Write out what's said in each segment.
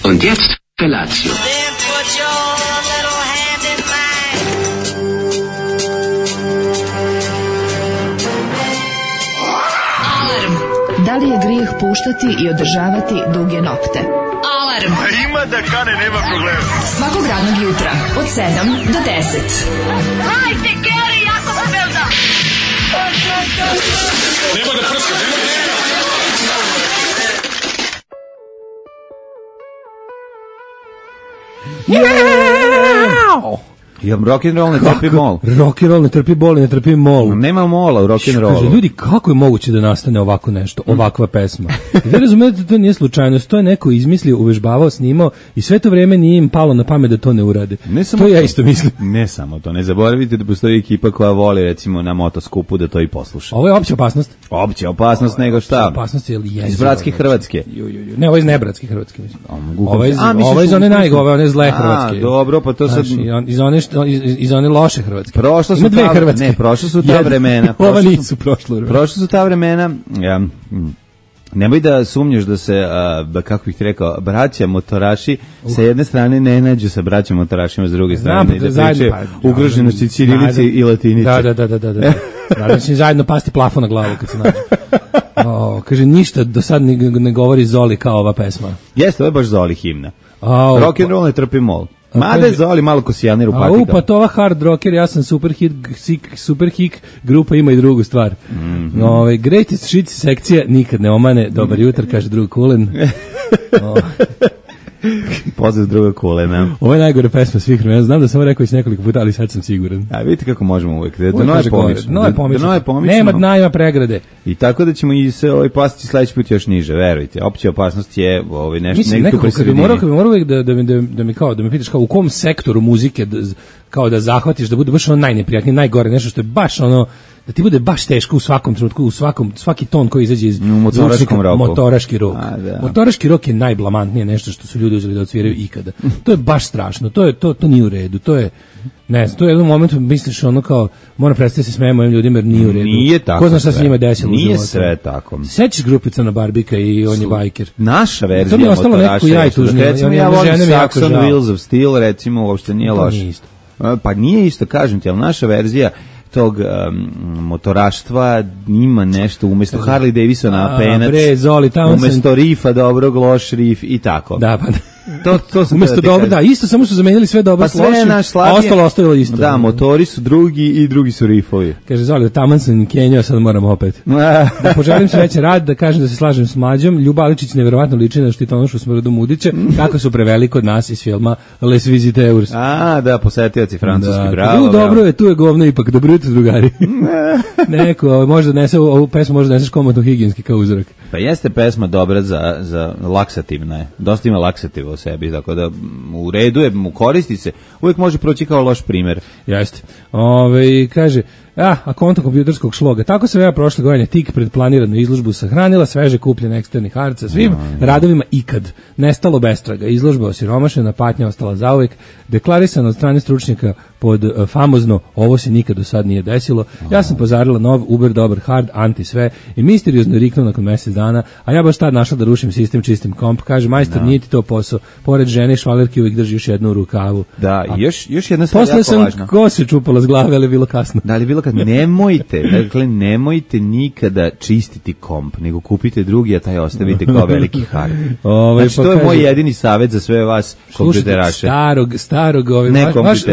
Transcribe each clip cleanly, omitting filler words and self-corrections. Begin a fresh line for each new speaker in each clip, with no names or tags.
Und jetzt Felatio.
Then put your little hand in mine.
Alarm. Da li je grijeh puštati i održavati duge nokte? Alarm.
Ima da kane, nema problema.
Svakog radnog jutra od 7 do 10.
Hajde, Geri, jako se velda.
Nema da prska, nema da...
Ja, rock'n'roll ne trpi mol.
Rock'n'roll ne trpi bol, ne trpi mol.
Nema mola u rock'n'rollu.
Kaže, ljudi, kako je moguće da nastane ovako nešto, ovakva pesma? Vi razumete da to nije slučajnost, to je neko izmislio, uvežbavao, snimao i sve to vreme nije im palo na pamet da to ne urade.
Ne samo
to ja isto mislim.
Ne samo to, ne zaboravite da postoji ekipa koja voli recimo na motoskupu da to i posluša.
Ovo je opća opasnost.
Opća opasnost nego šta?
Opasnost je jezivo.
Iz bratske Hrvatske.
Ne, ovo je iz nebratske Hrvatske, mislim. Ovo je
misliš
iz one najgove, one zle Hrvatske.
Dobro, pa to sad...
Iz one loše Hrvatske.
Prošla su
ima dve Hrvatske.
Ne, prošla su ta vremena.
Ova nisu prošla.
Prošla su ta vremena. Nemoj da sumnjaš da se, kako bih ti rekao, braća motoraši sa jedne strane ne nađu sa braćom motorašima s druge strane. Da pričaju ugroženosti ćirilice i latinice.
Da. Naravno će zajedno pasti plafon na glavu kad se nađu. Kaže, ništa do sad ne govori Zoli kao ova pesma.
Jeste, ovo je baš Zoli himna. Rock'n'roll ne trpi mol. Mada je Zoli malo ko Sijaner u patikama.
Pa to ova hard rocker, ja sam super hik, grupa ima i drugu stvar. Greatest shit sekcija nikad ne omane, dobar jutro, kaže drug Kulen.
Pozdrav druga Kulena.
Ovo je najgore pesma svih vremena. Znam da sam rekao već nekoliko puta, ali sad sam siguran.
A vidite kako možemo uvek. Da nove pomičemo.
Nema dna, ima pregrade.
I tako da ćemo i se pasti sledeći put još niže, verujte. Opća opasnost je nešto negdje
tu kad bi morao uvek da me pitaš kao u kom sektoru muzike kao da zahvatiš, da bude baš ono najneprijatnije, najgore, nešto što je baš ono da ti bude baš teško u svakom trenutku, svaki ton koji izađe iz
motoraškom roku.
Motoraški rok. Motoraški rok je najblamantnije nešto što su ljudi uzeli da odsviraju ikada. To je baš strašno. To nije u redu. To je to je u jednom momentu misliš ono kao moram prestati se smejemo ovim ljudima jer nije u redu.
Nije tako.
Ko zna šta se njima desilo u životu.
Nije sve tako.
Sećaš grupica na Barbika i on je bajker.
Naša verzija motoraša. Recimo ja volim Saxon Wheels of Steel, recimo uopšte nije loše. Pa nije isto, kažem ti, ali naša verzija tog motoraštva ima nešto umesto Harley Davidsona penac, umesto rifa dobrog, loš rif i tako.
Da, pa
to sam
umesto dobro, da, isto samo su zamenili sve dobro s lošim, a ostalo ostavilo isto.
Da, motori su drugi i drugi su rifovi.
Kaže Zoli, taman sam Kenjao, sad moram opet. Da poželim srećan rad, da kažem da se slažem s Mlađom. Ljuba Aličić neverovatno liči na Štitonošu Smrdu Mudića, kako su preveli kod nas iz filma Les Visiteurs.
Da, posetioci francuski, bravo.
Dobro je, tu je govno ipak, dobro jutro drugari. Neko, možda nese ovu pesmu, možda neseš komotno higijenski kao uzorak.
Pa jeste pesma dobra za laksativna je. Dosta ima laksativa u sebi, tako da u redu je, koristi se. Uvijek može proći kao loš primjer.
Jeste. Kaže, a konto kompjuterskog šloga. Tako sam ja prošle godine tik pred planiranu izložbu sahranila sveže kupljene eksterni harca svim radovima ikad. Nestalo bestraga. Izložba osiromašena, patnja ostala zauvek. Deklarisano od strane stručnjaka pod famozno ovo se nikad do sad nije desilo. Ja sam pozarila nov, uber, dobar, hard, anti sve i misteriozno riknuo nakon mjesec dana, a ja baš tad našla da rušim sistem, čistim komp. Kaže, majstor, nije ti to posao. Pored žene i švalerki uvijek drži još jednu u rukavu.
Da, još jedna stvar jako važna.
Posle sam kose čupala s glave, ali je bilo kasno.
Da, ali je bilo kasno. Nemojte nikada čistiti komp, nego kupite drugi, a taj ostavite kao veliki hard. Znači, to je moj jedini savjet za sve vas kompjuteraše.
Starog,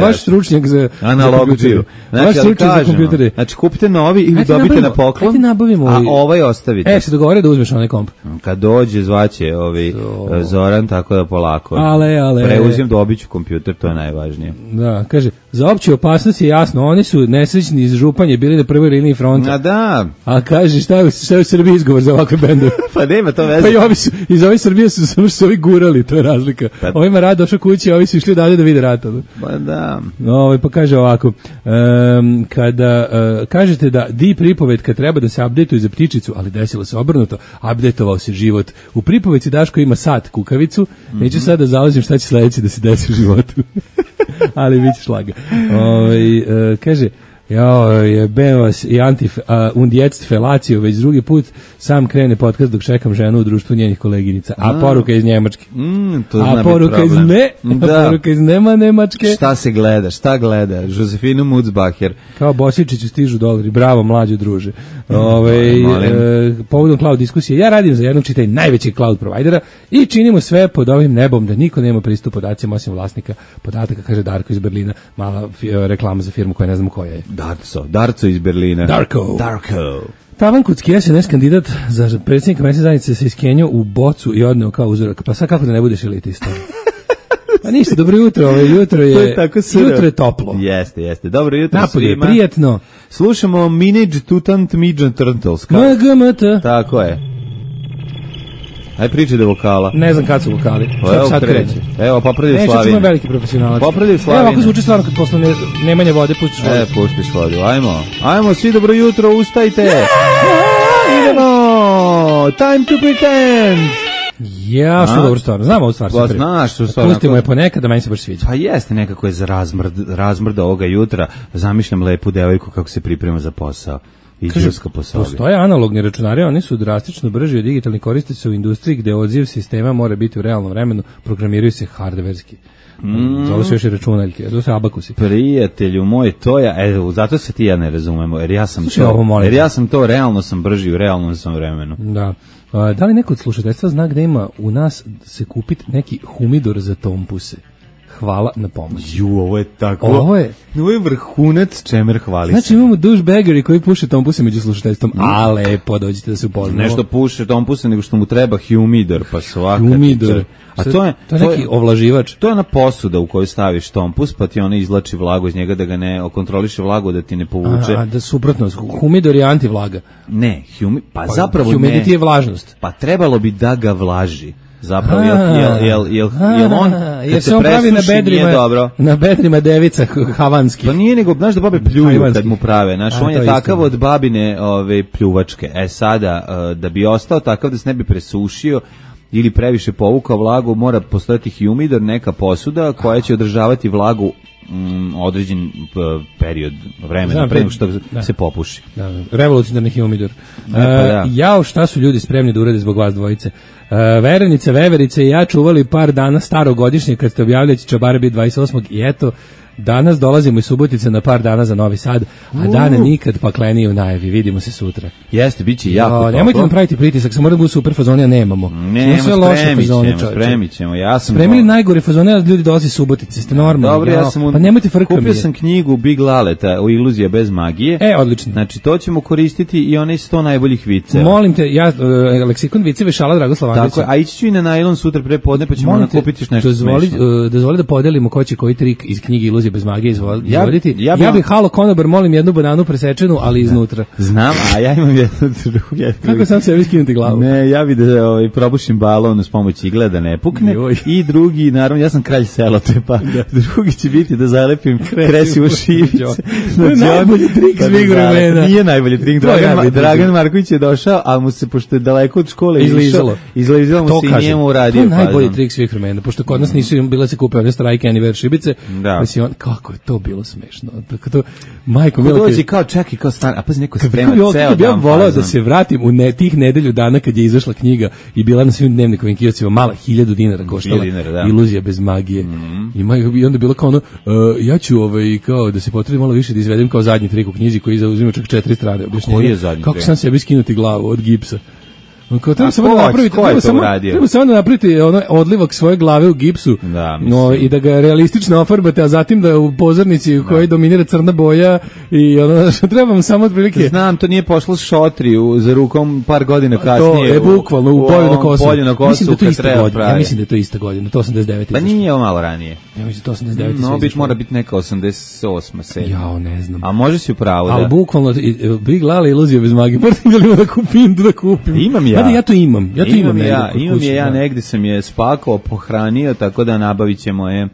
vaš
stručnjak za
analogiju.
Vaš stručnjak za kompjutere.
Znači, kupite novi i dobite na poklon, a ovaj ostavite.
Se dogovore da uzmeš onaj komp.
Kad dođe, zvaće Zoran, tako da polako.
Ale.
Preuzim, dobit ću kompjuter, to je najvažnije.
Da, kaže, za opću opasnost je jasno, oni su nesrećni iz Županje bili na prvoj liniji fronta. A kaže, šta je u Srbiji izgovor za ovakve bendove?
Pa nema to veze.
Pa i ovi su, iz ove Srbije su samo što su ovi gurali, to je razlika. Ovima rad došao kući, a ovi su išli dalje da vide rata.
Pa da.
Pa kaže ovako, kada kažete da di pripovetka treba da se updateuju za ptičicu, ali desilo se obrnuto, updateovao se život. U pripovetci Daško ima sat kukavicu, neću sad da zalazim šta će sledeći da se desi u životu. Ali bit će šlaga. Kaže, Jao, jebem vas i und jetzt felaciju, već drugi put sam krene podcast dok čekam ženu u društvu njenih koleginica. A poruka iz Njemačke. A poruka iz poruka iz Nemačke.
Šta gleda? Josefinu Mutzbacher.
Kao Bosičiću stižu dolari. Bravo, mlađo druže. Povodom cloud diskusije. Ja radim za jednog čitaj najvećeg cloud provajdera i činimo sve pod ovim nebom da niko nema pristup podacima osim vlasnika podataka, kaže Darko iz Berlina. Mala reklama za firmu koja ne znam koja je.
Darco iz Berlina.
Darko. Tavan Kucki, SNS kandidat za predsjednika mesne zajednice se iskenio u bocu i odneo kao uzorak. Pa sad kako da ne budeš elitista? Pa ništa, dobro jutro, jutro je toplo.
Jeste. Dobro jutro
napolje
svima.
Napolje je prijetno.
Slušamo Minage Tutant Midget Turtles.
MGMT.
Tako je. Aj priči da vokala.
Ne znam kad su vokali. Sad kreće.
Evo, popravljaju Slavine.
Neće, čujem veliki profesionalac.
Popravljaju Slavine.
Evo, ako zvuči stvarno kad posle nemanje vode, pustiš vodu.
Pustiš vodu, ajmo, svi dobro jutro, ustajte. Idemo, time to pretend.
Ja, što dobro stvarno, znam ovu stvar.
Znaš što stvarno.
Pustimo je ponekad, da meni se baš sviđa.
Pa jeste, nekako je za razmrda ovoga jutra. Zamišljam lepu devojku kako se priprema za posao.
Postoje analogni računari, oni su drastično brži od digitalnih, koriste se u industriji gde odziv sistema mora biti u realnom vremenu, programiraju se hardverski. Zove se još i računaljke, to se abakusi.
Prijatelju moj, to ja, zato se ti ja ne razumemo, jer ja sam to, realno sam brži u realnom sam vremenu.
Da. Da li neko od slušateljstva zna gde ima u nas se kupiti neki humidor za tompuse? Hvala na pomoć.
Ovo je tako. Ovo je vrhunac čemer hvali.
Znači imamo douchebageri koji puše tompuse među slušateljstvom. A lepo, dođite da se upoznamo.
Nešto puše tompuse nego što mu treba humidor, pa svaka.
Humidor.
A to je
neki ovlaživač.
To je ona posuda u kojoj staviš tompus, pa ti ona izvlači vlagu iz njega da ga ne kontroliše vlagu, da ti ne povuče.
Da suprotno, humidor je antivlaga.
Ne, pa zapravo ne.
Humidity je vlažnost.
Pa trebalo bi da ga vlaži. Zapravo, jel on, kad se presuši, nije dobro.
Na bedrima devica havanski.
Pa nije nego, znaš da babe pljuju kad mu prave, znaš, on je takav od babine pljuvačke. Sada, da bi ostao takav da se ne bi presušio ili previše povukao vlagu, mora postojati humidor, neka posuda koja će održavati vlagu određen period vremena pre nego što se popuši.
Revolucionarni humidor. Jao, šta su ljudi spremni da urade zbog vas dvojice. Verenice, veverice i ja čuvali par dana starogodišnje kad ste objavili će čabare biti 28. i eto, danas dolazimo iz Subotice na par dana za Novi Sad, a dane nikad paklenije u najavi. Vidimo se sutra.
Jeste, bit će jako toplo.
Nemojte nam praviti pritisak, samo da budu super fazone, a nemamo.
Spremit ćemo.
Spremili najgore fazone, a ljudi dolazi iz Subotice, ste normalni.
Dobro,
pa nemojte frkati.
Kupio sam knjigu Big Laleta o Iluzija bez magije.
Odlično.
Znači, to ćemo koristiti i onaj 100 najboljih viceva.
Molim te, leksikon viceve Šala Dragoslav Andrića.
Tako, a ići ću i na najlon sutra pre podne, pa ćemo nakupiti nešto smešno.
Dozvoli da podelimo ko će koji trik iz knjige Iluzije bez magije izvoditi. Ja bih halo konobar, molim jednu bananu presečenu, ali iznutra.
Znam, a ja imam jednu drugu.
Kako sam sebi skinuti glavu?
Ne, ja bih da probušim balon s pomoći igle da ne pukne. I drugi, naravno, ja sam kralj selotepa. Drugi će biti da zalepim kresivu šivice.
To je najbolji trik svih vremena.
Nije najbolji trik. Dragan Marković je došao, ali mu se, pošto je daleko od škole izlizalo mu se i njemu uradio.
To je najbolji trik svih vremena, pošto kod nas nisu bile se kupe one strajke Anniversary šibice. Kako je to bilo smešno. Tako to, majko milo.
Dođi kao čeki, kao stan, a pazi neko sprema ceo dan.
Ja volao da se vratim u tih nedelju dana kad je izašla knjiga i bila na svim dnevnikovim kioscima, mala 1000 dinara koštala. Iluzija bez magije. I onda bilo kao ono, ja ću kao da se potrebi malo više da izvedem kao zadnji trik u knjizi koji zauzima čak 4 strane objašnjenja. Kako sam sebi skinuti glavu od gipsa. Treba samo da napraviti odlivak svoje glave u gipsu i da ga realistično ofarbate, a zatim da u pozornici u kojoj dominira crna boja i što trebam samo otprilike.
Znam, to nije pošlo šotri za rukom par godina kasnije.
To je bukvalno u polju na kosu.
Mislim
da je to ista godina, to 89.
Pa nije ovo malo ranije.
Ja mislim to 89.
No, mora biti neka 88. 7.
Jao, ne znam.
A može si upravo da.
Ali bukvalno, Big Lala Iluzija bez magije. Moram da kupim.
Imam ja.
Da, ja to imam. Ja to imam
ja negde sam je spakao, pohranio, tako da nabavit ćemo je.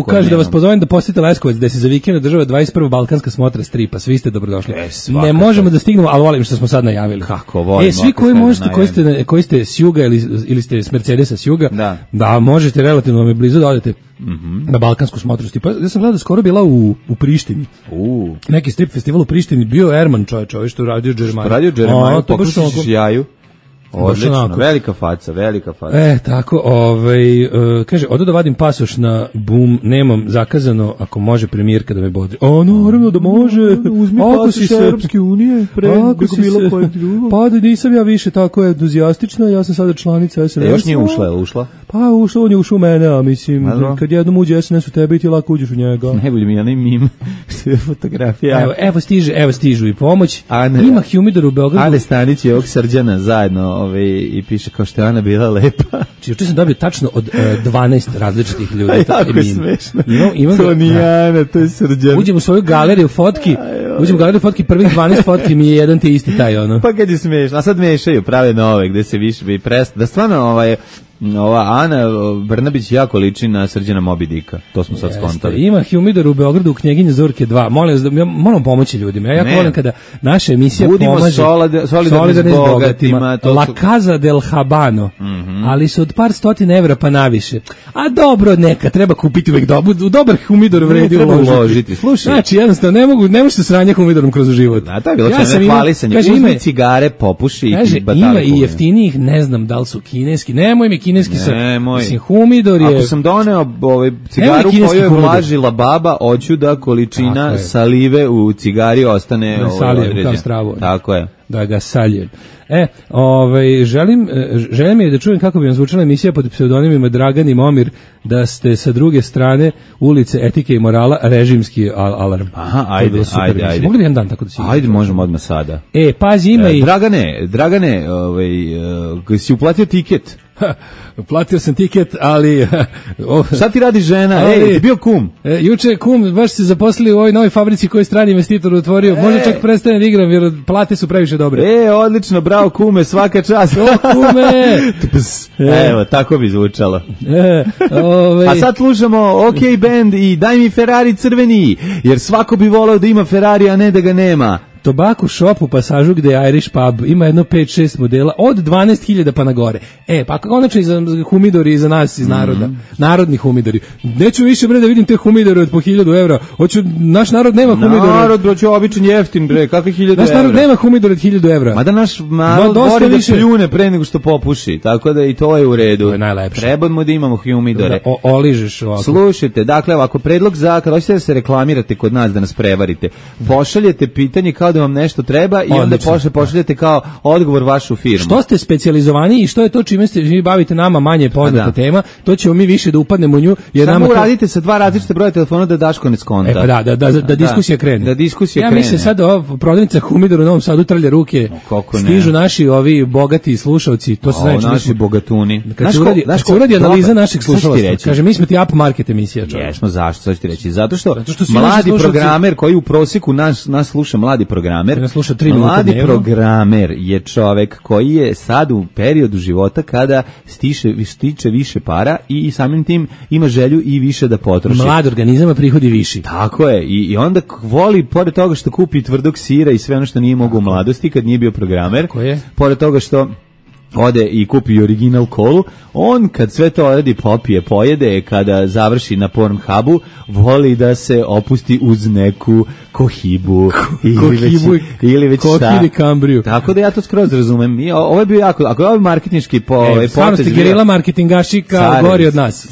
Kaže da vas pozovem da posjetite Leskovac, gde se za vikend održava 21. Balkanska smotra stripa, svi ste dobrodošli. Ne možemo da stignemo, ali volim što smo sad najavili.
Kako volim.
Svi koji možete, koji ste s juga ili ste s Mercedesa s juga, da možete relativno vam je blizu da odete na Balkansku smotru stripa. Ja sam gledao da skoro bila u Prištini. Neki strip festival u Prištini, bio Erman čovječ, ovaj što radio Džermaju.
Radio Džermaju, pokušaš jaju. Odlično, velika faca.
Tako, kaže, odo da vadim pasoš na Bum, nemam zakazano, ako može premijerka da me bodri. Naravno da može.
Uzmi pasoš Europske unije, preko bilo kojeg drugog.
Pa da nisam ja više tako entuzijastična, ja sam sada članica SNS.
Još nije ušla?
Pa on je ušao u mene, a mislim, kad jednom uđe SNS u tebe i ti lako uđeš u njega.
Najbolji mi je onaj mim, fotografija.
Evo stižu i pomoć. Ima humidor u Beogradu.
Ane Stanić i ovog Srđana zajedno i piše kao što je Ana bila lepa.
Juče sam dobio tačno od 12 različitih ljudi.
Jako je smešno. To nije Ana, to je Srđan.
Uđem u svoju galeriju fotki, prvih 12 fotki mi je jedan te isti taj ono.
Pa kad je smešno, a sad mešaju, prave nove, gde se više bi da stvarno ova Ana Brnabić jako liči na Srđana Moby Dicka, to smo sad skontali.
Ima humidor u Beogradu u Knjeginje Zorke 2. Molim vas, moram pomoći ljudima. Ja jako volim kada naša emisija pomaže solidarni s bogatima. La Casa del Habano, ali su od par stotina evra pa naviše. A dobro, neka, treba kupiti uvek dobar humidor vredi uložiti.
Slušaj.
Znači, jednostavno, ne može se sranje humidorom kroz život.
A to je bilo hvalisanje. Uzmi cigare, popuši i batali.
Ima i jeftinijih, ne znam da li su kineski. Nemoj mi kineski mislim, humidor je...
Ako sam doneo cigaru koju je vlažila baba, hoću da količina salive u cigari ostane određena. Tako je.
Da ga saljem. Želim je da čujem kako bi vam zvučala emisija pod pseudonimima Dragan i Momir, da ste sa druge strane ulice etike i morala režimski alarm.
Aha, ajde.
Mogli bi jedan dan tako da si...
Ajde, možemo odmah sada.
Pazi, ima i...
Dragane, si uplatio tiket?
Platio sam tiket, ali...
Šta ti radi žena? Ti bio kum?
Juče kum, baš se zaposlili u ovoj novoj fabrici koju je strani investitor otvorio. Možda čak prestane da igram, jer plate su previše dobre.
Odlično, bravo kume, svaka čast.
Kume!
Evo, tako bi zvučalo. A sad slušamo OK Band i Daj mi Ferrari crveni, jer svako bi voleo da ima Ferrari, a ne da ga nema.
Tobacco Shop u Pasažu gde je Irish Pub, ima jedno 5-6 modela od 12.000 pa na gore. Pa konačno i za humidori i za nas iz naroda. Narodni humidori. Neću više da vidim te humidore od po 1.000 evra. Naš narod nema humidore.
Narod broće običan jeftin kakve 1.000 evra.
Naš narod nema humidore od 1.000 evra.
Mada naš narod voli da pljune pre nego što popuši. Tako da i to je u redu.
To je najlepše.
Trebamo da imamo humidore.
Oližeš ovako.
Slušajte, dakle, ako predlog kada hoćete da se reklamirate kod nas da nas prevarite, pošaljete pitanje kao da vam nešto treba i onda pošaljete kao odgovor vašu firmu.
Što ste specijalizovani i što je to čime ste vi bavite nama manje poznata tema, to ćemo mi više da upadnemo u nju.
Samo uradite sa 2 različite broja telefona da Daško ne skonta.
Da diskusija krene.
Da diskusija krene.
Ja mislim sad prodavnica humidora u Novom Sadu trlja ruke. Stižu naši ovi bogati slušalci, to se znači
naši bogatuni.
Kad se uradi analiza naših slušalaca, kaže mi smo ti up market emisija.
Jesmo, zašto? Sad ću ti reći. Zato što mladi programer koji u proseku nas sluša mladi programer. Mladi programer je čovek koji je sad u periodu života kada stiče više para i samim tim ima želju i više da potroši.
Mlad organizam, prihodi viši.
Tako je. I onda voli, pored toga što kupi tvrdog sira i sve ono što nije mogao u mladosti kad nije bio programer, pored toga što ode i kupi original kolu, on kad sve to oradi popije, pojede, kada završi na Pornhubu, voli da se opusti uz neku kohibu ili već šta.
Kambriju.
Tako da ja to skroz razumem. Ovo je bio jako, ako je ovo marketinški
stvarno ste gerila marketingašika, gori od nas.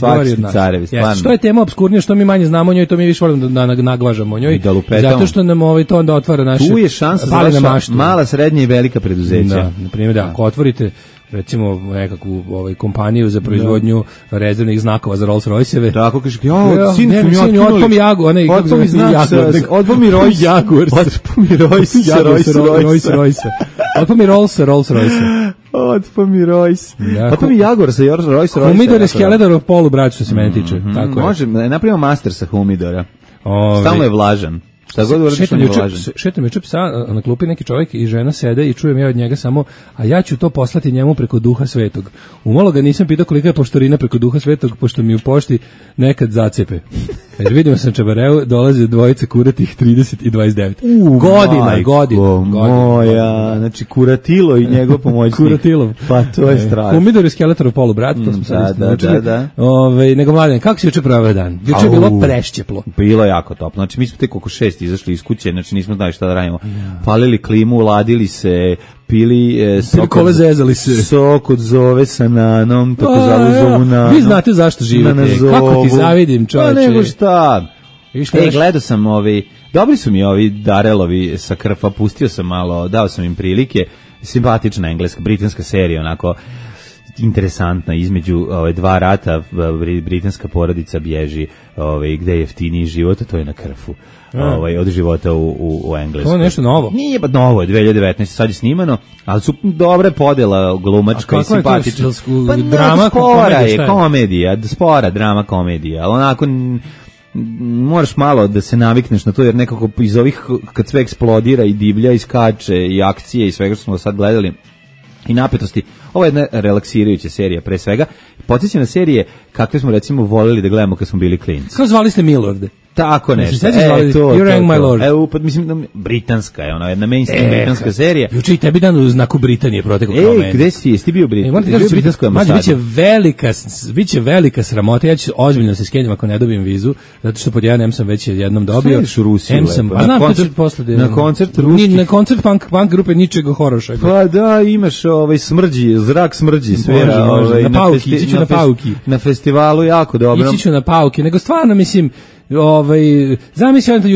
Carevi, stvarno.
Što je tema obskurnija, što mi manje znamo o njoj, to mi više volimo da naglažamo o njoj. Zato što nam to onda otvara naše...
Tu je šansa za vaša mala, srednja i velika preduzeća.
Da, na primjer, ako otvorite recimo nekakvu kompaniju za proizvodnju rezervnih znakova za Rolls Royce-eve.
Tako kaže, sin mi
otpom Jagu,
otpom mi Rolls. Otpom mi Royce.
Otpom mi Rolls Royce.
Otpom mi Royce. Otpom mi Jaguar sa Rolls Royce.
Humidor je Skeletor polu, brać, što se meni tiče.
Može, napravimo master sa humidora. Stalno je vlažan. Šta god uradiš, on je važan.
Šetam juče psa, na klupi neki čovjek i žena sede i čujem ja od njega samo, a ja ću to poslati njemu preko Duha Svetog. Umalo ga nisam pitao kolika je poštarina preko Duha Svetog, pošto mi u pošti nekad zacepe. Jer vidimo sam Čabareu, dolaze dvojice kuratih 30 i 29. Godina.
Moja, znači Kuratilo i njegov pomoćnik.
Kuratilov.
Pa to je strašno.
Humidor i Skeletorov polubrat, to smo sad naučili.
Da.
Nego Mladen, kako si juče proveo dan? Juče je bilo prešćeplo.
Bilo jako toplo. Znači mi smo tek oko 6 izašli iz kuće, znači nismo znali šta da radimo. Palili klimu, ladili se, pili sok od zove sa nanom, tako zovu nanom.
Vi znate zašto živite, kako ti zavidim, čoveče.
Pa nego šta? Gledao sam dobri su mi ovi Darelovi sa Krfa, pustio sam malo, dao sam im prilike, simpatična engleska, britanska serija, onako interesantna, između dva rata britanska porodica bježi gde je jeftiniji život, a to je na Krfu. Od života u Engleskoj.
To je nešto novo?
Nije pa novo, je 2019, sad je snimano, ali su dobre podela glumačka i simpatična.
Pa drama,
komedija, spora drama komedija, ali onako moraš malo da se navikneš na to, jer nekako iz ovih, kad sve eksplodira i divlja i skače i akcije i svega što smo sad gledali i napetosti, ovo je jedna relaksirajuća serija pre svega. Podsjeća na serije kakve smo recimo voleli da gledamo kad smo bili klinci.
Kao zvali ste Milorde?
Tako nešto.
You rang my lord.
Pa mislim, britanska je ona, jedna mainstream britanska serija.
Juče i tebi dan u znaku Britanije protekao kao meni.
Gde si, jesi ti bio britanskoj
ambasadi? Biće velika sramota, ja ću ozbiljno se skenjam ako ne dobijem vizu, zato što pod jedan sam već jednom dobio.
Slediš u Rusiju lepo.
Na koncert ruskih. Na koncert punk grupe Ničega Horoša.
Pa da, imaš zrak smrđi, svera.
Na pauki, ići ću na pauki.
Na festivalu jako dobro.
Ići ću na pauki, nego stvarno mislim, zamisli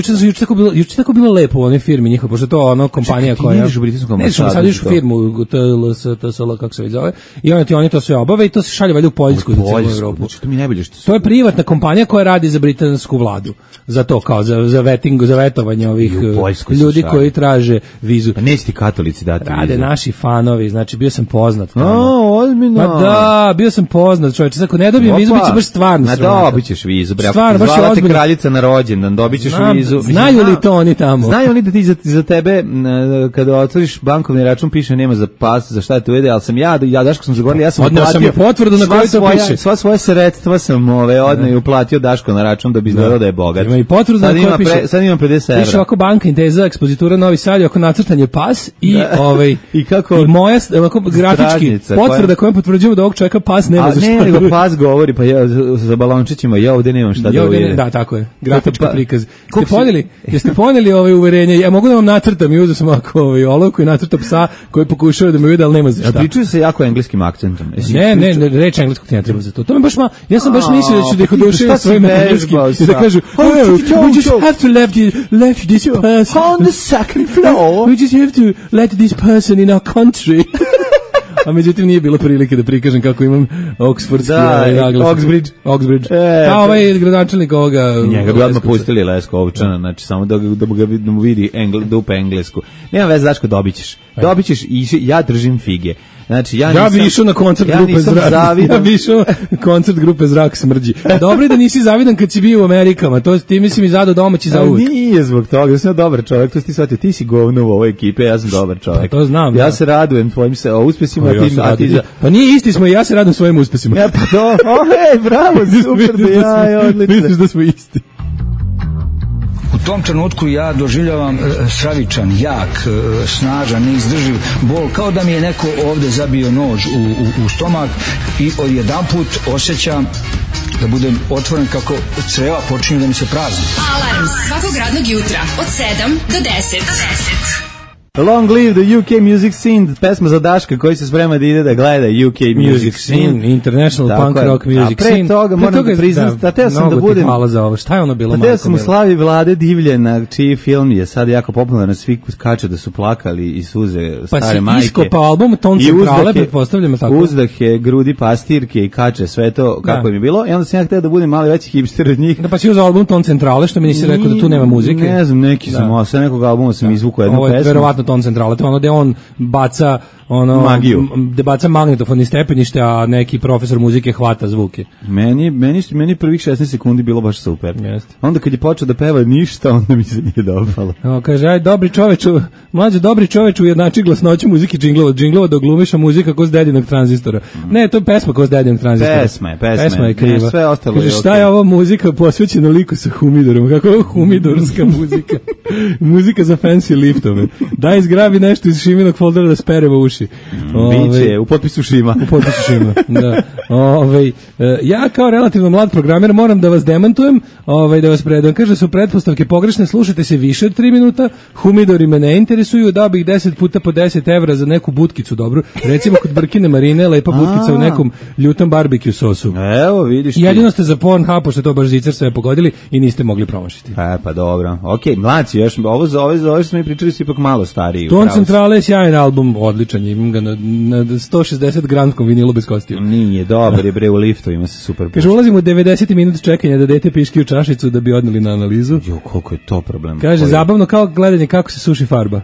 juče tako bilo lepo u onoj firmi njihova, pošto to ono kompanija koja...
Čekaj, ti ideš u britansku ambasadu?
Ne, sad ideš u firmu, TSL, kako se već zove, i oni to sve obave i to se šalje valjda u Poljsku za cijelu Evropu.
Znači, to mi najbolje što...
To je privatna kompanija koja radi za britansku vladu. Za to, kao za vetovanje ovih ljudi koji traže vizu.
Pa neće ti katolici dati vizu.
Rade naši fanovi, znači bio sam poznat.
Ozbiljno.
Ma da, bio sam poznat, čovječe, ako ne dobijem vizu, bit će baš stvarno sramota.
Ma dobit ćeš vizu, bre, zvala te kraljica na rođendan, dobit ćeš vizu.
Znaju li to oni tamo?
Znaju oni da ti za tebe, kada otvoriš bankovni račun, piše nema za pas, za šta te uvede, ali sam ja Daško sam zagovorio, ja sam
uplatio. Odneo sam je potvrdu na kojoj to piše.
Sva svoje sredstva sam odneo i uplatio Daško na račun da bi izgledao da je bogat.
Ima i potvrdu na kojoj piše.
Sad imam 50 €.
Piše ovako banka Inteza, ekspozitura Novi Sad, oko nacrtanje pas i
i kako
i moja grafički potvrda kojom potvrđujemo da ovog čovjeka pas nema za šta.
Ne, nego pas govori, pa ja za balončićima, ja ovde nemam šta da uvidim.
Da, tako je. Grafički prikaz. Jeste poneli ove uverenje? Ja mogu da vam nacrtam i uzeo sam ovako olovku i nacrtam psa koji pokušava da me vidi, ali nema za šta.
A pričaju se jako engleskim akcentom.
Ne, reč engleskog ti ne treba za to. To me baš ja sam baš mislio da ću da ih oduševim svojim engleskim i da kažu, we just have to left this person
on the second floor.
We just have to let this person in our country. A međutim nije bilo prilike da prikažem kako imam oksfordski naglas. Oxbridge. A ovaj gradonačelnik ovoga...
Njega bi odmah pustili Leskovčana, znači samo da mu vidi dupe englesku. Nema veze, Daško, dobit ćeš i ja držim fige. Znači, ja
bi išao na koncert grupe Zrak. Ja bi išao na koncert grupe Zrak smrđi. Dobro je da nisi zavidan kad si bio u Amerikama. To ti mislim i zadao domaći za uvijek.
Nije zbog toga, ja sam dobar čovjek. To si ti shvatio, ti si govno u ovoj ekipe, ja sam dobar čovjek.
Pa to znam.
Ja se radujem tvojim uspesima, a ti
pa nije isti smo i ja se radujem svojim uspesima.
Ja pa to. Bravo, super da ja, odlično.
Misliš da smo isti.
U tom trenutku ja doživljavam stravičan, jak, snažan, neizdrživ bol, kao da mi je neko ovde zabio nož u stomak i odjedanput osjećam da budem otvoren kako creva počinju da mi se prazni.
Alarm svakog radnog jutra od 7 do 10.
Long live the UK music scene, pesma za Daška koji se sprema da ide da gleda UK music scene,
international punk rock music scene.
A pre toga moram da priznam, da teo sam da budem...
Hvala za ovo, šta je ono bilo?
Teo sam u slavi Vlade Divljana, čiji film je sad jako popularan, svi skače da su plakali i suze stare majke.
Pa si iskopao album Ton Centrale, pretpostavljamo tako.
Uzdahe, grudi pastirke i kače, sve to kako im je bilo. I onda sam ja hteo da budem mali veći hipster od njih.
Da, pa si uzao album Ton Centrale, što mi nisi rekao da tu nema muzike.
Ne znam, neki sam, sve nekog albuma sam izvukao jednu pesmu.
Ton Centrale, to ono gde on baca
magiju.
Baca magnetofon iz stepenište, a neki profesor muzike hvata zvuke.
Meni prvih 16 sekundi bilo baš super.
Jeste.
Onda kad je počeo da peva ništa, onda mi se nije dopalo.
Kaže, aj dobri čoveču, mlađe dobri čoveču ujednači glasnoću muzike džinglova da glumiša muzika ko s dedinog tranzistora. Ne, to je pesma ko s dedinog tranzistora. Pesma je kriva.
Sve ostalo
kaže, šta je ovo muzika posvećena liku sa humidorom? Kako je ovo humidorska muzika? Muzika za fancy liftove. Daj zgrabi nešto iz Šiminog foldera da speremo uši.
Biće, u potpisu Šima.
U potpisu Šima, da. Ja kao relativno mlad programer moram da vas demantujem, da vas predam. Kaže, su pretpostavke pogrešne, slušajte se više od 3 minuta, humidori me ne interesuju, dao bih 10 puta po 10 evra za neku butkicu dobru. Recimo kod Brkine Marine, lepa butkica u nekom ljutom barbecue sosu.
Evo, vidiš ti.
Jedino ste za Pornhub, pošto to baš zicar sve pogodili i niste mogli promašiti.
Pa dobro. Okej, mlaci, još ovo za ove smo mi pričali su ipak malo stariji.
Ton Centrale je sjajan album, odličan, imam ga na 160 gramskom vinilu bez kostiju.
Nije, dobar je bre, u liftu ima se super.
Kaže, ulazimo u 90 minut čekanja da dete piški u čašicu da bi odneli na analizu.
Jo, koliko je to problem.
Kaže, zabavno kao gledanje kako se suši farba.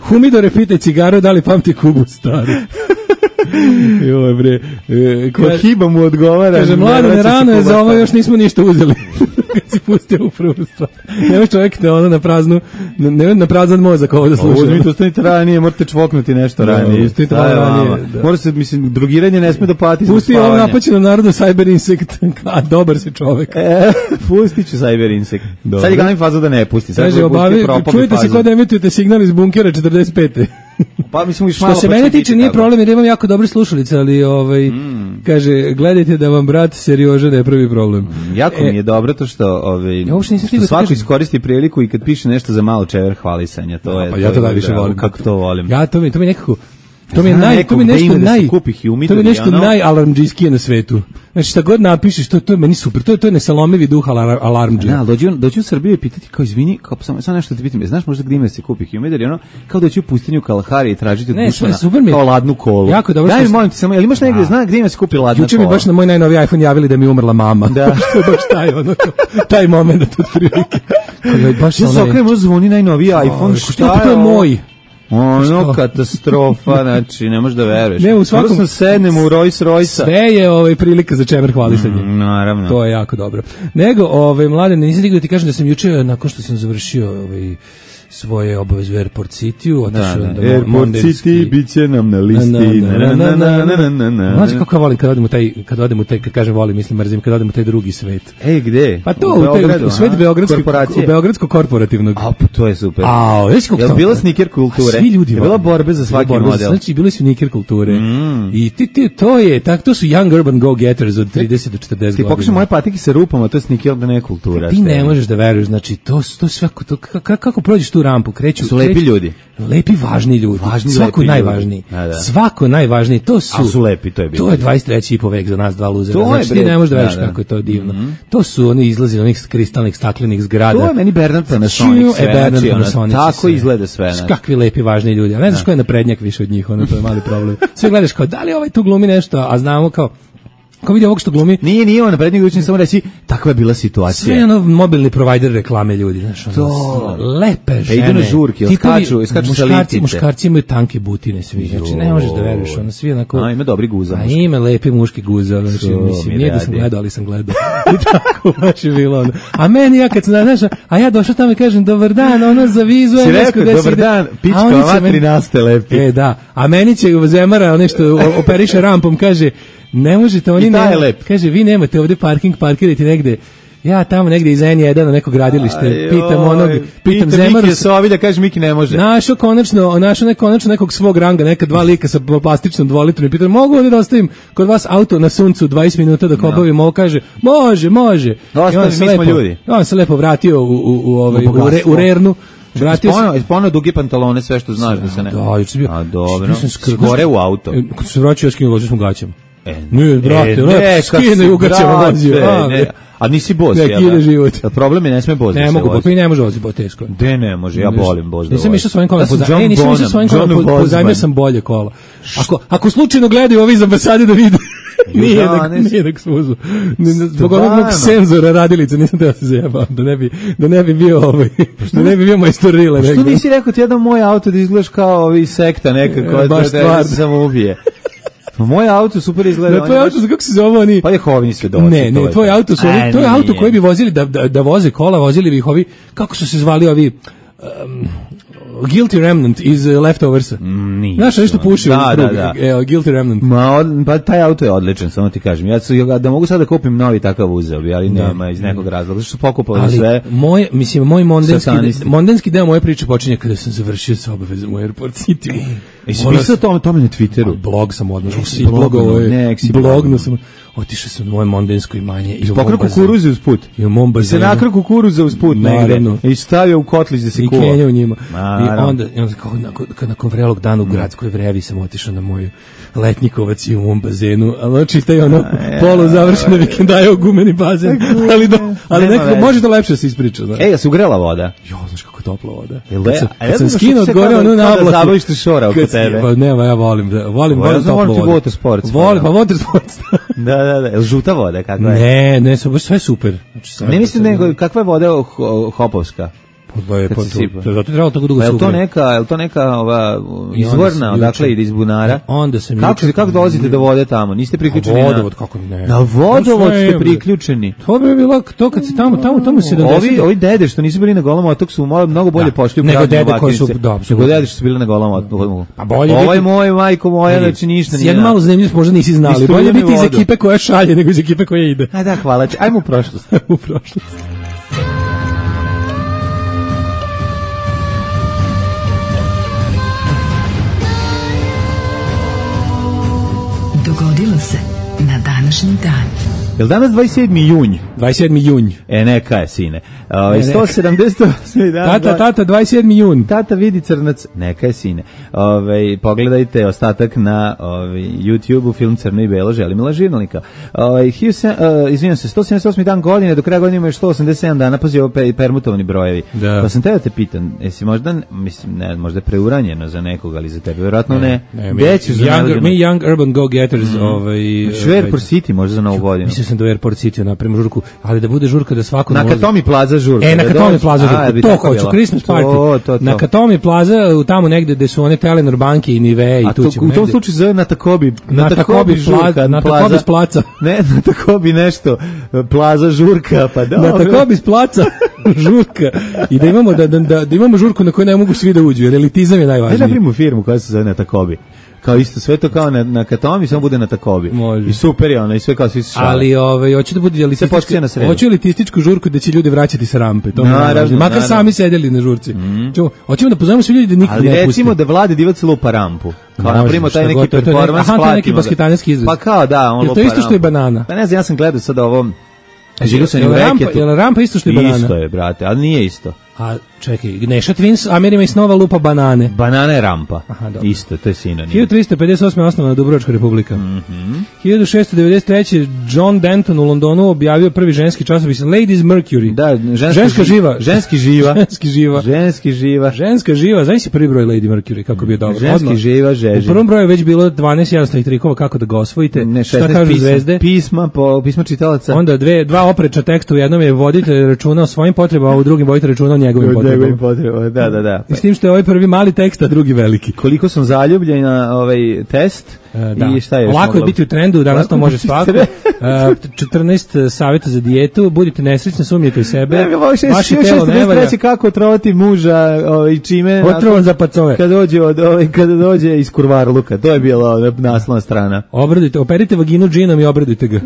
Humidore, pitaj cigaru, da li pamti Kubu staru. Joj bre,
ko hiba mu odgovara.
Kaže, mlade, rano je za ovo, još nismo ništa uzeli. Kad si pustio u prvu stvar. Nema čovjek na prazan mozak ovo da sluša.
Uzmite, ustanite ranije, morate čvoknuti nešto ranije.
Ustanite ranije.
Mora se, mislim, drugiranje ne sme da pati.
Pusti ovo napaćeno narodu Cyber Insect, a dobar si čovjek.
Pustit ću Cyber Insect. Sad je glavni faza da ne pusti.
Kaže, čujete se kod emitujete signal iz bunkera 45.
Pa mislim
što se mene tiče nije problem jer imam jako dobre slušalice, ali kaže, gledajte da vam brat Serioža ne pravi problem.
Jako mi je dobro to što što svako iskoristi priliku i kad piše nešto za malo čever hvalisanja, to je.
Pa ja to najviše volim.
Kako to volim.
Ja to mi nekako to mi je nešto najalarmdžijskije na svetu. Znači šta god napišeš, to je meni super. To je nesalomivi duh alarmdžija.
Dođi u Srbiju i pitati kao izvini, kao samo nešto te pitam. Znaš možda gdje ima se kupi humidor i ono kao doći u pustinju Kalahari i tražiti od Dušana kao ladnu kolu.
Jako dobro.
Daj mi molim ti samo, jel imaš negdje zna gdje ima se kupi ladna kola?
Juče mi baš na moj najnoviji iPhone javili da mi je umrla mama.
Da.
Što je baš taj moment otprilike.
Ja se okrenem, zvoni najnoviji iPhone.
Šta je moj?
Ono katastrofa, znači ne možeš da veruješ.
Ne, u svakom
sam sednem u Rolls Royce.
Sve je prilika za čemer hvalisanje.
Naravno.
To je jako dobro. Nego, mlade, nisam stigao da ti kažem da sam juče nakon što sam završio svoje obaveze u Airport City-u, otišao da
Airport City biće nam na listi.
Znaš kako volim kad odem u taj, kad kažem volim, mislim mrzim, kad odem u taj drugi svet.
Gde?
Pa to u svet beogradsko korporativnog.
A, pa to je super.
Je
bila sneaker kulture?
Svi ljudi
je bila borbe za svaki model.
Znači, bili su sneaker kulture. I to su young urban go-getters od 30 do 40 godina.
Ti pokušaj moje patike sa rupama, to je sneaker da ne kultura.
Ti ne možeš da veruješ, znači, to sve, kako prođeš tu rampu, kreću.
Su lepi ljudi.
Lepi, važni ljudi. Svako najvažniji. Svako najvažniji. To su
lepi, to je bilo.
To je 23. i po vek za nas dva luzera. Znači, ti ne možeš da veriš kako je to divno. To su oni izlazi onih kristalnih staklenih zgrada.
To je meni Bernard Panasonic sve. Tako izgleda sve.
Kakvi lepi, važni ljudi. A ne znaš ko je naprednjak više od njih, to je mali problem. Sve gledaš kao, da li ovaj tu glumi nešto, a znamo kao, Ko vidi ovog što glumi?
Nije on naprednjeg učin, samo reći, takva je bila situacija.
Sve mobilni provider reklame ljudi, znaš, lepe žene.
Idu na žurke, skaču sa litice.
Muškarci imaju tanke butine svi, znači ne možeš da veruješ, ono svi onako.
Ima dobri guza.
Ima lepi muški guza, znači mislim, nije da sam gledao, ali sam gledao. I tako baš je bilo ono. A meni ja kad sam, znaš, a ja došao tamo i kažem, dobar dan, ono za vizu.
Si rekao, dobar dan, pička ova 13. lepi.
Da, a meni će Zemara, nešto operiše rampom, kaže, ne možete, oni ne, kaže, vi nemate ovdje parkirati negde, ja tamo negde iza N1 na neko gradilište, pitam Zemaru.
Miki Sovilja, kaže, Miki ne može.
Našao konačno nekog svog ranga, neka dva lika sa plastičnom 2-litrom i pitam, mogu ovdje da ostavim kod vas auto na suncu 20 minuta dok obavim ovo, kaže, može.
Ostavim, mi smo ljudi.
On se lepo vratio u Rernu.
Ispano duge pantalone, sve što znaš da se ne.
Da, juče bio.
A dobro. Skore u auto.
Kad se vraćao, ja skinuo, ložio smo gaćama. Ne, brate, skine i ugaćama vozio.
A nisi boz,
jel?
Problem je, ne sme boz.
Ne mogu, pa i ne može voziti bo teško.
De ne može, ja volim boz da vozim.
Nisam išao svojim kolom pozajmio sam bolje kola. Ako slučajno gledaju ovi iz ambasade da vide, Nije da suzu. Zbog onog senzora radilica nisam teo se zajebao, da ne bi bio da ne bi bio majstor rile.
Što nisi rekao ti jedan moj auto da izgledaš kao sekta nekako, da se samo ubije. Moj auto super izgleda.
Tvoj auto, kako se zove oni?
Pa Jehovini svedoci.
Ne, tvoj auto su to je auto koji bi vozili da voze kola, vozili bi ih ovi, kako su se zvali ovi Guilty Remnant iz Leftoversa. Znaš, nešto puši u krug. Guilty Remnant.
Pa taj auto je odličan, samo ti kažem. Ja da mogu sad da kupim novi takav uzeo bi, ali nema iz nekog razloga. Zato što su pokupali sve.
Moj mondenski deo moje priče počinje kada sam završio sa obavezom u Airport City.
Jesi pisao tome na Twitteru?
Blog sam odmah. Blogno sam. Otišao sam u moje mondensko imanje i
pokrao kukuruze uz put.
I u mom bazenu.
Se nakrao kukuruze uz put negde. I stavio u kotlić da se kuva.
I kenjao u njima. I onda nakon vrelog dana u gradskoj vrevi sam otišao na moju letnjikovac i u mom bazenu. Ali čitaj ono polu završene vikendaje u gumeni bazen. Ali nekako može da lepše se ispriča.
Ja se ugrela voda.
Jo, znaš kako je topla voda.
Kad sam skinuo od gore onu nablaku. Da zabaviš te šora oko tebe.
Pa nema, ja volim toplu vodu.
Watersport.
Volim watersport.
Da. Je žuta voda, kakva je?
Ne, sve super.
Ne mislim nego, kakva je voda hopovska?
Zato trebalo tako dugo
se ugre. Je to neka izvorna, odakle ide iz bunara?
Onda sam
kako dolazite do vode tamo? Niste priključeni na
vodovod, kako ne?
Na vodovod ste priključeni.
To bi bilo to kad se tamo 70.
Ovi dede što nisu bili na Golom otoku su mnogo bolje pošli u
nego dede koji su
nego dede što su bili na Golom otoku.
Pa bolje
ovo je moj majko moja, znači ništa nije.
Jedno malo zanimljivo, možda nisi znali. Bolje biti iz ekipe koja šalje nego iz ekipe koja ide.
Ajde, da, hvala. Ajmo u prošlost.
Dogodilo se na današnji dan.
Je li danas 27. junj?
27. junj.
Neka je, sine. 178. dan.
Tata, 27. jun.
Tata vidi crnac. Neka je, sine. Pogledajte ostatak na YouTube-u, film Crno i belo, Želimila Žirnalnika. Izvinjam se, 178. dan godine, do kraja godine ima još 187 dana, pazi ovo permutovani brojevi.
Da.
Pa sam teo te pitan, jesi možda, mislim, ne, možda preuranjeno za nekog, ali za tebe, vjerojatno ne.
Mi young urban go-getters.
Airport City možda za novu godinu.
Mislio sam da u Airport City napravimo žurku, ali da bude žurka da svako
na Katomi Plaza žurka.
Na Katomi Plaza žurka, to hoću, Christmas party. Na Katomi Plaza, tamo negde gde su one Telenor banke i Nivea i tu ćemo.
U tom slučaju zove na Takobi
žurka, na Takobi s placa.
Ne, na Takobi nešto, Plaza žurka, pa da.
Na Takobi s placa žurka. I da imamo žurku na kojoj ne mogu svi da uđu, jer elitizam je najvažniji.
Da napravimo firmu koja se zove na Takobi. Kao isto sve to kao na Katomi, samo bude na Takobi.
Može.
I super je ona i sve kao svi se šale.
Ali hoće da bude elitističku žurku da će ljudi vraćati sa rampe. To naravno, makar sami sedeli na žurci. Hoćemo da pozovemo svi ljudi da nikad ne pusti.
Ali recimo da Vlade Divac lupa rampu. Kao napravimo taj neki performans,
platimo. Aha, neki basketanski izraz.
Pa kao da, on lupa rampu.
To isto što je banana.
Pa ne znam, ja sam gledao sad ovo.
Je li rampa isto što je banana?
Isto je, brate, ali nije isto.
A čekaj, Neša Twins, Amerima i Snova lupa banane.
Banana je rampa. Aha, isto, to je sinonim.
1358. osnovana Dubrovačka republika. 1693. John Denton u Londonu objavio prvi ženski časopis Ladies Mercury.
Da,
ženska živa.
Ženski živa.
Ženski živa.
Ženski živa.
Ženska živa. Znaš si prvi broj Lady Mercury, kako bi je dobro.
Ženski živa, žeži.
U prvom broju je već bilo 12 jednostavnih trikova kako da ga osvojite.
Ne,
šta kažu zvezde?
Pisma čitalaca.
Onda dva oprečna teksta, u jednom je voditelj računa o svojim potrebama, a u drugim voditelj računa o njegovim potrebama.
Da.
S tim što je ovaj prvi mali tekst, a drugi veliki.
Koliko sam zaljubljen na ovaj test i šta je još?
Lako je biti u trendu, danas to može svako. 14 savjeta za dijetu, budite nesrećni, sumnjete u sebe.
Vaše telo ne valja. Kako otrovati muža i čime?
Otrovan za pacove.
Kada dođe iz kurvarluka, to je bila naslovna strana.
Operite vaginu džinom i obradujte ga.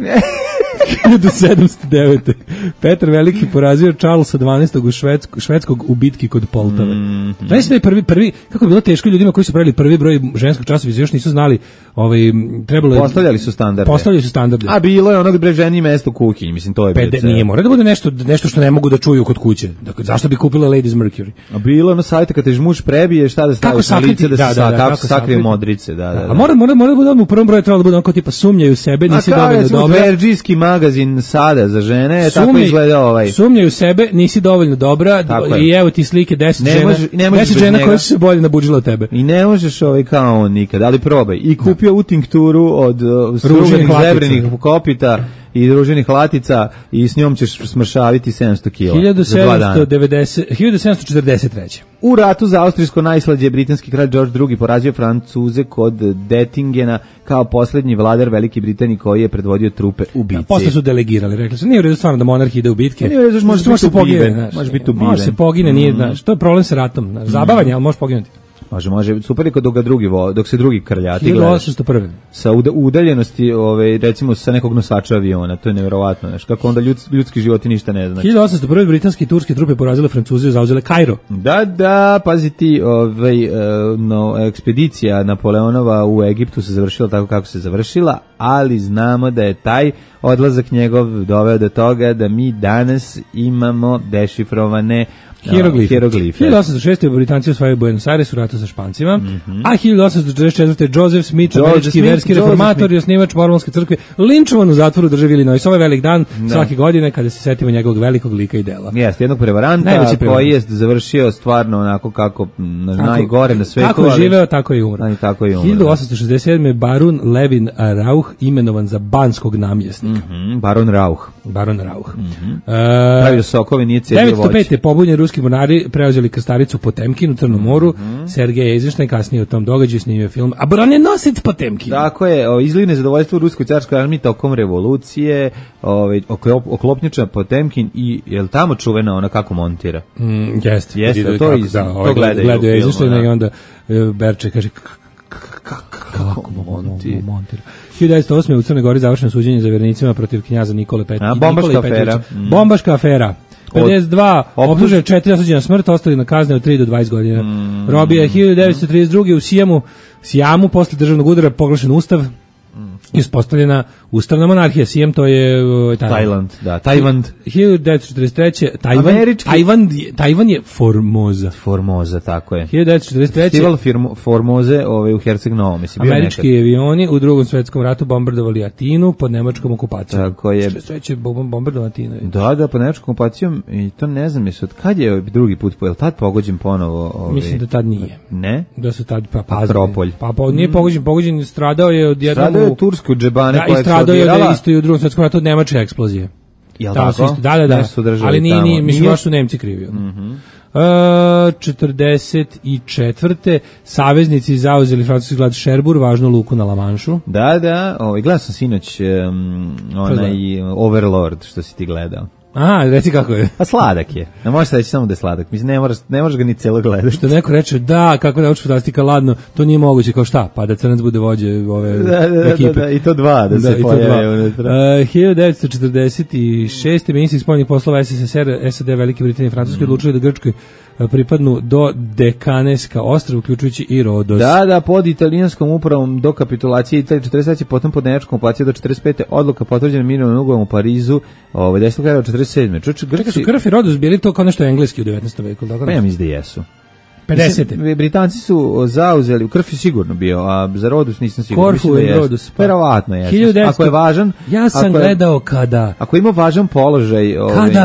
1709. Petar Veliki porazio Charlesa 12. švedskog u bitki kod Poltave. Znaš da je prvi, kako je bilo teško ljudima koji su pravili prvi broj ženskog časopisa, još nisu znali, trebalo je...
Postavljali su standarde. A bilo je onog ženi mesto u kuhinji, mislim, to je bilo.
Nije, mora da bude nešto što ne mogu da čuju kod kuće. Dakle, zašto bi kupila Ladies Mercury?
A bilo je ono savjeta kad te muž prebije, šta da staviš na lice, kako se sakrije modrice, da.
A mora da bude u prvom broju trebalo da bude onako tipa sumnjaju sebe, nisi dovoljno dobra.
magazin sada za žene, tako izgleda ovaj.
Sumnjaj u sebe, nisi dovoljno dobra i evo ti slike 10 žena koje su se bolje nabuđile od tebe.
I ne možeš kao on nikad, ali probaj. I kupio u tinkturu od struganih zebrenih kopita i druženih latica i s njom ćeš smršaviti 700 kila.
1743.
U ratu za austrijsko najslađe britanski kralj George II porazio Francuze kod Dettingena kao posljednji vladar Velike Britanije koji je predvodio trupe u bitci.
Posle su delegirali, rekli su, nije u redu stvarno da monarh ide u bitke.
Nije u redu, može se pogine.
Može se pogine, nije, znaš, to je problem sa ratom. Zabavanje, ali može poginuti.
Može, super je dok se drugi krljati
1801.
Sa udaljenosti, recimo sa nekog nosača aviona, to je neverovatno, znaš, kako onda ljudski životi ništa ne znači.
1801. britanske i turske trupe porazile Francuze i zauzele Kairo.
Da, pazi ti, ekspedicija Napoleonova u Egiptu se završila tako kako se završila, ali znamo da je taj odlazak njegov doveo do toga da mi danas imamo dešifrovane hieroglife.
1806. Britanci osvajaju Buenos Aires u ratu sa Špancima, a 1844. Joseph Smith, američki verski reformator i osnivač Mormonske crkve, linčovan u zatvoru državi Illinois. Ovo je velik dan svake godine kada se setimo njegovog velikog lika i dela.
Jeste, jednog prevaranta koji je završio stvarno onako kako najgore na svetu.
Kako je živeo, tako je umro. 1867. Barun Levin Rauch imenovan za banskog namjesnika.
Baron Rauch.
Pravio
sokove, nije cedio voće.
905. pobunjeni ruski mornari preuzeli krstaricu Potemkin u Crnom moru. Sergej Eisenstein kasnije u tom događaju snimio film A bronjenosec Potemkin.
Tako je, izliv nezadovoljstvo u ruskoj carskoj armiji tokom revolucije, oklopnjača Potemkin i je li tamo čuvena ona kako montira?
Jeste,
to gledaju
Eisensteina i onda Berče kaže kako montira. 1908. u Crnoj Gori završeno suđenje za vjernicima protiv knjaza Nikole Petrovića. Bombaška afera. 52, optužen 4 osuđena smrt, ostali na kazne od 3 do 20 godina. Robija je 1932. u Sijamu posle državnog udara proglašen ustav i uspostavljena ustavna monarhija. Sijam, to je
Tajland, da, Tajvand.
1943. Tajvan je
Formoza, tako je.
1943.
Festival Formoze u Herceg Novom.
Američki avioni u Drugom svetskom ratu bombardovali Atinu pod nemačkom okupacijom.
Tako je.
1943. bombardovali Atinu.
Da, pod nemačkom okupacijom i to ne znam, od kad je drugi put, je li tad pogođen ponovo?
Mislim da tad nije.
Ne?
Da su tad
Akropolj.
Nije pogođen, stradao je od jednog...
Stradao je u Tursku džebane koja je
stradao je isto i u Drugom svetskom ratu od nemačke eksplozije.
Jel tako?
Da. Ali nije, mislim, baš su Nemci krivi. 44. saveznici zauzeli francuski grad Cherbourg, važnu luku na La Manšu.
Da, gledao sam sinoć onaj Overlord, što si ti gledao.
Aha, reci kako je.
Pa sladak je. Ne možeš reći samo da je sladak. Mislim, ne možeš ga ni celo gledati.
Što neko reče, da, kako nauči fantastika, ladno, to nije moguće, kao šta? Pa da Crnac bude vođe ove ekipe.
Da, i to dva, da se pojave unutra.
1946. ministri spoljnih poslova SSSR, SAD, Velike Britanije i Francuske odlučili da Grčkoj pripadnu do Dekaneska ostrva, uključujući i Rodos.
Da, pod italijanskom upravom do kapitulacije Italije 43. potom pod nemačkom okupacijom do 45. odluka potvrđena mirovnim ugovorom u Parizu, 10. kraja 47.
Čekaj, su Krf i Rodos bili to kao nešto engleski u 19. veku, tako da?
Ja mislim da jesu.
50.
Britanci su zauzeli, u Krf je sigurno bio, a za Rodus nisam siguran.
Korfu i Rodus.
Verovatno je. Ako je važan...
Ja sam gledao kada...
Ako ima važan položaj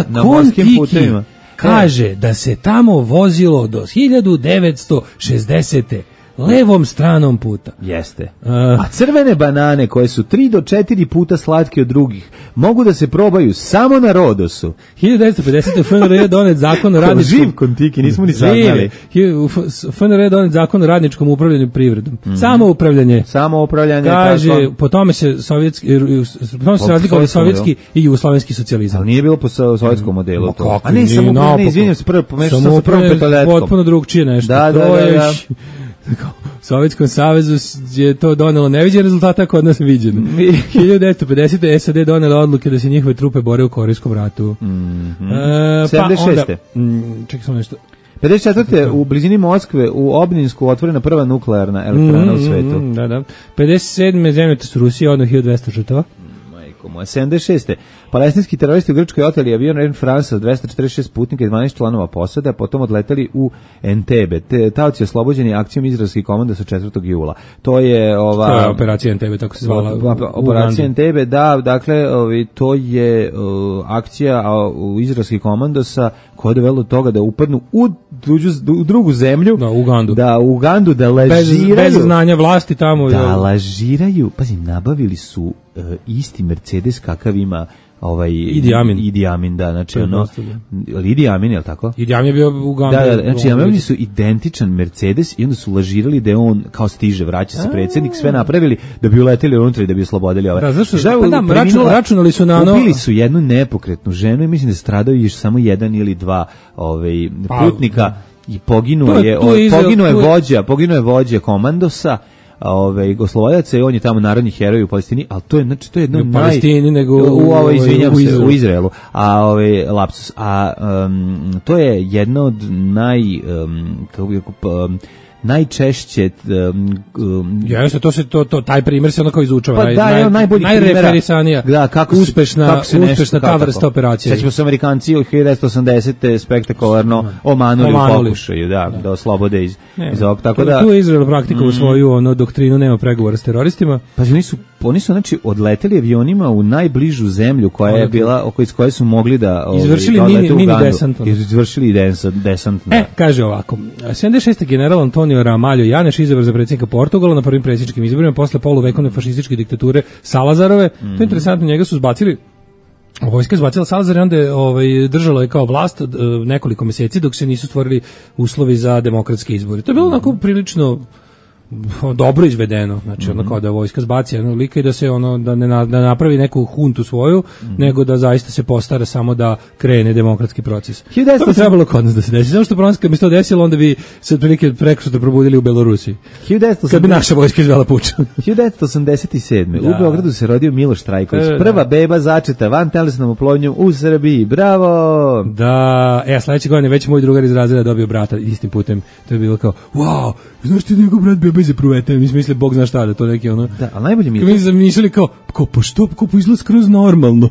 na morskim putevima...
Kaže da se tamo vozilo do 1960. levom stranom puta.
Jeste. A crvene banane koje su 3 do 4 puta slatke od drugih mogu da se probaju samo na Rodosu.
1950. FNR donet zakon o radničkom...
Živ kontiki, nismo ni saznali.
FNR donet zakon o radničkom upravljanju privredom. Samo upravljanje. Kaže, tako. Po tome se razlikovali sovjetski i jugoslovenski socijalizam.
Ali nije bilo po sovjetskom modelu to.
A ne, samo izvinjam se, pomešao sam sa prvom petoletkom. Potpuno drugčije nešto.
Da.
U Sovjetskom savezu je to donelo neviđen rezultata, kod nas viđen. 1950. SAD donela odluke da se njihove trupe bore u Korejskom ratu.
76.
Čekaj samo nešto.
54. u blizini Moskve u Obninsku otvorena prva nuklearna elektrana u svetu.
Da. 57. zemljotres Rusije, odno 1200 žrtava.
majko moja. 76. Palestinski teroristi u Grčkoj oteli avion Air France sa 246 putnika i 12 članova posade, a potom odleteli u Entebbe. Taoci oslobođeni akcijom izraelskih komanda sa 4. jula. To je
operacija Entebbe, tako se zvala.
Operacija Entebbe, da, dakle, to je akcija u izraelskih komandosa koja je dovela do toga da upadnu u drugu zemlju, u Ugandu, da lažiraju.
Bez znanja vlasti tamo.
Da lažiraju, pazi, nabavili su isti Mercedes kakav ima Idi Amin, da, znači Idi Amin, je li tako?
Idi Amin je bio u Ugandu.
Da, znači nabavili su identičan Mercedes i onda su lažirali da je on kao stiže, vraća se predsjednik, sve napravili da bi uleteli unutra i da bi oslobodili ove.
Računali su na
ubili su jednu nepokretnu ženu i mislim da stradao još samo jedan ili dva putnika i poginuo je vođa komandosa, oslobodaca i on je tamo narodni heroj u Palestini, ali to je jedno
u Palestini nego
u Izraelu. A lapsus, to je jedno od najčešće
jeste, taj primjer se onako izučava,
pa najbolji
najreferisanija, uspešna ta vrsta operacije.
Sećamo se Amerikanci u 1980. spektakularno omanuli u pokušaju da oslobode iz ovog, tako da
tu je Izrael praktikovao svoju doktrinu, nema pregovora s teroristima.
Pa oni su znači odleteli avionima u najbližu zemlju koja je bila iz koje su mogli da
izvršili mini desant.
Izvršili desant.
Kaže ovako, 76. general Antonio Ramalho Janeš izabran za predsjednika Portugala na prvim predsjedničkim izborima posle poluvekovne fašističke diktature Salazarove. To je interesantno, njega su zbacili, vojska je zbacila Salazar i onda je držalo je kao vlast nekoliko mjeseci dok se nisu stvorili uslovi za demokratske izbore. To je bilo onako prilično dobro izvedeno, znači ono kao da vojska zbaci jednog lika i da se da ne napravi neku huntu svoju, nego da zaista se postara samo da krene demokratski proces. To bi trebalo kod nas da se desi. Samo što problem kad bi se to desilo, onda bi se otprilike prekosutra probudili u Belorusiji. Kad bi naša vojska izvela puč.
1987. U Beogradu se rodio Miloš Trajković, prva beba začeta vantelesnom oplodnjom u Srbiji. Bravo!
Da, sledeće godine već moj drugar iz razreda dobio brata istim putem. To je bilo kao, wow, znaš ti njegov brat beba iz pruvete, mi smo mislili bog zna šta, da to neki
Da, ali najbolje mi je.
Mi smo mislili kao pa što, izgleda skroz normalno.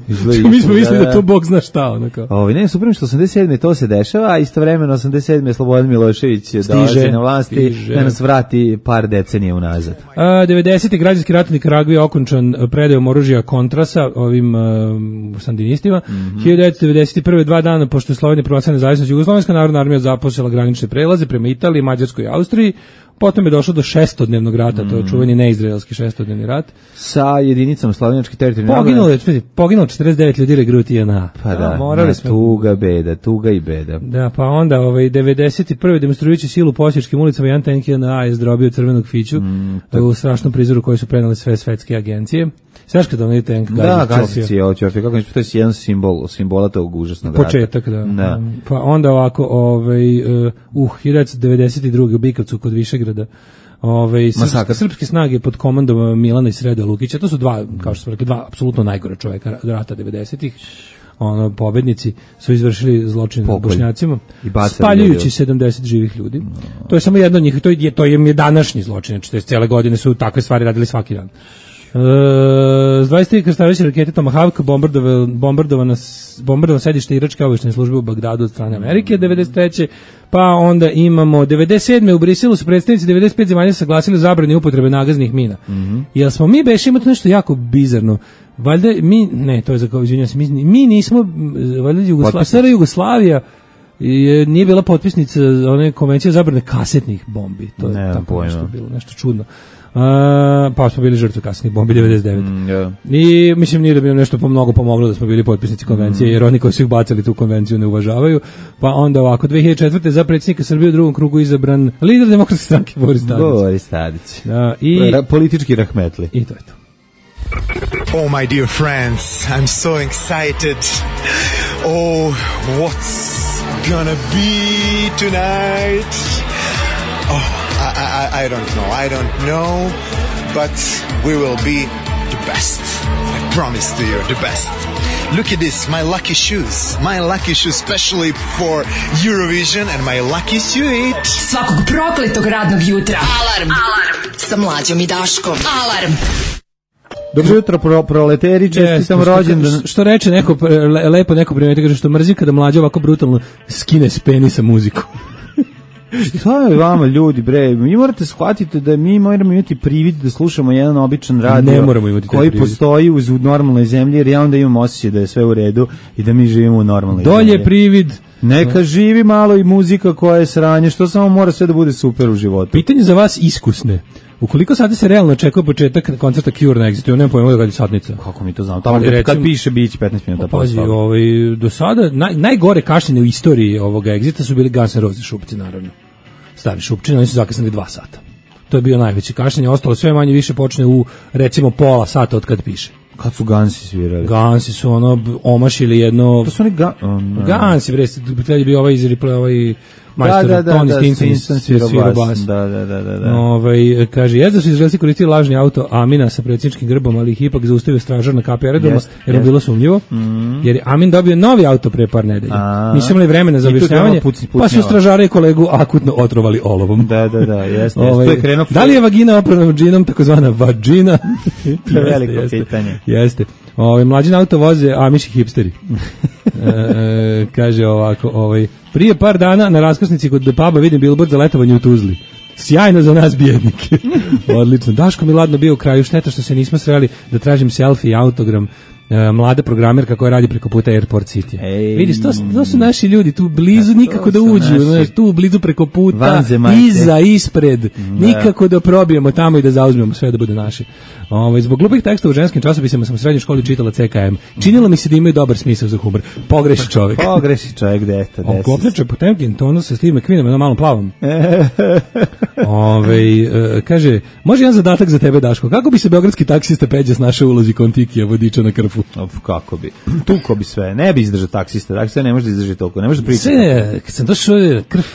Mi smo mislili da to bog zna šta, kao.
Ne, super što 87. to se dešava, a istovremeno 87. Slobodan Milošević dolazi na vlasti da nas vrati par decenija unazad.
90. građanski rat u Nikaragvi je okončan predajom oružja Contrasa ovim sandinistima. 1991. 2 dana pošto je Slovenija proglasila nezavisnost, Jugoslovenska narodna armija započela granične prelaze prema Italiji, Mađarskoj i Austriji. Potom je došlo do 6-dnevnog rata, to je čuveni neizraelski 6-dnevni rat.
Sa jedinicama slovenačke teritorijalne.
Poginulo 49 ljudi regruti JNA.
Pa da, tuga i beda.
Da, pa onda 91. demonstrujući silu po osječkim ulicama, jedan tank JNA je zdrobio crvenog fiću u strašnom prizoru koji su prenali sve svetske agencije. Znaš kada onaj tank
gazi Ćofija, kako to je jedan simbola tog užasnog rata.
Početak, da. Pa onda ovako, 1992. u Bikovcu kod Višegrada, srpske snage pod komandom Milana i Sreda Lukića, to su dva, kao što smo rekli, dva apsolutno najgora čoveka rata 90-ih, pobednici su izvršili zločin nad Bošnjacima, spaljujući 70 živih ljudi. To je samo jedno od njih, to je današnji zločin, znači cijele godine su takve stvari radili svaki dan. S 23 krstareće rakete Tomahawk bombardovano sedište iračke obavještajne službe u Bagdadu od strane Amerike 93. Pa onda imamo 97. u Briselu su predstavnici 95 zemalja saglasili zabrani upotrebe nagaznih mina. Jel smo mi beš imati nešto jako bizarno? Valjda to je za kao, izvinjam se, mi nismo, valjda Jugoslavija nije bila potpisnica one konvencije zabrane kasetnih bombi. To je tako nešto bilo, nešto čudno. Pa smo bili žrtve kasetnih bombi 99. I mislim nije da bi nam nešto mnogo pomoglo da smo bili potpisnici konvencije, jer oni koji su ih bacali tu konvenciju ne uvažavaju. Pa onda ovako, 2004. za predsjednika Srbije u drugom krugu izabran lider Demokratske stranke
Boris Tadić. Politički rahmetli.
I to je to.
Oh my dear friends, I'm so excited. Oh, what's gonna be tonight? Oh, I don't know, but we will be the best. I promise to you, the best. Look at this, my lucky shoes, specially for Eurovision, and my lucky suit.
Svakog prokletog radnog jutra. Alarm sa Mlađom i Daškom. Alarm.
Dobro jutro, proleteri, čestitam rođendan.
Što reče neko, lepo neko primeti, kaže što mrzim kada mlađa ovako brutalno skine s penisa muziku.
Šta je vama ljudi, bre? Mi morate shvatiti da mi moramo imati privid da slušamo jedan običan radio koji postoji u normalnoj zemlji, jer ja onda imam osjećaj da je sve u redu i da mi živimo u normalnoj zemlji.
Dolje privid.
Neka živi malo i muzika koja je sranje, što samo mora sve da bude super u životu.
Pitanje za vas iskusne. Ukoliko sada se realno očekuje početak koncerta Cure na Exitu, nema pojma da radi satnica.
Kako mi to znamo? Tamo kad piše biće 15 minuta.
Pazi, do sada najgore kašnjenje u istoriji ovoga Exita su bili Guns N' Roses šupci, naravno. Stari šupčini, oni su zakasnili 2 sata. To je bio najveći kašnjenje, ostalo sve manje više počne u recimo pola sata od kad piše.
Kad su Gansi svirali?
Gansi su omašili jedno...
To su oni
Gansi, bre, tada je bio ovaj iz replay, ovaj majstor Tony Stinson svirao bas.
Da.
Kaže, da su Izraelci koristili lažni auto Amina sa predsjedničkim grbom, ali ih ipak zaustavio stražar na kapi aerodroma, jer je bilo sumnjivo. Jer je Amin dobio novi auto pre par nedelja. Nisu imali vremena za objašnjavanje, pa su stražare i kolegu akutno otrovali olovom.
Da, jeste.
Da li je vagina oprana džinom, takozvana vagina?
To je veliko pitanje.
Jeste. Mlađi auto voze amiši hipsteri. Kaže ovako, prije par dana na raskrsnici kod puba vidim billboard za letovanje u Tuzli. Sjajno za nas bijednike. Odlično. Daško mi ladno bio u kraju, šteta što se nismo sreli da tražim selfie i autogram. Mlada programerka koja radi preko puta Airport City. Vidiš, to su naši ljudi tu blizu, nikako da uđu, tu blizu preko puta, iza, ispred, nikako da probijemo tamo i da zauzmemo sve da bude naše. Zbog glupih teksta u ženskim časopisima sam u srednjoj školi čitala CKM. Činilo mi se da imaju dobar smisao za humor. Pogreši čovjek,
dete.
Kopneče Potemkin, tonu sa Steve McQueenom, jednom malom plavom. Kaže, može jedan zadatak za tebe, Daško. Kako bi se beogradski taksista Peđa snašao u ulozi Kontikija, vodiča na Krfu?
Kako bi? Tuko bi sve. Ne bi izdržao taksista ne može da izdrži toliko. Ne može da pričati.
Sve, kad sam došao Krf.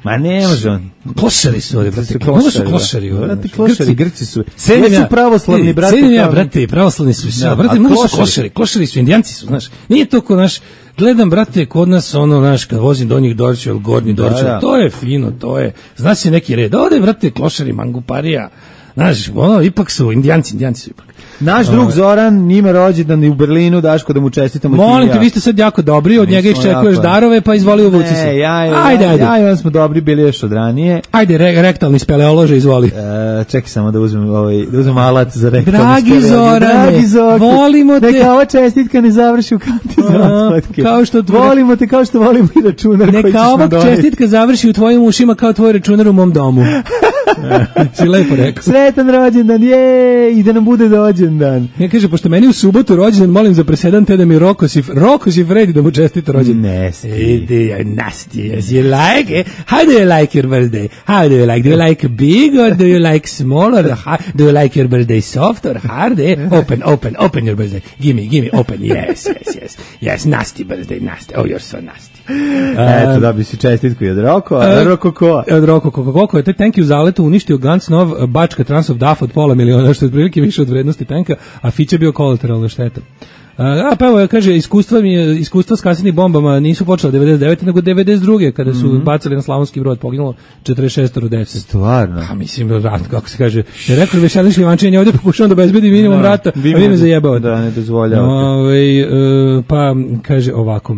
Ma ne može on.
Klošari su ovdje, brate. Ovo su klošari.
Brate, klošari, Grci su. Sve su pravoslavni, brate.
Cenim ja, brate, pravoslavni su. Brate, mnogo su klošari. Klošari su, indijanci su, znaš. Nije to ko naš... Gledam, brate, kod nas znaš, kad vozim donjih Dorčeva ili gornji Dorčeva, to je fino, to je... Znaš se neki red. Ovdje, brate, klošari, manguparija. Znaš, ipak su, indijanci su ipak.
Naš drug Zoran, njime rođendan i u Berlinu, Daško, da mu čestitamo.
Molim te, vi ste sad jako dobri, od njega iščekuješ darove, pa izvoli uvuci se.
Ajde. Ja smo dobri, bili još od ranije.
Ajde, rektalni speleolože, izvoli.
Čekaj samo da uzmem alat za rektalni speleolože.
Dragi Zorane, volimo te.
Neka ova čestitka ne završi u kanti za volimo te kao što volimo i računar koji ćeš nam doneti.
Neka ova čestitka završi u tvojim ušima kao tvoj računar u mom domu. Si lepo rekao.
Sretan rođendan, i da nam bude rođendan.
Ja kaže, pošto meni u subotu rođendan, molim za presedan te da mi Roko si Fredi da mu čestita rođendan.
Nasty.
Nasty, yes, you like it. How do you like your birthday? How do you like? Do you like big or do you like small or do you like your birthday soft or hard? Open your birthday. Give me, open. Yes, nasty birthday, nasty. Oh, you're so nasty.
Eto, da bi si čestitku i od Roko,
od Roko Koko je taj tank u zaletu uništio Gans nov Bačka Transov DAF od $500 miliona, što je otprilike više od vrednosti tanka, a Fića bio kolateralna šteta. Pa evo, kaže, iskustva s kasnijim bombama nisu počela 99. nego 92. kada su bacali na Slavonski Brod, poginulo 46 dece.
Stvarno?
A mislim, rat, kako se kaže, je rekao Vešelić Livančenje, ovdje pokušavam da obezbedi minimum rata, a vi me zajebavate.
Da, ne dozvoljavate.
Pa, kaže ovako,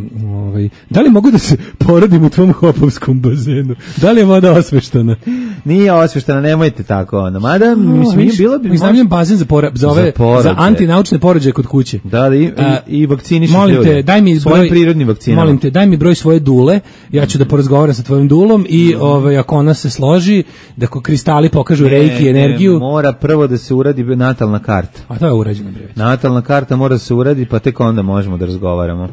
da li mogu da se porodim u tvom hopovskom bazenu? Da li je voda osveštana?
Nije osveštana, nemojte tako. Mada, mislim, bilo bi...
Iznajmljujem bazen za antinaučne porođaje kod kuće.
Da, i vakciniš
ljude.
Svojim prirodnim vakcinama.
Molim te, daj mi broj svoje dule, ja ću da porazgovaram sa tvojim dulom i ako ona se složi, da kristali pokažu rejki energiju.
Mora prvo da se uradi natalna karta.
A to je urađeno, bre.
Natalna karta mora da se uradi, pa tek onda možemo da razgovaramo.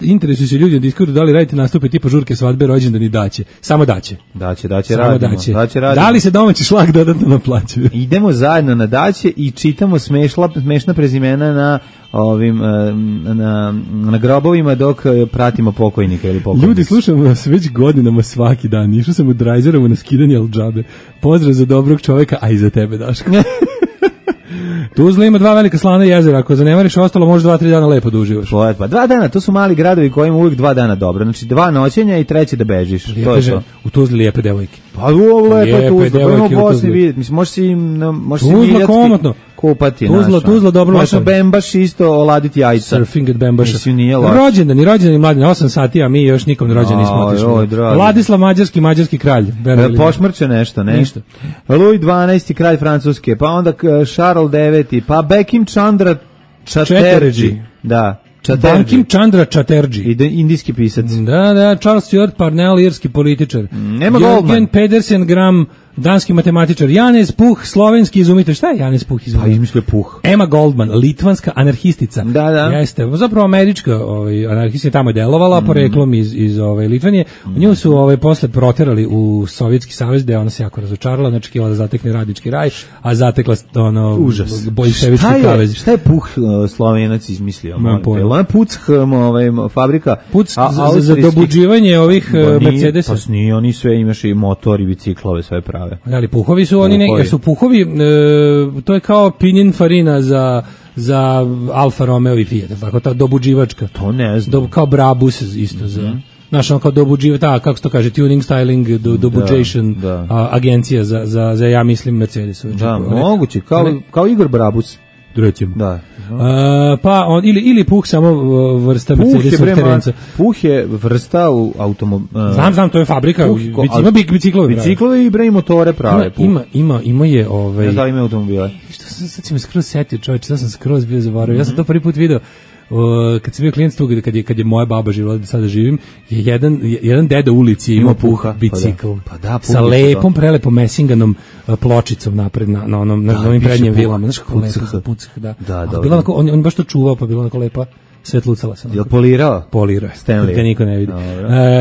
Interesuju se ljudi na Discordu da li radite nastupe tipa žurke, svadbe, rođendan i daće. Samo daće.
Daće, radimo.
Da li se domaći šlag dodatno naplaćuje?
Idemo zajedno na daće i čitamo smešna prezimena na na grobovima dok pratimo pokojnika ili pokojnika.
Ljudi, slušamo nas već godinama svaki dan. Išao sam u Drajzerovu na skidanje Al-Džabe. Pozdrav za dobrog čoveka, a i za tebe, Daško. Tuzla ima 2 velika slana jezera, ako zanemariš ostalo može 2-3 dana lepo da uživaš.
Pa 2 dana, to su mali gradovi koji imaju uvijek 2 dana dobro, znači 2 noćenja i 3 da bežiš. To je to.
U Tuzli lijepe devojke.
Pa u lepe Tuzla, pa imamo Bosni vidjeti, mislim, možeš si
Tuzla komotno.
kupati.
Tuzla dobro.
Možemo Bembaš isto oladiti jajca.
Surfing at Bembaša.
Mislim, nije loš.
Rođendani mladi, 8 sati, a mi još nikom rođen nismo otišli. Vladislav mađarski kralj.
Pošmrče nešto, ne? Ništa. Louis XII, kralj Francuske, pa onda Charles IX, pa Bekim Chandra Chatterjee. Da.
Bankim Chandra Chatterjee.
Indijski pisac.
Da, Charles Stuart Parnell, irski političar.
Nema Goldman.
Jürgen Pedersen Gram, danski matematičar. Janez Puh, slovenski izumitelj. Šta je Janez Puh izumitelj?
Pa izmislio Puh.
Emma Goldman, litvanska anarhistica.
Da.
Jeste, zapravo američka anarhistica tamo je delovala, poreklom iz Litvanije. Nju su posle proterali u Sovjetski savez, gde ona se jako razočarala, znači htjela da zatekne radnički raj, a zatekla boljševički kavez.
Šta je Puh Slovenac izmislio? Ona Puch fabrika.
Puch za dobuđivanje ovih Mercedesa.
Pa nije, oni sve imaš i motor i biciklove, sve prave.
Ali Puhovi su oni su Puhovi, to je kao Pininfarina za Alfa Romeo i Fiat, tako ta dobuđivačka.
To ne znam.
Kao Brabus isto za. Znaš, on kao dobuđiva, kako se to kaže, tuning, styling, dobuđation, agencija za ja mislim Mercedes.
Da, moguće, kao Igor Brabus.
Recimo.
Da.
Pa ili Puh samo vrsta Mercedesovog terenca.
Puh je vrsta u automobil.
Znam, to je fabrika. Ima biciklove.
Biciklove i bre motore prave.
Ima je
Ne znam, ima automobile.
Sad si me skroz setio, čovječe, sad sam skroz bio zaboravio. Ja sam to prvi put video. Kad sam bio klijent tu, kad je moja baba živjela, da sada živim, je jedan deda u ulici imao Puh bicikl. Sa lepom, prelepom mesinganom pločicom napred na onim prednjim vilama. Znaš kako lepo Puch, da. On baš to čuvao, pa bila onako lepa. Svetlucala sam.
Je li polirao?
Polirao.
Stanley.
Te niko ne vidi.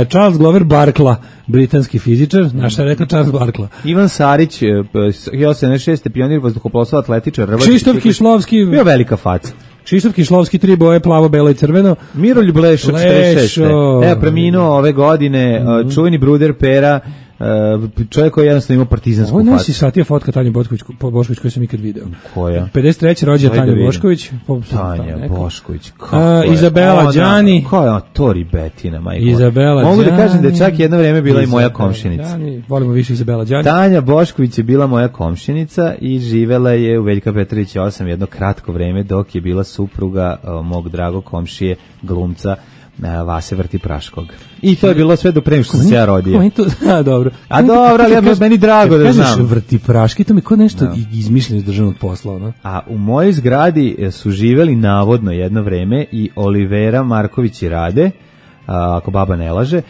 Charles Glover Barkla, britanski fizičar. Znaš je rekao Charles Barkla?
Ivan Sarić, 1976. pionir vazduhoplovstva, atletičar.
Krzysztof Kišlovski.
Bio velika faca.
Krzysztof Kišlovski, 3 boje, plavo, belo i crveno.
Miroljub Lešo, 46. Preminuo ove godine, čuveni bruder Pera, čovjek koji jednostavno imao partizansku facu.
Ovo nosi satija fotka Tanja Bošković koju sam ikad video.
Koja?
53. rođena Tanja Bošković.
Tanja Bošković.
Izabela Đani.
Koja je to ribetina, majko?
Izabela Đani.
Mogu da kažem da je čak jedno vrijeme bila i moja komšinica.
Volimo više Izabela Đani.
Tanja Bošković je bila moja komšinica i živela je u Veljka Petrovića 8 jedno kratko vrijeme dok je bila supruga mog dragog komšije, glumca Vase Vrtipraškog. I to je bilo sve do pre nego što sam se ja rodio.
Dobro.
A dobro, ali meni drago da znam.
Kažeš Vrtipraški, to mi kod nešto izmišljeno iz državnog posla, ono.
A u mojoj zgradi su živeli navodno jedno vreme i Olivera Marković i Rade, ako baba ne laže.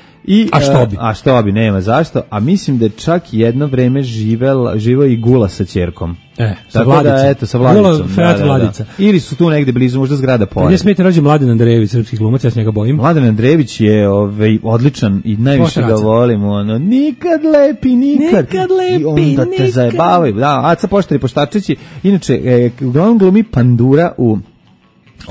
A što bi, nema zašto. A mislim da je čak jedno vreme živeo i Gula sa ćerkom.
Sa Vladicom.
Sa Vladicom.
Gula, Feat Vladica.
Ili su tu negde blizu, možda zgrada pored.
Gdje smijete rođe Mladen Andrejević, srpski glumac, ja se njega bojim.
Mladen Andrejević je odličan i najviše ga volimo. Nikad lepi. I onda te zajebavaju. Da, Aca Poštari Poštarčići. Inače, uglavnom glumi Pandura u...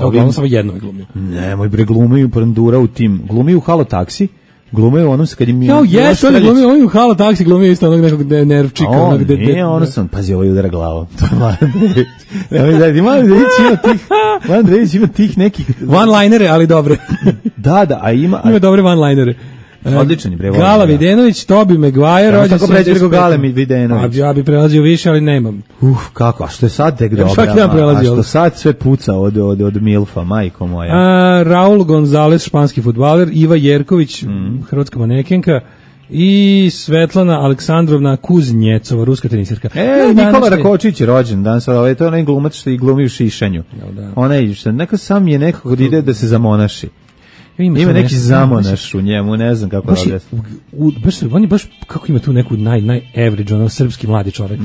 Uglavnom samo jedno je glumio.
Nemoj bre, glumi Pandura u tim. Glumi u Halo taksi. Glumio u onom kad im...
Jeste, on u Halo taksi glumio isto onog nekog nervčika.
Nije, ono sam, pazi, ovo je udara glava. To je Mladen Andrejević. Mladen Andrejević ima tih nekih...
One-linere, ali dobre.
Da, a ima...
Ima dobre one-linere.
Odličan je bre.
Gala Videnović, Tobi Maguire,
rođen 75. Gale Videnović.
Ja bi prelazio više, ali nemam.
Kako? A što je sad tek dobro? A što sad sve puca od Milfa, majko moja.
Raul Gonzalez, španski fudbaler, Iva Jerković, hrvatska manekenka, i Svetlana Aleksandrovna Kuznjecova, ruska tenisirka.
Nikola Rakočić je rođen danas, to je onaj glumac što i glumi u Šišanju. Onaj što neka sam je nekako da ide da se zamonaši. Ima neki zamonaš u njemu, ne znam kako da objasnim.
On je baš, kako ima tu neku naj-average, ono, srpski mladi čovjek.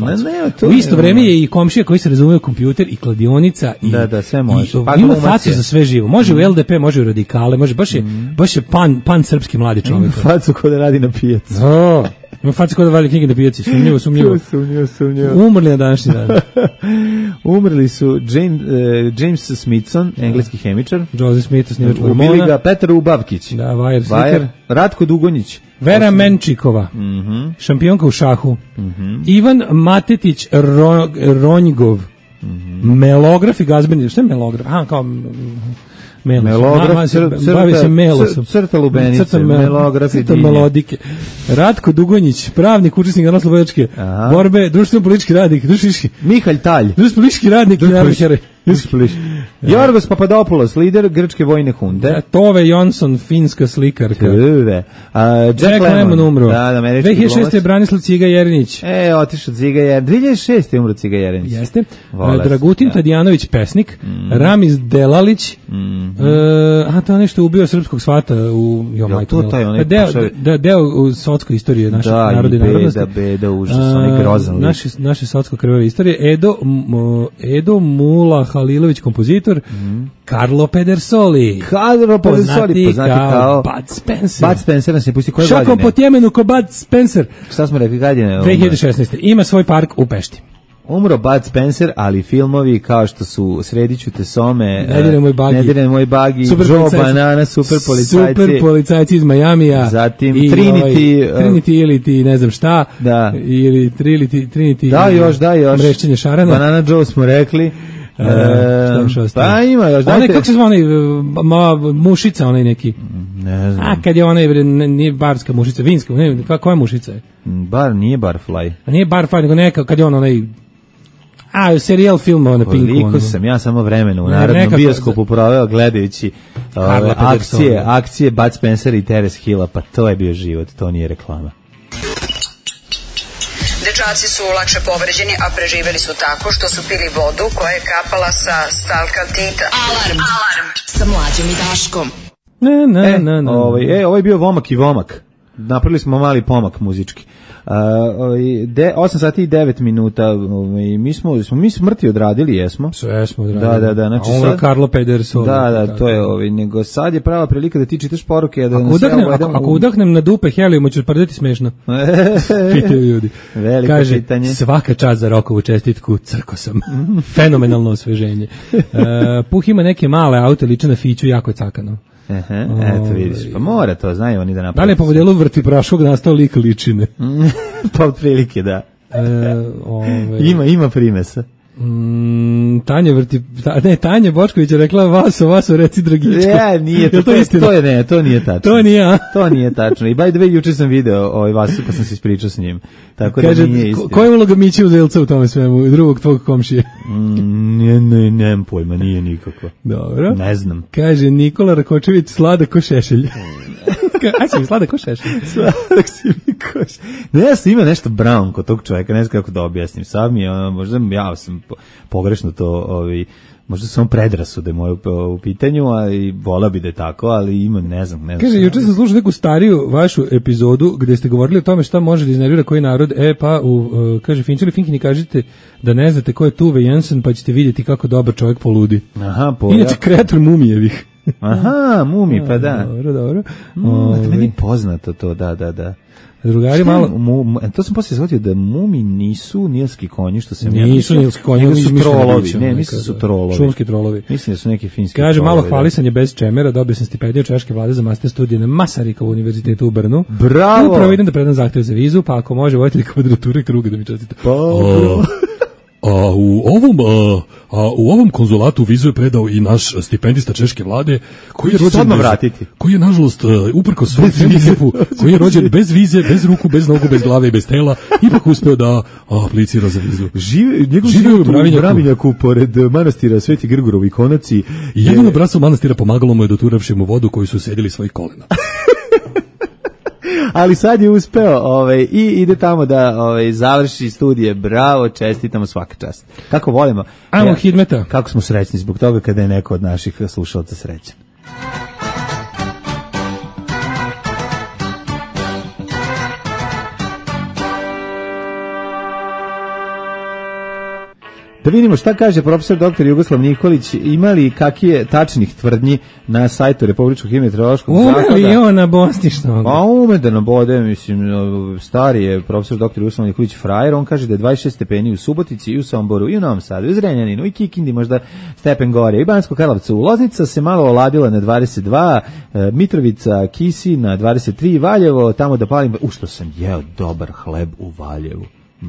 U isto vreme je i komšija koji se razumije u kompjuter i kladionica.
Da, sve može.
Ima facu za sve živo. Može u LDP, može u radikale, može, baš je pan srpski mladi čovjek.
Ima facu ko da radi na pijacu.
Ima facu ko da vali knjige na pijaci. Sumnjivo. Umrli na današnji dan.
Umrli su James Smithson, engleski hemičar.
Joseph Smith, snimač hormona.
Ubili ga Petar Ubavkić.
Da, Vajer slikar.
Ratko Dugonjić.
Vera Menčikova, šampionka u šahu. Ivan Matetić Ronjgov, melograf i glazbeni. Šta je melograf? Kao Bavi se melosom.
Crta lubenice, melograf i dinje.
Melodike. Ratko Dugonjić, pravnik, učesnik narodno-slobodačke borbe, društveno-politički radnik,
Mihalj Talj.
Društveno-politički radnik i narodno-heroj.
Jorgos Papadopoulos, lider grčke vojne hunte.
Tove Jonsson, finska slikarka.
Jack Lemmon
umro.
2006.
je Branislav Ciga Jerinić.
Otišao Ciga Jerinić. 2006. je umro Ciga Jerinić.
Jeste. Dragutin Tadijanović, pesnik. Ramiz Delalić. To nešto ubio srpskog svata u deo u sotskoj istorije naše narode i narodnosti.
Beda, užas, onaj grozan lik.
Naše sotsko-krvave istorije. Edo Mula Halilović, kompozitor. Carlo Pedersoli, poznati kao Bud Spencer.
Bud Spencer nas je pustio koje godine?
Šakom po Tjemenu ko Bud Spencer.
Šta smo rekli, godine?
2016. Ima svoj park u Pešti.
Umro Bud Spencer, ali filmovi kao što su Srediću te some,
Ne diraj moj bagi,
Joe Banana, Super
policajci iz Majamija,
zatim Trinity
ili ti ne znam šta, ili Trinity,
da još,
Mrešćenje šarana,
Banana Joe smo rekli.
Pa
ima još, dajte.
Kako se zva onaj, mušica, onaj neki.
Ne znam.
Kad je onaj, nije barska mušica, vinska, koja mušica je?
Nije Barfly.
Nije Barfly, nego neka, kad je onaj, serijal filma na Pinku.
Koliko sam ja samo vremena u narodnom bioskopu proveo gledajući akcije Bud Spencer i Terence Hilla, pa to je bio život, to nije reklama.
Dečaci su lakše povređeni, a preživeli su tako što su pili vodu koja je kapala sa stalkaltita.
Alarm sa Mlađom i Daškom.
Ovo je bio Vomak i Vomak. Napravili smo mali pomak muzički. 8 sati i 9 minuta. Mi smrti odradili, jesmo?
Sve smo odradili.
Da. Znači
sad Carlo Pedersoli.
Da, to je nego sad je prava prilika da ti čitaš poruke.
Ako udahnem na dupe helijuma ću prdeti smešno. Pitaju ljudi.
Veliko
kaže,
pitanje.
Svaka čast za Rokovu čestitku, crko sam. Fenomenalno osveženje. Puh ima neke male aute, liče na Fiću, jako je cakano.
Eto vidiš, pa mora to, znaju oni da napravi.
Da li je po modelu vrti praškog nastao lik ličine?
Pa otprilike, da. Ima primesa.
Tanja Bočković je rekla vaso, reci Dragičko.
Nije to, to nije tačno. To nije tačno. I by the way, juče sam video Vasu, pa sam se ispričao s njim. Tako kaže, da nije istina.
Koja je uloga Miće Uzelca u tome svemu, drugog tvog komšije?
Nemam pojma, nije nikako.
Dobro.
Ne znam.
Kaže, Nikola Rakočević slada ko šešelj. Si mi sladak ko šešelj?
Sladak si mi ko šešelj. Ne, ima nešto brown kod tog čovjeka, ne znam kako da objasnim. Sad mi je, možda ja sam pogrešno to, možda sam predrasude moje u pitanju, ali vola bi da je tako, ali ima, ne znam.
Kaže, juče sam slušao neku stariju vašu epizodu gde ste govorili o tome šta može da iznervira koji narod, kaže, Finčeli Finkini, kažete da ne znate ko je Tuve Jensen, pa ćete vidjeti kako dobar čovjek poludi. Inače, kreator Mumijevih.
Aha, Mumi, pa da.
Dobro.
Meni poznato to, da.
Drugari malo...
To sam poslije shvatio da Mumi nisu nilski konji, što se...
Nisu nilski konji,
nego su trolovi. Ne, mislim da su trolovi.
Šumski trolovi.
Mislim da su neki finski
trolovi. Kaže, malo hvalisanje bez čemera, dobio sam stipendiju češke vlade za master studije na Masarikovu univerzitetu u Brnu.
Bravo!
Upravo idem da predam zahtev za vizu, pa ako može voditelj kvadrature kruga da mi čestite. U ovom konzulatu vizu je predao i naš stipendista češke vlade koji je nažalost uprkos svom hendikepu, koji je rođen bez vize, bez ruku, bez nogu, bez glave i bez tela, ipak uspeo da aplicira za vizu.
Živio u Bravinjaku pored manastira Sveti Grgurovi konaci.
Jedino bratstvo manastira pomagalo mu je doturavši mu vodu koju su sedili svojih kolena.
Ali sad je uspeo i ide tamo da završi studije. Bravo, čestitamo, svaka čast. Kako volimo.
Ajmo Hidmeta.
Kako smo srećni zbog toga kada je neko od naših slušalaca srećan. Da vidimo šta kaže profesor dr. Jugoslav Nikolić, imali kakije tačnih tvrdnji na sajtu Republičkog hidrometeorološkog zavoda.
Ume li on na Bostišnog?
A ume da nabode, mislim, stari je profesor dr. Jugoslav Nikolić frajer, on kaže da je 26 stepeni u Subotici i u Somboru i u Novom Sadu, i u Zrenjaninu i Kikindi možda stepen gore, i Banjsko Karlovcu. Loznica se malo oladila na 22, Mitrovica, Kisi na 23, Valjevo, tamo da palim, što sam jeo dobar hleb u Valjevu.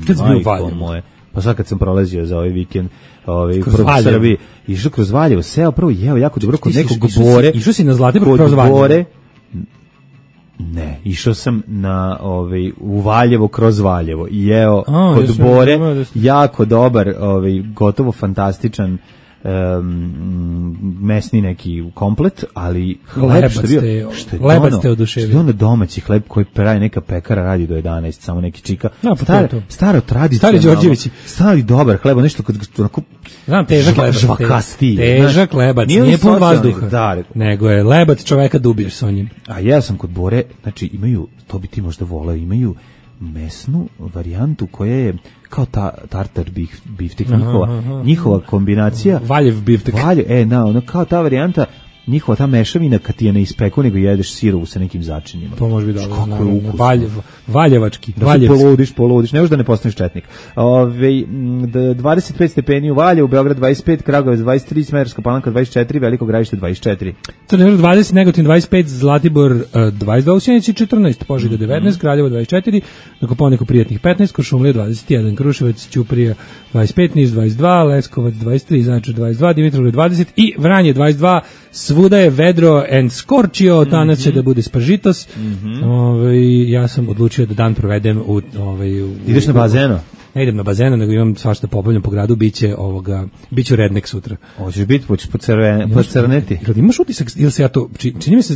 Kad si bio u Valjevu?
pa sad kad sam prolazio za ovaj vikend kroz Srbiji, išao kroz Valjevo, seo prvo, jeo jako dobro kod nekog Bore.
Išao si na Zlatibor kroz Valjevo?
Ne, išao sam u Valjevo kroz Valjevo i jeo kod Bore, jako dobar, gotovo fantastičan mesni neki komplet, ali hleb
lebac te oduševio.
Što je ono domaći hleb koji pravi neka pekara, radi do 11, samo neki čika. Staro tradicionalno.
Stari Đorđevići.
Stari dobar hleb, nešto kod onako
težak lebac.
Žvakasti.
Težak lebac, nije pun vazduha. Nego je lebac čoveka da ubiješ sa njim.
A ja sam kod Bore, znači imaju, to bi ti možda voleo, imaju mesnu varijantu koja je kao tartar biftek, njihova kombinacija.
Valjev biftek.
Ono kao ta varijanta, njihova ta mešavina kad ti je ne ispeku, nego jedeš sirovu sa nekim začinima.
To može biti dobro. Valjevački.
Poludiš, ne možeš da ne postaneš četnik. 25 stepeni u Valjevu, Beograd 25, Kragujevac 23, Smederevska Palanka 24, Veliko Gradište 24.
Crni vrh 20, Negotin 25, Zlatibor 22, u Sjenici 14, Požega 19, Kraljevo 24, na Kopaoniku prijatnih 15, Kuršumlija 21, Kruševac, Ćuprija 25, Niš 22, Leskovac 23, Zaječar 22, Dimitrovgrad 20 i Vranje 22. Svuda je vedro and scorchio, danas će da bude spržitos. Ja sam odlučio da dan provedem u
ideš na bazeno?
Ne idem na bazenu, nego imam svašta pobavljam po gradu, biću rednek sutra.
Hoćeš biti, hoćeš pocrneti?
Imaš utisak, ili se ja to, čini mi se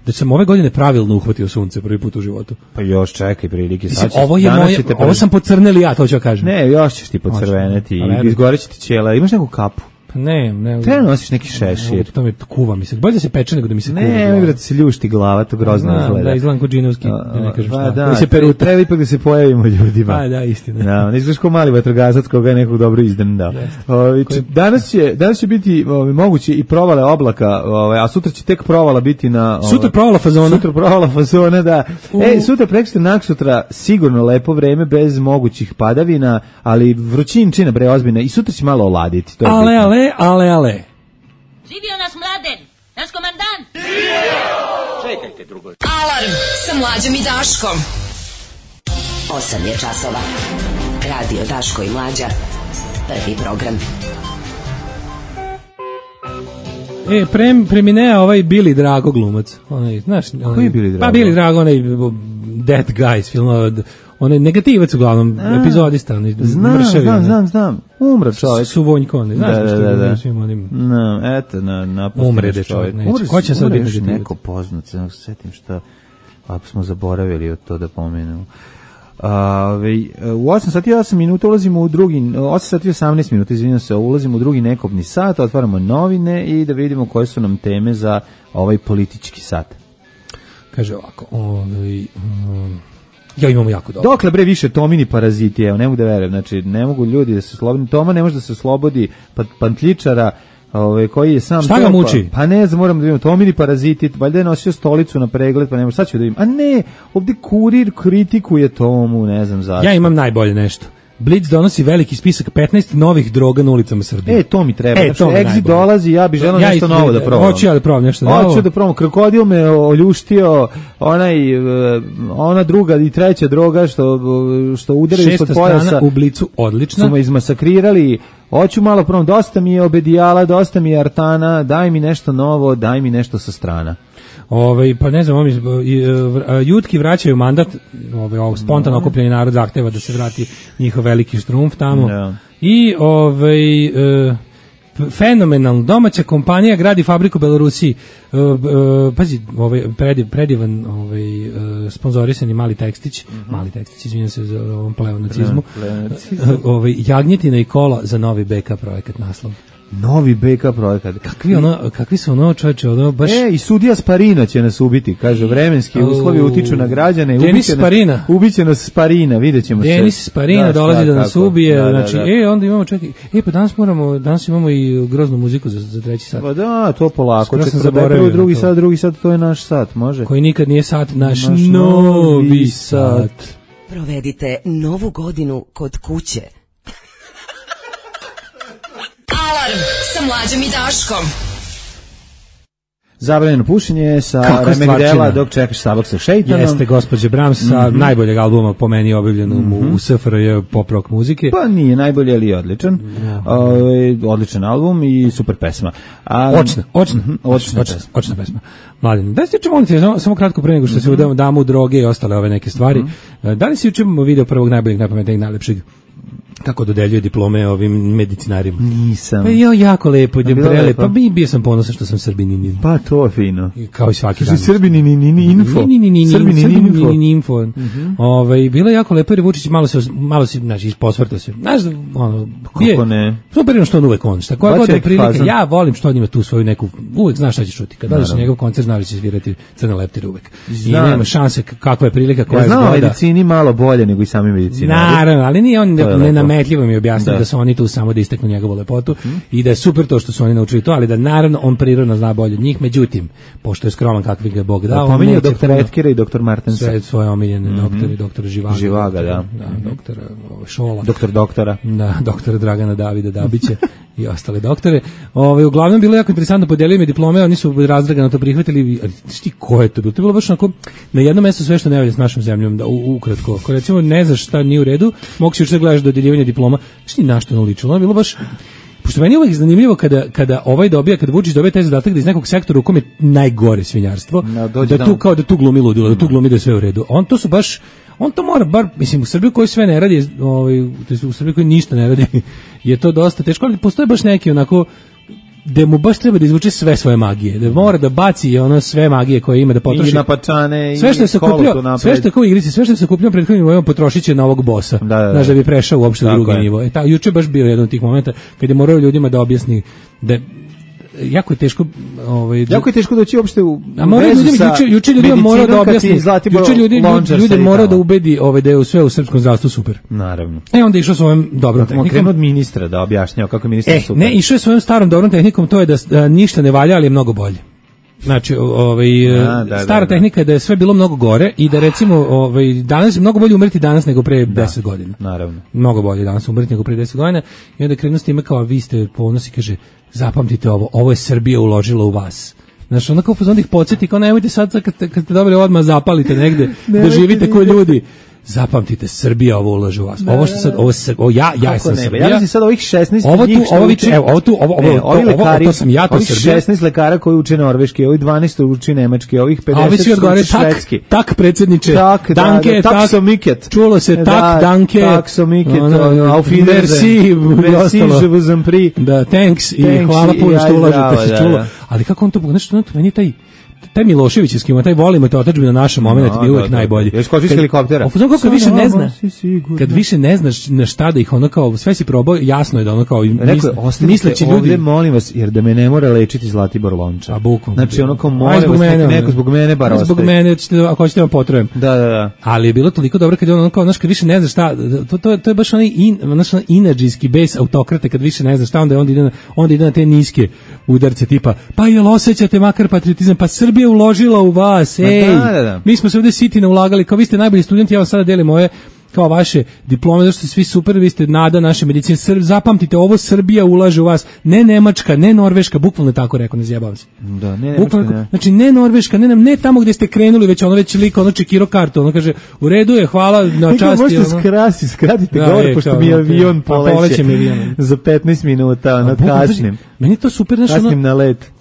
da sam ove godine pravilno uhvatio sunce prvi put u životu.
Pa još čekaj prilike.
Ovo sam pocrneli ja, to ću kažem.
Ne, još ćeš ti pocrveneti i izgoreći ti ćela. Imaš neku kapu?
Ne.
Te nosiš neki šešir.
To me kuva mi se. Bolje da se peče nego da mi se kuva.
Ne, da se ljušti glava, to grozno izgleda.
Da, izgledam kod džinovski, da ne kažem šta.
Da se peru, treba ipak da se pojavimo ljudima.
Pa da, istina.
Da, ne izgledaš kao mali vatrogasac koga je nekog dobro izdendao. Danas će biti moguće i provale oblaka, a sutra će tek provala biti na...
Sutra provala
fazona, da. Sutra, preksutra, naksutra, sigurno lepo vreme, bez mogućih padavina, ali vrućinčina, bre, ozbiljna. I sutra će malo oladiti.
Ale.
Živio nas Mladen, naš komandant.
Čekajte drugo.
Alarm sa Mlađom i Daškom. 8 je časova. Radio Daško i Mlađa. Prvi program.
Preminea Billy Drago glumac. Znaš,
koji je Billy Drago?
Pa Billy Drago, onaj Dead Guys film, onaj negativac uglavnom, epizodista, mršavi.
Znam. Umre čovjek.
Suvonjko, ne znaš što je svim onim... Umre de čovjek, neće. Ko će sad biti negativac?
Neko poznat, se setim šta, ako smo zaboravili od to da pomenemo. U 8 sati 8 minuta ulazimo u drugi, 8 sati 18 minuta, izvinjam se, ulazimo u drugi nekobni sat, otvaramo novine i da vidimo koje su nam teme za ovaj politički sat.
Kaže ovako, ja imamo jako dobro.
Dokle bre više Tomini paraziti, evo, ne mogu da verujem, znači ne mogu ljudi da se slobodi, Toma ne može da se oslobodi Pantličara, koji je sam...
Šta ga muči?
Pa ne znam, moram da vidimo, Tomini paraziti, valjda je nosio stolicu na pregled, pa ne može, sad ću da vidim. A ne, ovdje Kurir kritikuje Tomu, ne znam zašto.
Ja imam najbolje nešto. Blitz donosi veliki spisak 15 novih droga na ulicama Srbije.
To mi treba. Exit dolazi, ja bih želeo nešto novo da probam.
Hoću ja da probam nešto novo.
Hoću da probam. Krokodil me oljuštio, ona druga i treća droga što udaraju ispod pojasa.
6. strana u Blicu, odlična.
Su me izmasakrirali. Hoću malo probam. Dosta mi je obedijala, dosta mi je artana, daj mi nešto novo, daj mi nešto sa strana.
Pa ne znam, Jutki vraćaju mandat, spontano okupljeni narod zahteva da se vrati njihov veliki štrumf tamo. I fenomenalno, domaća kompanija gradi fabriku u Belorusiji. Pazi, predivan sponzorisani Mali tekstić, izvinjam se za ovom pleonacizmu. Jagnjetina i kola za novi BK projekat naslov.
Novi BK projekat.
Kakvi su čoveče, baš...
I sudija Sparina će nas ubiti, kaže, vremenski uslovi utiču na građane.
Denis Sparina.
Ubiće nas Sparina, vidjet ćemo se.
Denis Sparina dolazi da nas ubije, znači, onda imamo, čekaj, pa danas imamo i groznu muziku za treći sat.
Pa da, to polako. Drugi sat, to je naš sat, može.
Koji nikad nije sat, naš novi sat.
Provedite novu godinu kod kuće. Alarm sa Mlađom i Daškom.
Zabranjeno pušenje sa Remegdela dok čekaš Sabak sa šejtanom.
Jeste, gospođe Brahms sa najboljeg albuma po meni objavljenom u SFRJ pop rock muzike.
Pa nije najbolji, ali je odličan. Odličan album i super pesma.
Očna pesma. Mladen, da se čemu samo kratko pre nego što se damo droge i ostale ove neke stvari. Da li si juče video prvog najboljeg, najpametnijeg, najlepšeg kako dodeljuje diplome ovim medicinarima?
Nisam.
Pa jako lepo, pa bio sam ponosan što sam Srbinin.
Pa to je fino.
Kao i svaki dan.
Srbinin info.
Srbinin info. Bilo je jako lepo jer Vučić malo se znači isposvrtao se. Znaš,
kako ne?
Super što on uvek on. Šta koja god je prilika, ja volim što on ima tu svoju neku, uvek znaš šta će čuti. Kad dođeš na njegov koncert, znaš da će svirati Crne leptire uvek. I nema šanse kakva je prilika koja je zgoda.
Ja znam medicini malo bolje nego i sami medicinari.
Naravno, ali nije on nenametljivo mi objasnio da su oni tu samo da isteknu njegovu lepotu i da je super to što su oni naučili to, ali da naravno on prirodno zna bolje od njih, međutim, pošto je skroman kakvi ga Bog dao.
Pominjao doktora Etkera i doktor Martensa.
Sve svoje omiljene doktori, doktor Živaga.
Živaga, da.
Doktora Šola.
Doktora.
Da, doktora Dragana Davida Dabića i ostale doktore. Uglavnom bilo jako interesantno, podelili mi diplome, oni su razdragano to prihvatili, ali šti ko je to bilo? To je bilo baš onako na jednom mjestu sve što ne valja s našom zemljom, da ukratko. Ako recimo ne znaš šta nije u redu, mogu si još da gledaš dodeljivanje diploma, šti na što ono ličilo, ono bilo baš. Pošto meni je uvijek zanimljivo kada kada Vučić dobije taj zadatak da iz nekog sektora u kom je najgore svinjarstvo, da tu glumi ludilo, da tu glumi da je sve u redu. On to mora bar, mislim, u Srbiji koji sve ne radi, u Srbiji koji ništa ne radi, je to dosta teško, ali postoje baš neki onako, da mu baš treba da izvuče sve svoje magije, da mora da baci ono sve magije koje ima, da potroši.
I napačane,
sve što je sakupljao, sve što je kao u igrici, sve što je sakupljao prethodnim vojom potrošit će na ovog bosa, znaš, da bi prešao uopšte u drugi nivo. Juče baš bio jedan od tih momenta kad je morao ljudima da objasni da jako je teško
jako je teško doći uopšte u
juče ljudima mora da objasni, ljude mora da ubedi da je sve u srpskom zdravstvu super.
Naravno.
Onda išao svojom dobrom tehnikom.
Krenuo od ministra da objašnjava kako je ministar super.
Ne, išao je svojom starom dobrom tehnikom, to je da ništa ne valja, ali je mnogo bolje. Znači, stara tehnika je da je sve bilo mnogo gore i da recimo danas je mnogo bolje umreti danas nego pre 10 godina.
Naravno.
Mnogo bolje danas umreti nego pre 10 godina i onda krenuo s time kao vi ste ponosi, kaže zapamtite ovo je Srbija uložila u vas. Znači, onda kao ih podsjeti, kao nemojte sad kad ste dobili odmah zapalite negde, da živite kao ljudi. Zapamtite, Srbija ovo ulaže u vas. Ovo što sad, ja sam Srbija.
Ja sam sad ovih 16
lekari, to sam ja, to Srbija.
16 lekara koji uče norveški, ovih 12 uče nemački, ovih 50 uče švedski.
Tak, predsjedniče,
danke, tak so miket.
Čulo se, tak, danke.
Tak so miket, auf
Wiedersehen.
Merci, je vous en prie.
Da, thanks i hvala puno što ulažete, se čulo. Ali kako on to, nešto, meni taj Miloševićevski, taj volimo te otadžbinu na našem momentu bio uvijek najbolji.
Jesi skočio iz helikoptera?
Kako više ne zna, kad više ne znaš na šta da ih ono kao, sve si probao, jasno je da ono kao, misleći ljudi.
Ovdje molim vas, jer da me ne mora lečiti Zlatibor Lončar.
A bukvalno.
Znači ono kao molim vas, neko zbog mene bar ostaje.
Zbog mene, ako hoćete vam potrujem.
Da.
Ali je bilo toliko dobro kad je ono kao, znaš, kad više ne znaš šta, to je baš onaj inadžijski bes autokrate, kad više ne znaš šta, onda ide na te niske udarce tipa, pa jel osjećate makar patriotizam, pa Srbija uložila u vas, mi smo se ovdje sitina ulagali, kao vi ste najbolji studenti, ja vam sada delim moje kao vaše diplome, zato ste svi super, vi ste nada naše medicine, zapamtite, ovo Srbija ulaže u vas, ne Nemačka, ne Norveška, bukvalno tako rekao, ne zjebavam se.
Da, ne Nemačka, ne.
Znači, ne Norveška, ne tamo gdje ste krenuli, već liko, čekiro kartu, ono kaže, u redu je, hvala na časti.
Možete skratite govor, pošto mi avion poleće za 15 minuta, kasnim.
Meni to super, znači,
kasnim na let.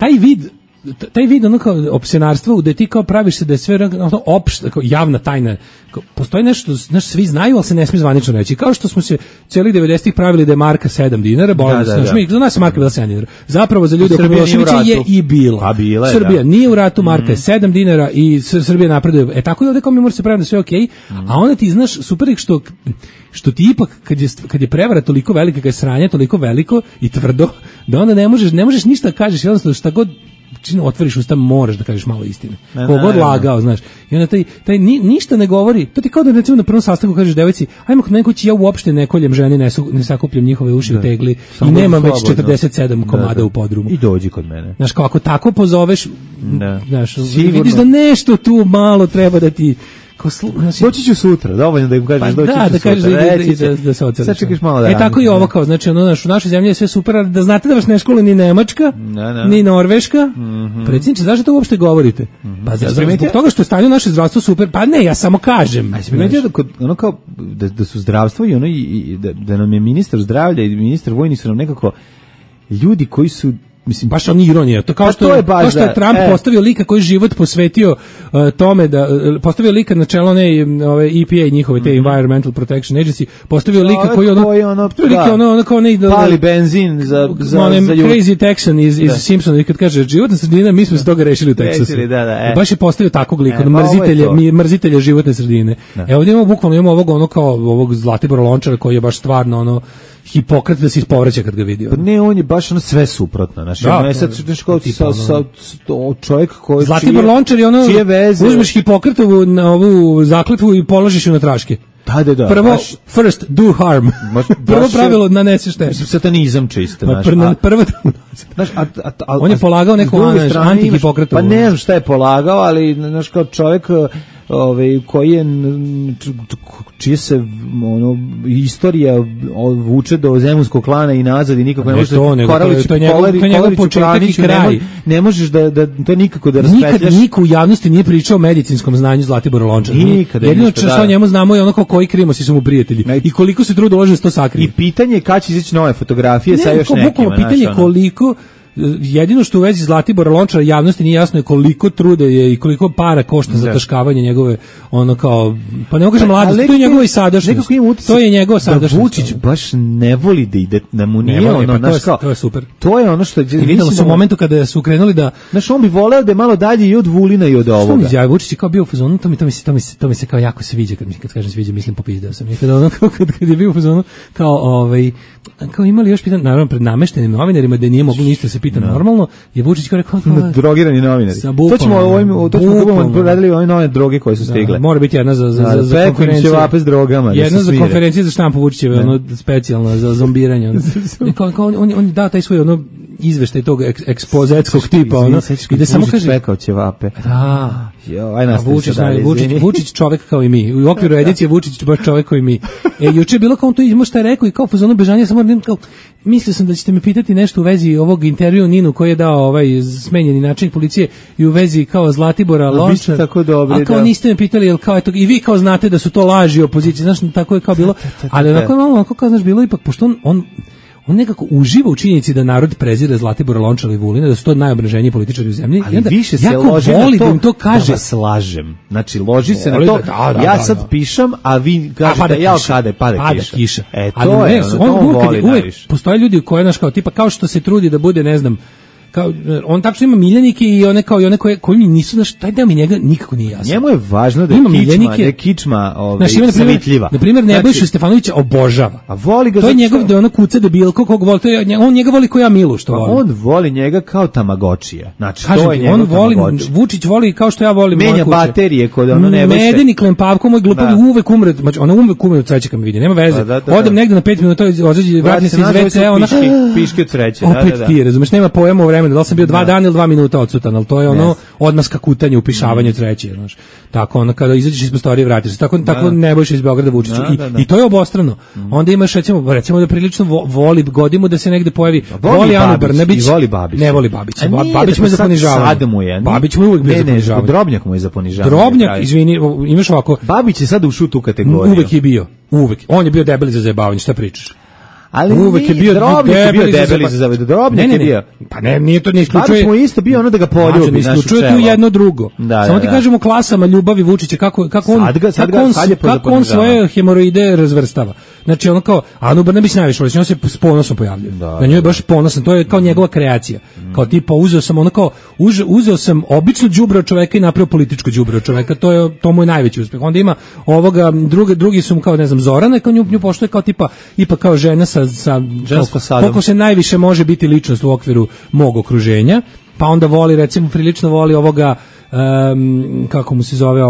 Taj vid ono kao opsenarstva, gde ti kao praviš se da je sve opšta, javna tajna, postoji nešto, znaš, svi znaju, ali se ne smije zvanično reći. Kao što smo se cijelih 90-ih pravili da je marka 7 dinara, za nas je marka bila 7 dinara. Zapravo za ljude oko Miloševića je i bila. Srbija nije u ratu, marka je 7 dinara i Srbija napreduje. Tako je ovdje kao mi mora se praviti da sve okej, a onda ti znaš, super je što ti ipak, kad je prevara toliko velika, kad je sranje toliko veliko i tvrdo, da onda ne možeš ništa da kažeš, jednostavno šta god otvoriš usta, moraš da kažeš malo istine. Kogod lagao, znaš. I onda taj ništa ne govori. To ti kao da recimo na prvom sastanku kažeš devojci, ajmo kod mene kući, ja uopšte ne koljem ženi, ne sakupljam njihove uši u tegli i nemam već 47 komada u podrumu.
I dođi kod mene.
Znaš, kao ako tako pozoveš, znaš, vidiš da nešto tu malo treba da ti
Doći ću sutra, dovoljno da im kažeš doći ću sutra.
Da kažeš da se oceliš.
Sad čekaš malo da
tako i ovo kao, znači u našoj zemlji je sve super, da znate da vas ne škole ni Nemačka, ni Norveška. Predsjedniče, zašto to uopšte govorite? Pa zbog toga što je stanje naše zdravstvo super, pa ne, ja samo kažem.
Ono kao da su zdravstvo i ono da nam je ministar zdravlja i ministar vojni su nam nekako ljudi koji su, mislim,
baš on ironija. To kao što je Trump postavio lika koji život posvetio tome da postavio lika na čelo ove EPA njihove te Environmental Protection Agency, postavio lika koji ono kao ne
pali benzin za
Crazy Texan iz Simpsona, kad kaže životna sredina, mi smo se toga rešili u Teksasu. Baš je postavio takvog lika, mrzitelja životne sredine. Evo ovdje imamo ovog Zlatibora Lončara koji je baš stvarno Hipokrat da se ispovraća kad ga vidi.
Pa ne, on je baš sve suprotno. Znači, čovjek koji
Zlatibor Lončar je uzmeš Hipokratovu na ovu zakletvu i položiš ju na traške.
Da.
Prvo, first, do harm. Prvo pravilo, nanesi štetu.
Satanizam čisto.
Prvo, on je polagao neku anti-Hipokratovu.
Pa ne znam šta je polagao, ali znaš kao čovjek koji je čije se istorija vuče do zemunskog klana i nazad i nikako ne možeš
to je njegov početak i kraj.
Ne možeš to nikako da raspetljaš.
Nikad niko u javnosti nije pričao o medicinskom znanju Zlatibora Lončara. Jedino što o njemu znamo je ono koji krimosi su mu prijatelji i koliko se truda uloži da se to sakrije.
I pitanje je kada će izaći nove fotografije sa još nekima.
Pitanje koliko. Jedino što u vezi Zlatibora Lončara javnosti nije jasno je koliko truda je i koliko para košta za taškavanje njegove, ono kao, pa ne kažem mladost, to je njegova i sadašnjost. To je njegova sadašnjost.
Da Vučić baš ne voli da ide, da mu nije
to je super.
To je ono što je...
Videlo se u momentu kada su krenuli da...
Znaš, on bi voleo da je malo dalje i od Vulina i od ovoga.
Što mi izjavio, Vučić je kao bio u fazonu, to mi se kao jako sviđa, kad kažem sviđa, mislim popizdeo sam. Kad je bio u fazonu, kao imali još pitanje, naravno pred nameštenim novinarima da nije moglo ništa se pita normalno, je Vučić kao rekao
drogirani novinari. To ćemo radili ove nove droge koje su stigle.
Mora biti jedna za konferenciju
s drogama.
Jedna za konferenciju za štampu Vučićeve, ono specijalno za zombiranje. On dao taj svoj izveštaj tog ekspozetskog tipa,
gde samo kaže pekao ćevape.
Vučić čovek kao i mi. U okviru edicije Vučić baš čovek kao i mi. Juče je bilo kao on to ima šta je rekao i kao fazonu bežanja, samo kao mislio sam da ćete me pitati nešto u vezi ovog intervjua Ninu koji je dao smenjeni načelnik policije i u vezi kao Zlatibora Lončara. A kao niste me pitali jel kao i vi kao znate da su to laži opozicije, znaš, tako je kao bilo. Ali onako kao znaš bilo ipak pošto on nekako uživa u činjenici da narod prezire Zlatibora Lončara i Vulina, da su to najobraženiji političari u zemlji.
Ali više se loži na to da im to kaže. Da vas lažem. Znači, loži se na to. Ja sad pišem, a vi kažete, ja kada pada kiša. To je, on voli najviše.
Postoje ljudi koje, znaš, kao tipa, kao što se trudi da bude, ne znam, kao on tačno ima miljenike i one koji mi nisu, znaš, taj deo mi njega nikako nije jasan.
Njemu je važno da je kičma savitljiva.
Na primjer, Nebojšu Stefanovića obožava.
A voli ga
to je njegov da ona kuca debilko kog voli, on njega voli kao ja Milu što voli.
On voli njega kao Tamagočija. Znači to je njegov Tamagoči.
Vučić voli kao što ja volim.
Menja baterije kod ono Nebojše.
Medeni Klempavko moj glupavi uvek umre, znači ona uvek umre od sreće kad me vidi. Nema veze. Odem negde na 5 minuta, vratim se iz WC-a, ona
piške od sreće.
Opet ti, razumeš, nema pojma o vremenu. Da li sam bio 2 dana ili 2 minuta odsutan, ali to je ono odmaska kutanje, upišavanje treće, znaš. Tako ono kada izađeš iz prostorije vratiš se. Tako Nebojša iz Beograda Vučiću. I to je obostrano. Onda imaš recimo da prilično voli godinu da se negde pojavi. Voli Anu Brnabić. Ne voli Babića. Babić mu je za ponižavanje. Babić mu je uvek bio za ponižavanje.
Drobnjak mu je za ponižavanje.
Drobnjak, izvini, imaš ovako.
Babić je sad ušao u tu kategoriju.
Uvek je bio. Uvek. On je bio debeli za zajebavanje, šta pričaš?
Ali uvek je bio debeli za zavedu. Drobnjak je bio.
Pa ne, nije to ne isključuje.
Babić mu isto bio ono da ga poljubi.
Ne isključuje tu jedno drugo. Samo ti kažemo klasama ljubavi Vučića kako on svoje hemoroide razvrstava. Znači ono kao Anu Brnabić najviše voli, on se s ponosom pojavljuje. Na njoj je baš ponosan, to je kao njegova kreacija. Kao tipa uzeo sam obično đubre od čoveka i napravio političko đubre od čoveka, to mu je najveći uspeh. Onda ima ovoga drugi su kao ne znam Zorana, kao nju poštuje kao tipa ipak kao žena sa koliko se najviše može biti ličnost u okviru mog okruženja, pa onda voli recimo prilično voli ovoga kako mu se zove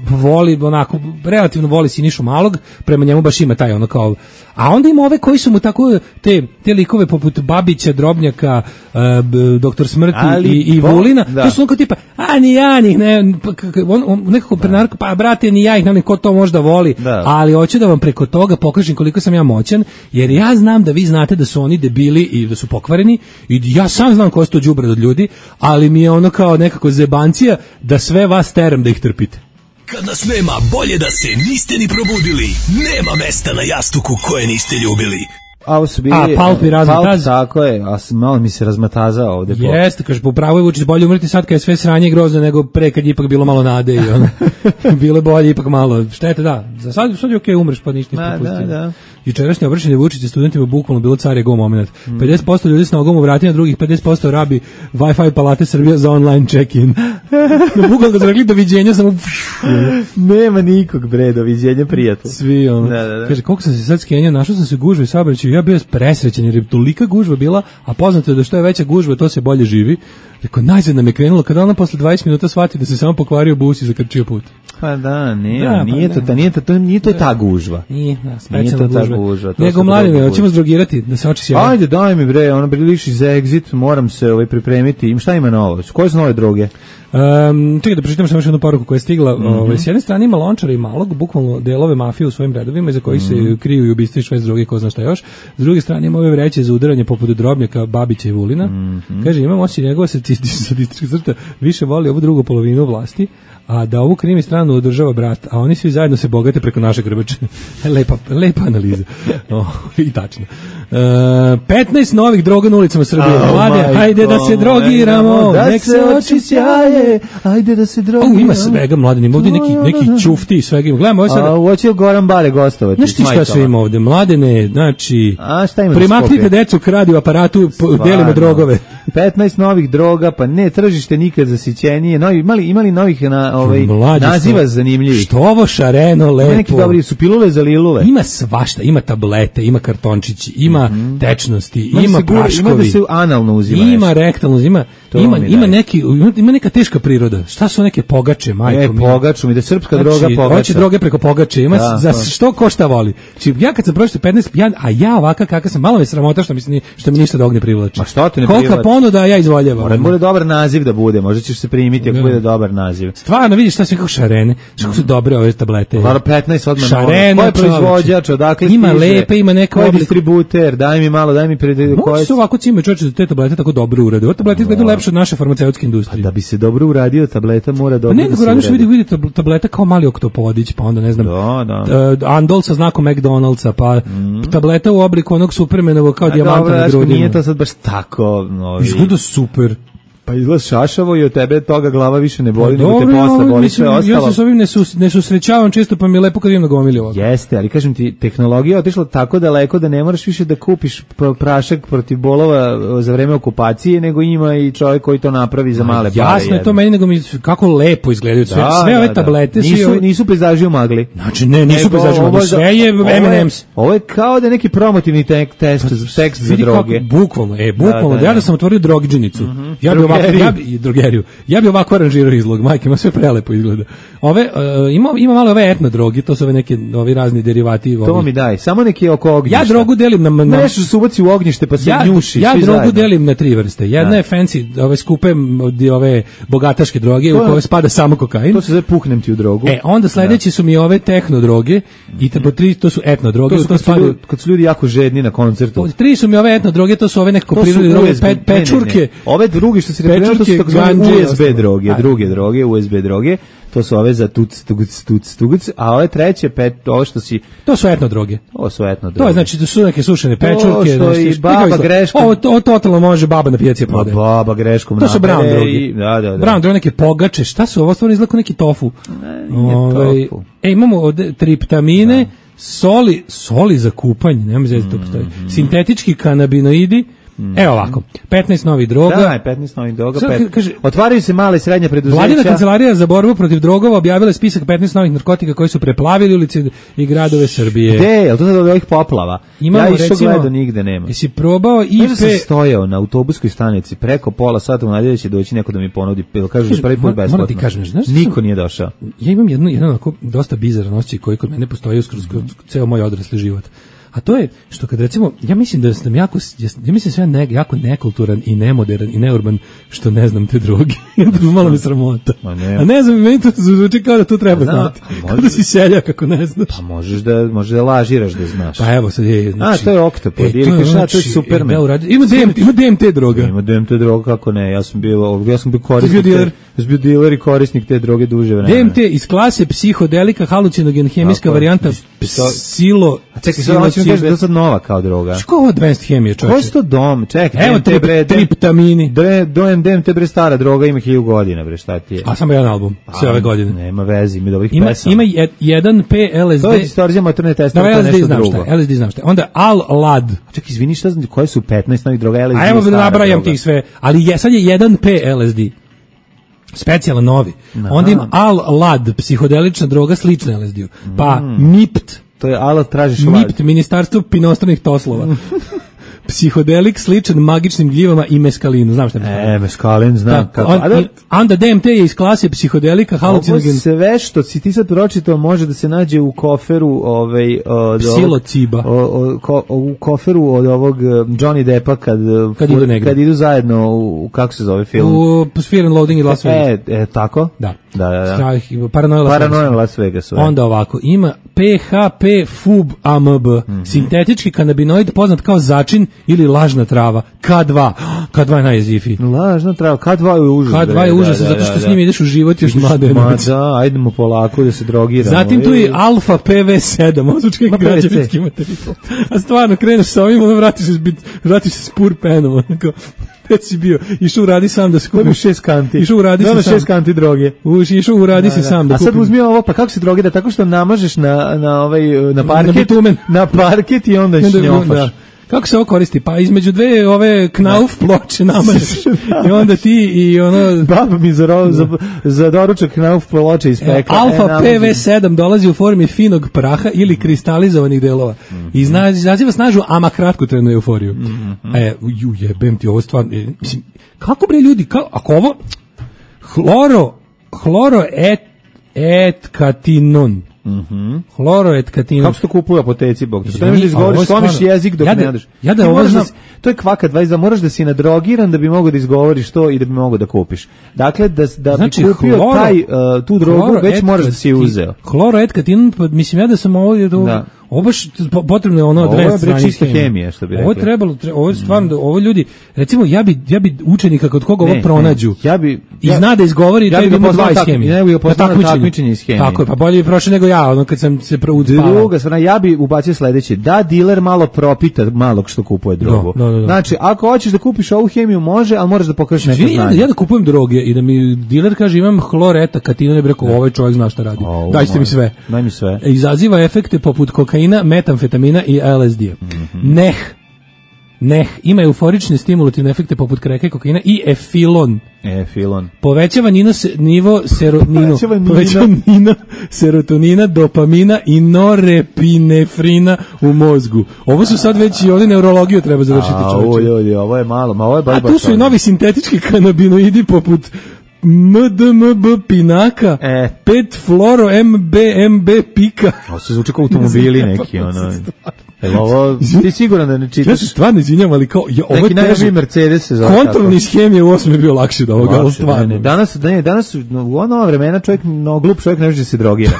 voli, onako, relativno voli Sinišu Malog, prema njemu baš ima taj ono kao, a onda ima ove koji su mu tako, te likove poput Babića, Drobnjaka, Doktor Smrti i Vulina, to su onako tipa, ni ja njih, on nekako prenarko, pa brate, ni ja ih, ne, ko to možda voli, ali hoću da vam preko toga pokažem koliko sam ja moćan, jer ja znam da vi znate da su oni debili i da su pokvareni, i ja sam znam ko su to đubre od ljudi, ali mi je ono kao nekako zebancija da sve vas teram da ih trpite.
Kad nas nema, bolje da se niste ni probudili. Nema mesta na jastuku koje niste ljubili.
A ovo su bili...
Palp i razmataz.
Tako je, a malo mi se razmatazao ovde.
Jeste, kaže, po pravu je Vučić bolje umreti sad kad je sve sranje grozno nego pre kad je ipak bilo malo nade i ono. Bilo bolje ipak malo. Štete, da. Za sad je okej, umreš pa ništa ne propustio. Da. Jučerašnje obraćanje Vučića studentima bukvalno bilo car je go moment. 50% ljudi s nogom u vratima, drugih 50% rabi Wi-Fi palate Srbija za online check-in. Bukvalno kad su rekli doviđenja, samo...
Nema nikog, bre, doviđenja, prijatelj.
Svi, ono. Da. Kaže, koliko sam se sad skenjao, našao sam se gužve i saobraćaju, ja bio presrećen jer je tolika gužva bila, a poznato je da što je veća gužva, to se bolje živi. Rekao, najzad nam je krenulo, kada ona posle 20 minuta shvati da se samo pokvario bus i zakrčio put.
Pa da, nije to ta gužva.
Nije to ta gužva. Nego mladine, hoćemo zdrogirati, da se oči sjavaju.
Ajde, daj mi bre, ono priliši za exit, moram se pripremiti. Šta ima novo? Koje su nove droge?
Čekaj da pročitam samo još jednu poruku koja je stigla. S jedne strane ima Lončara i Malog, bukvalno delove mafije u svojim redovima, iza kojih se kriju i ubistva i švest droge, ko zna šta još. S druge strane ima ove vreće za udaranje poput Drobnjaka, Babića i Vulina. Kaže, imam osjećaj njegova sadistička crta više voli ovu drugu polovinu vlasti, a da ovu krimi stranu održava brat, a oni svi zajedno se bogate preko naše grbače. Lepa analiza. I tačno. 15 novih droga na ulicama Srbije. Mlade, hajde da se drogiramo, nek se oči sjaje, hajde da se drogiramo. Ima svega, mlade, ima ovdje neki čufti i svega ima. Gledamo ovo sada.
Hoće Goran Bare gostovati.
Znaš ti šta sve ima ovdje? Mladene, znači, primaknite decu k radio aparatu, delimo drogove.
15 novih droga, pa ne, tržište nikad zasićenije. Imali novih naziva zanimljivi.
Što ovo šareno, lepo.
Neki dobri su pilule za lilule.
Ima svašta, ima tablete, ima kartončići, ima tečnosti, ima praškovi.
Ima da se analno uzima.
Ima rektalno, ima neka teška priroda. Šta su neke pogače, majko mi?
Pogaču mi, da srpska droga pogača.
Hoće droge preko pogače, ima za što ko šta voli. Ja kad sam prošao 15, a ja ovaka kakav sam, malo me sramota što mi ništa dog ne privlači.
Ma što te ne privlači?
Kolika ponuda, ja izvoljevam.
Mora dobar naziv da bude, možda ćeš se primiti ako bude dobar naziv.
Stvarno, vidiš šta sve kako šarene, što su dobre ove tablete.
Hvala 15 odmah.
Šarene,
ko je proizvođač, odakle
ima lepe, ima neka
oblik. Distributer, daj mi malo, daj mi
koji su ovako cime čoveče da te tablete tako dobro urade. Ove tablete izgledaju lepše od naše farmaceutske industrije.
Da bi se dobro uradio, tableta mora dobro.
Ne, nego radiš vidi tableta kao mali oktopodić, pa onda ne znam. Andol sa znakom McDonald'sa, pa tableta u obliku onog Supermanovog kao dijamanta na grudima.
Nije to sad baš tako,
izgleda super.
Pa izgleda šašavo i od tebe toga glava više ne boli, nego te posle boli sve ostalo.
Ja se s ovim ne susrećavam često, pa mi je lepo kad imam na gomili ovako.
Jeste, ali kažem ti, tehnologija je otišla tako daleko da ne moraš više da kupiš prašak protiv bolova za vreme okupacije, nego ima i čovjek koji to napravi za male pare.
Jasno je to meni, nego mi kako lepo izgledaju sve ove tablete.
Nisu pejzaži u magli.
Znači, ne, nisu pejzaži u magli, sve je M&M's.
Ovo je kao da je neki promotivni tekst za droge.
Bukvalno, ja da sam otvorio drogidžinicu. Ja bi ovako aranžirao izlog, majke, ima sve prelepo izgleda. Ima malo ove etno drogi, to su ove neke razni derivati.
To mi daj, samo neki oko ognjišta.
Ja drogu delim na
nešto se ubaci u ognjište pa se njuši.
Ja drogu delim na 3 vrste. Jedna je fancy, ove skupe, ove bogataške droge u koje spada samo kokain.
To se zove puhnem ti u drogu.
Onda sledeći su mi ove tehno droge i po 3 to su etno droge.
Kad su ljudi jako žedni na koncertu.
3 su mi ove etno droge, to su ove nekako prirodne droge, pečurke.
Ove drugi što se to su takozvane USB droge, druge droge, USB droge, to su ove za tuc, a ove treće, ovo što si...
To su etno droge.
To
je znači da su neke sušene pečurke.
To što i baba greškom...
Ovo totalno može baba na pijaci prodaje.
Baba greškom
to su brown droge. Da. Brown droge, neke pogače, šta su ovo? Stvarno izgleda kao neki tofu.
Nije tofu.
Imamo ovde triptamine, soli za kupanje, nema zezati to postoji. Sintetički kanabinoidi, Evo ovako, 15 novih droga.
Da, 15 novih droga. Otvaraju se male i srednje preduzeća.
Vladina kancelarija za borbu protiv drogova objavila spisak 15 novih narkotika koji su preplavili ulice i gradove Srbije.
Gde? Je li to sad od ovih poplava? Ja išao gledao, nigde nema.
Jesi probao IP...
Možda sam stojao na autobuskoj stanici preko pola sata u nadjelju će doći neko da mi ponudi, kažu da prvi put besplatno.
Moram ti kažem, znaš,
niko nije došao.
Ja imam jedan onako dosta bizaran osjećaj koji kod mene postoji kroz ceo moj odrasli život. A to je što kad recimo, ja mislim da sam jako jako nekulturan i nemoderan i neurban što ne znam te droge. Malo me sramota. A ne znam, meni to zvuči kao da to treba znati. Kao da si seljak ako ne znaš.
Pa možeš da lažiraš da znaš.
Pa evo sad je.
Znači, to je Oktopod. To je Superman.
Ima DMT droga.
Ima DMT droga, kako ne. Ja sam bio korisnik. Bio diler i korisnik te droge duže vremena.
DMT iz klase psihodelika, halucinogen, hemijska varijanta psilo.
Čekaj, kažeš da je sad nova kao droga.
Što je ovo advanced hemija, čovječe?
Ko je to dom? Čekaj,
evo triptamini.
DMT bre stara droga, ima 1000 godina, bre, šta ti je?
A samo jedan album, sve ove godine.
Nema veze, ima dobrih pesama.
Ima 1P LSD.
To je distorzija motorne testove, to je nešto drugo.
LSD znam šta je. Onda Al-Lad.
Čekaj, izvini, šta znam, koje su 15 novih droga LSD?
A evo da nabrajam tih sve, ali sad je 1P LSD. Specijalan novi. Onda ima Al-Lad, psihodelična droga slična LSD-u. Pa MIPT.
To je alat tražiš lad.
MIPT, Ministarstvo pinostranih toslova. Psihodelik sličan magičnim gljivama i meskalinu. Znam šta je.
Meskalin, znam.
Onda DMT je iz klase psihodelika, halucinogen.
Ovo sve što si ti sad pročitao može da se nađe u koferu
psilociba.
U koferu od ovog Johnny Deppa kad idu zajedno u, kako se zove film?
U Fear and Loathing in Las Vegas.
Tako?
Da.
Paranoia Las Vegas.
Onda ovako, ima PHP FUB AMB, sintetički kanabinoid poznat kao začin ili lažna trava, K2. K2 je najjezifiji.
Lažna trava, K2 je užas.
K2 je užas, zato što s njim ideš u život još mlade.
Da, ajdemo polako da se drogiramo.
Zatim tu je Alfa PV7, ozučki građevinski materijal. A stvarno, kreneš sa ovim, vratiš se s pur penom, onako. Gde si bio? Išao uradi sam da se kupiš
6 kanti.
Išao uradi se sam
6 kanti droge.
Išao uradi se sam da
kupim. A sad uzmi ovo, pa kako se drogira? Tako što namažeš na parket, na parket i onda šnjofaš.
Kako se ovo koristi? Pa između dve ove knauf ploče namažeš. I onda ti i ono...
Baba mi za doručak knauf ploče ispekla.
Alfa PV7 dolazi u formi finog praha ili kristalizovanih delova. I izaziva snažnu, ama kratkotrajnu euforiju. Jebem ti ovo stvarno... Mislim, kako bre ljudi, ako ovo... Hloroetkatinon. Hloroetkatinon.
Kako se to kupuje u apoteci, Bog? To ne možeš da izgovoriš, slomiš jezik dok ne odeš. To je kvaka 20, moraš da si nadrogiran da bi mogao da izgovoriš to i da bi mogao da kupiš. Dakle, da bi kupio tu drogu, već moraš da si je uzeo.
Hloroetkatinon, mislim ja da sam ovo ovo baš potrebno je ono adres
strane čista hemija, što bi rekli.
Ovo je stvarno, ovo ljudi, recimo ja bi učenika kod koga ovo pronađu. I zna da izgovori da ima 20 hemije.
Ja bih poslao takmičenje iz hemije.
Tako je, pa bolje bi prošao nego ja, ono kad sam se proučavao.
Druga strana, ja bi ubacio sledeće, da diler malo propita malog što kupuje drogu. Znači, ako hoćeš da kupiš ovu hemiju može, ali moraš da pokažeš neko znanje.
Ja da kupujem droge i da mi diler kaže imam hloreta-katinon, ne bi rekao ovaj čovjek zna šta radi. Dajte mi sve.
Daj mi sve.
Izaziva efekte poput kokaina, metamfetamina i LSD-a. Ima euforične stimulativne efekte poput kreke, kokaina i efilon. Povećava nivo serotonina, dopamina i norepinefrina u mozgu. Ovo su sad već i ovdje neurologiju treba završiti, čovječe.
Ovo je malo, ovo je baš.
A tu su i novi sintetički kanabinoidi poput MDMB pinaka, 5 fluoro MBMB pika.
Ovo se zvuči kao automobili neki, ono. Ovo, ti siguran da ne čitaš?
Ja se stvarno izvinjam, ali kao...
Neki najveći Mercedes se zove.
Kontrolni iz hemije u 8 je bio lakše da ovoga, ali stvarno.
Danas u ono vremena čovjek, glup čovjek ne može da se drogira.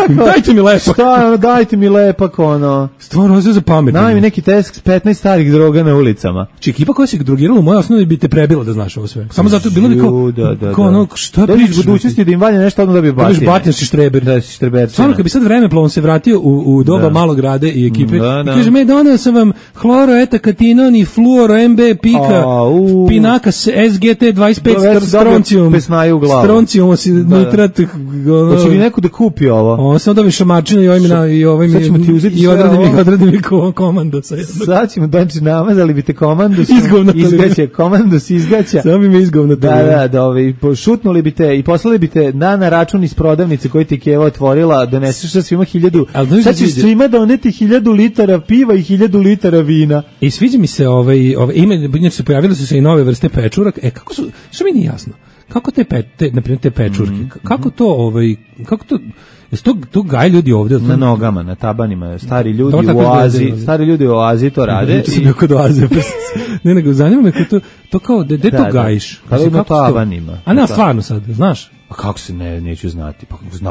Dajte mi lepak.
Dajte mi lepak, ono.
Stvarno, ovo je za pametno.
Daj mi neki test 15 starih droga na ulicama.
Či ekipa koja se drogirala u moje osnovi bi te prebila da znaš ovo sve. Samo zato bilo bi kao ono, šta pričaš?
U budućnosti da im valja nešto, odmah da bi batine.
Batine si štreber.
Da si štreber.
Stvarno, kad bi sad vremeplovom se vratio u doba malog rade i ekipe, i kaže, doneo sam vam hloroetakatinon i fluoro MB pika, pinaka SGT 25 stroncijum, nitrat.
Hoće li neko da kupi ovo?
On sam dobio šamačina i ovim
sad ćemo ti uzeti
i odradnim ih odradim i komando.
Sad ćemo, znači, namazali bi te komandus, komandus izgaća.
Samo bi me izgovnatali.
Da, šutnuli bi te i poslali bi te na račun iz prodavnice koji ti Keva otvorila, doneseš sa svima 1000, sad ćeš svima doneti 1000 litara piva i 1000 litara vina.
I sviđa mi se ime, se pojavile su se i nove vrste pečuraka. Kako su, što mi nije jasno, kako na primjer te pečurke, kako to, to gaj ljudi ovdje?
Na nogama, na tabanima, stari ljudi u Oazi to rade.
Kod Oaze. Ne, nego zanima me to kao, gde to gajiš?
Kada na tabanima.
A ne, stvarno sad, znaš?
A kako se neću znati?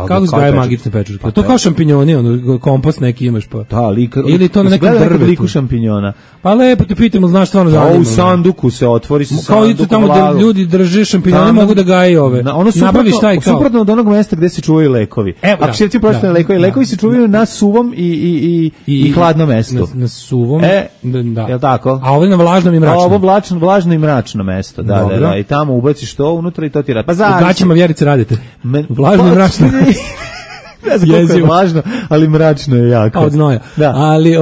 Kako se gaje magične pečurke? To kao šampinjoni, kompost neki imaš pa.
Da,
ili to na nekom drvetu.
Šampinjona.
Pa lepo te pitamo, znaš stvarno zanima.
A u sanduku se otvori sa sandukom.
Kao i tamo da ljudi drže šampinjone, mogu da gaje ove. Nabaviš taj kao.
Suprotno od onog mesta gde se čuvaju lekovi. Ako se ti pročitane lekovi se čuvaju na suvom i hladnom mestu.
Na suvom, da.
Jel tako?
A ovo na vlažnom i mračnom.
Ovo vlažno i mračno mesto, da. I tamo ubaciš to unutra i to ti radi. Pa
u gaćama Vjerice radite. Vlažno i mračno.
Ne znam koliko je vlažno, ali mračno je jako.
Od znoja. Da. Ali,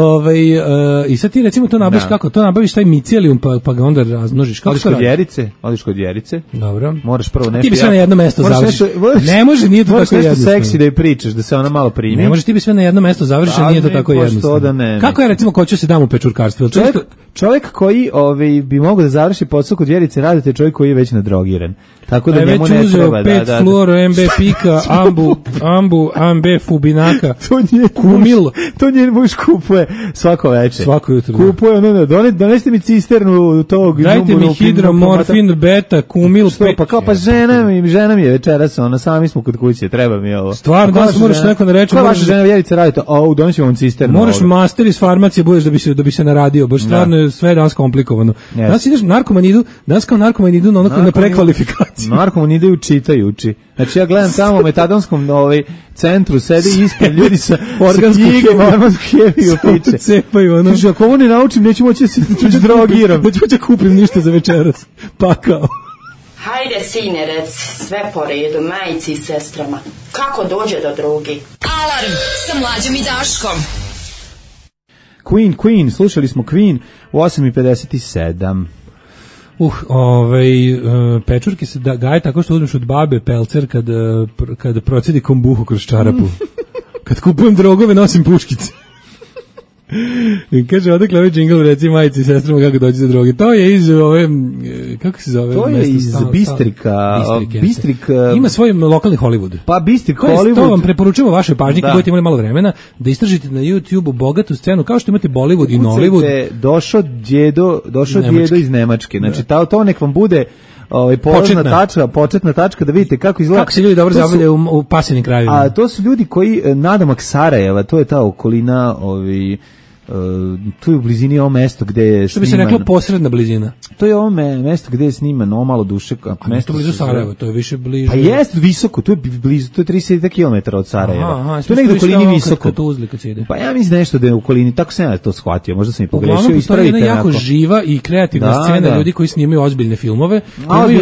i sad ti recimo to nabaviš kako? To nabaviš taj micelijum pa ga onda razmnožiš. Kako to radi?
Odiš kod Vjerice.
Dobro.
Moraš prvo nešto.
Ti bi sve na jedno mesto završiš. Ne može, nije to tako jednostavno.
Moraš nešto seksi da je pričaš, da se ona malo primi.
Ne može, ti bi sve na jedno mesto završiš, a nije to tako jednostavno. Kako je recimo ko će se dam u pečurkarstvu?
Čovjek koji bi mogao da završi posao kod Vjerice radite, čovjek koji je već nadrogiran. Tako da njemu ne treba.
Već uzeo 5 fluoro, MB Pika, Ambu, AMB Fubinaka, Kumil.
To njen muž kupuje svako večer.
Svako jutro.
Kupuje, donesite mi cisternu tog.
Dajte mi hidromorfin, beta, Kumil.
Što, pa kao, pa žena mi je večeras, sami smo kod kuće, treba mi ovo.
Stvarno, danas moraš neko da reče.
Koja vaša žena Vjerica radite? Donosi vam cisternu.
Moraš master iz farmacije budeš da bi se naradio, baš stvarno je sve danas komplikovano. Danas ideš danas kao narkomani idu na prekvalifikaciju.
Narkomani idu čitajući. Znači ja gledam tamo u metadonskom centru, sedi ispred ljudi sa organsku hemiju piče.
Cepaju, ono.
Kaže, ako ovo ne naučim, neću moći da se drogiram.
Neću moći da kupim ništa za večeras. Pakao.
Hajde, sine, rec, sve po redu, majici i sestrama. Kako dođe do drogi?
Alarm sa Mlađom i Daškom.
Queen, slušali smo Queen u 8:57.
Pečurke se gaje tako što uzmeš od babe pelcer kad procedi kombuhu kroz čarapu. Kad kupujem drogove, nosim puškice. I kaže, odakle ovaj džingl, reci majici i sestrama kako dođe za droge. To je iz kako se zove?
To je iz Bistrika. Bistrik
ima svoj lokalni Hollywood.
Pa Bistrik Hollywood.
To vam preporučujemo vašoj pažnji kad budete imali malo vremena da istražite na YouTubeu bogatu scenu kao što imate Bollywood i Nollywood.
Došao djedo iz Nemačke. Znači to nek vam bude početna tačka da vidite kako izgleda.
Kako se ljudi dobro zabavljaju u pasivnim krajevima.
A to su ljudi koji nadomak Sarajeva, to je ta okolina, tu je u blizini ovo mesto gde je
što bi se reklo posredna blizina.
To je ovo mesto gde je sniman malo duše.
Mesto blizu Sarajeva, to je više bliže.
Pa jest visoko, tu je blizu, to je 30 km od Sarajeva. To je negdje u okolini visoko. Pa ja mislim nešto da je u okolini, tako sam ja to shvatio, možda sam i pogrešio.
Postoji jedna jako živa i kreativna scena ljudi koji snimaju ozbiljne filmove,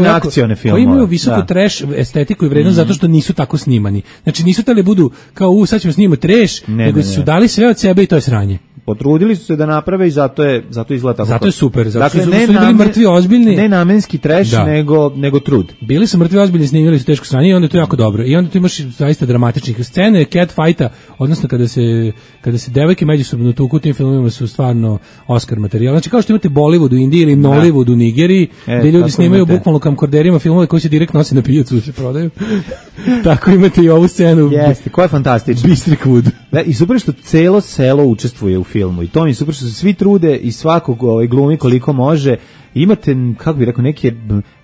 akcione filmove,
koji imaju visoku trash estetiku i vrednost zato što nisu tako snimani. Znači nisu tali budu kao sad ćemo snimati trash, nego su dali sve od sebe i to je sranje.
Potrudili su se da naprave i zato izgleda tako.
Zato je super, zato su bili mrtvi ozbiljni.
Ne namenski trash, nego trud.
Bili su mrtvi ozbiljni, snimili su teško sranje i onda je to jako dobro. I onda tu imaš zaista dramatičnih scene, catfighta, odnosno kada se devojke međusobno tuku u tim filmovima su stvarno Oscar materijal. Znači kao što imate Bollywood u Indiji ili Nollywood u Nigeriji, gdje ljudi snimaju bukvalno kamkorderima filmove koji se direkt nose na pijacu da se prodaju. Tako imate i ovu scenu.
Jeste, koja je fantastična.
Bistrik Wood.
I super što celo selo učestvuje u filmu i to mi je super što se svi trude i svakog glumi koliko može. Imate, kako bih rekao, neke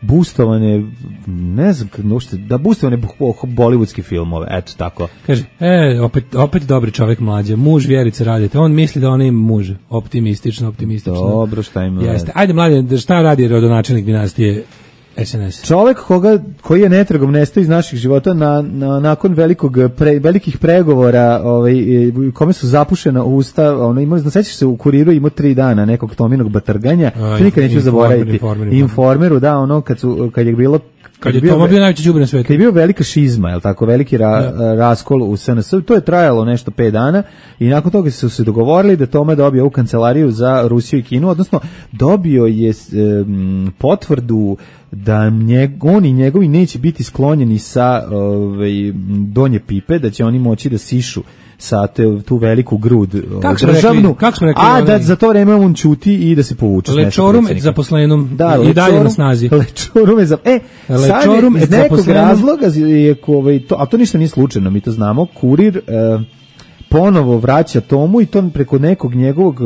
boostovane, ne znam, da boostovane bollywoodske filmove, eto tako.
Kaže, opet dobri čovjek Mlađe, muž Vjerice radite, on misli da ona ima muž, optimistično.
Dobro, šta ima?
Jeste, ajde Mlađe, šta radi rodonačelnik dinastije SNS?
Čovjek koji je netragom nestao iz naših života nakon velikih pregovora, kome su zapušena usta, sećaš se u Kuriru imao 3 dana nekog Tominog batrganja, nikad neću zaboraviti. Informeru, da, kad je bilo
Kad je Toma bio najveći đubre na svetu.
Kad je bio velika šizma, je li tako, veliki raskol u SNS, to je trajalo nešto 5 dana i nakon toga su se dogovorili da Toma dobije ovu kancelariju za Rusiju i Kinu, odnosno dobio je potvrdu da on i njegovi neće biti sklonjeni sa donje pipe, da će oni moći da sišu sa tu veliku grud državnu, a da za to vreme on ćuti i da se povuče.
Lečorum et zaposlenom i dalje na snazi.
Lečorum sad iz nekog razloga je, a to ništa nije slučajno, mi to znamo, Kurir ponovo vraća Tomu i to preko nekog njegovog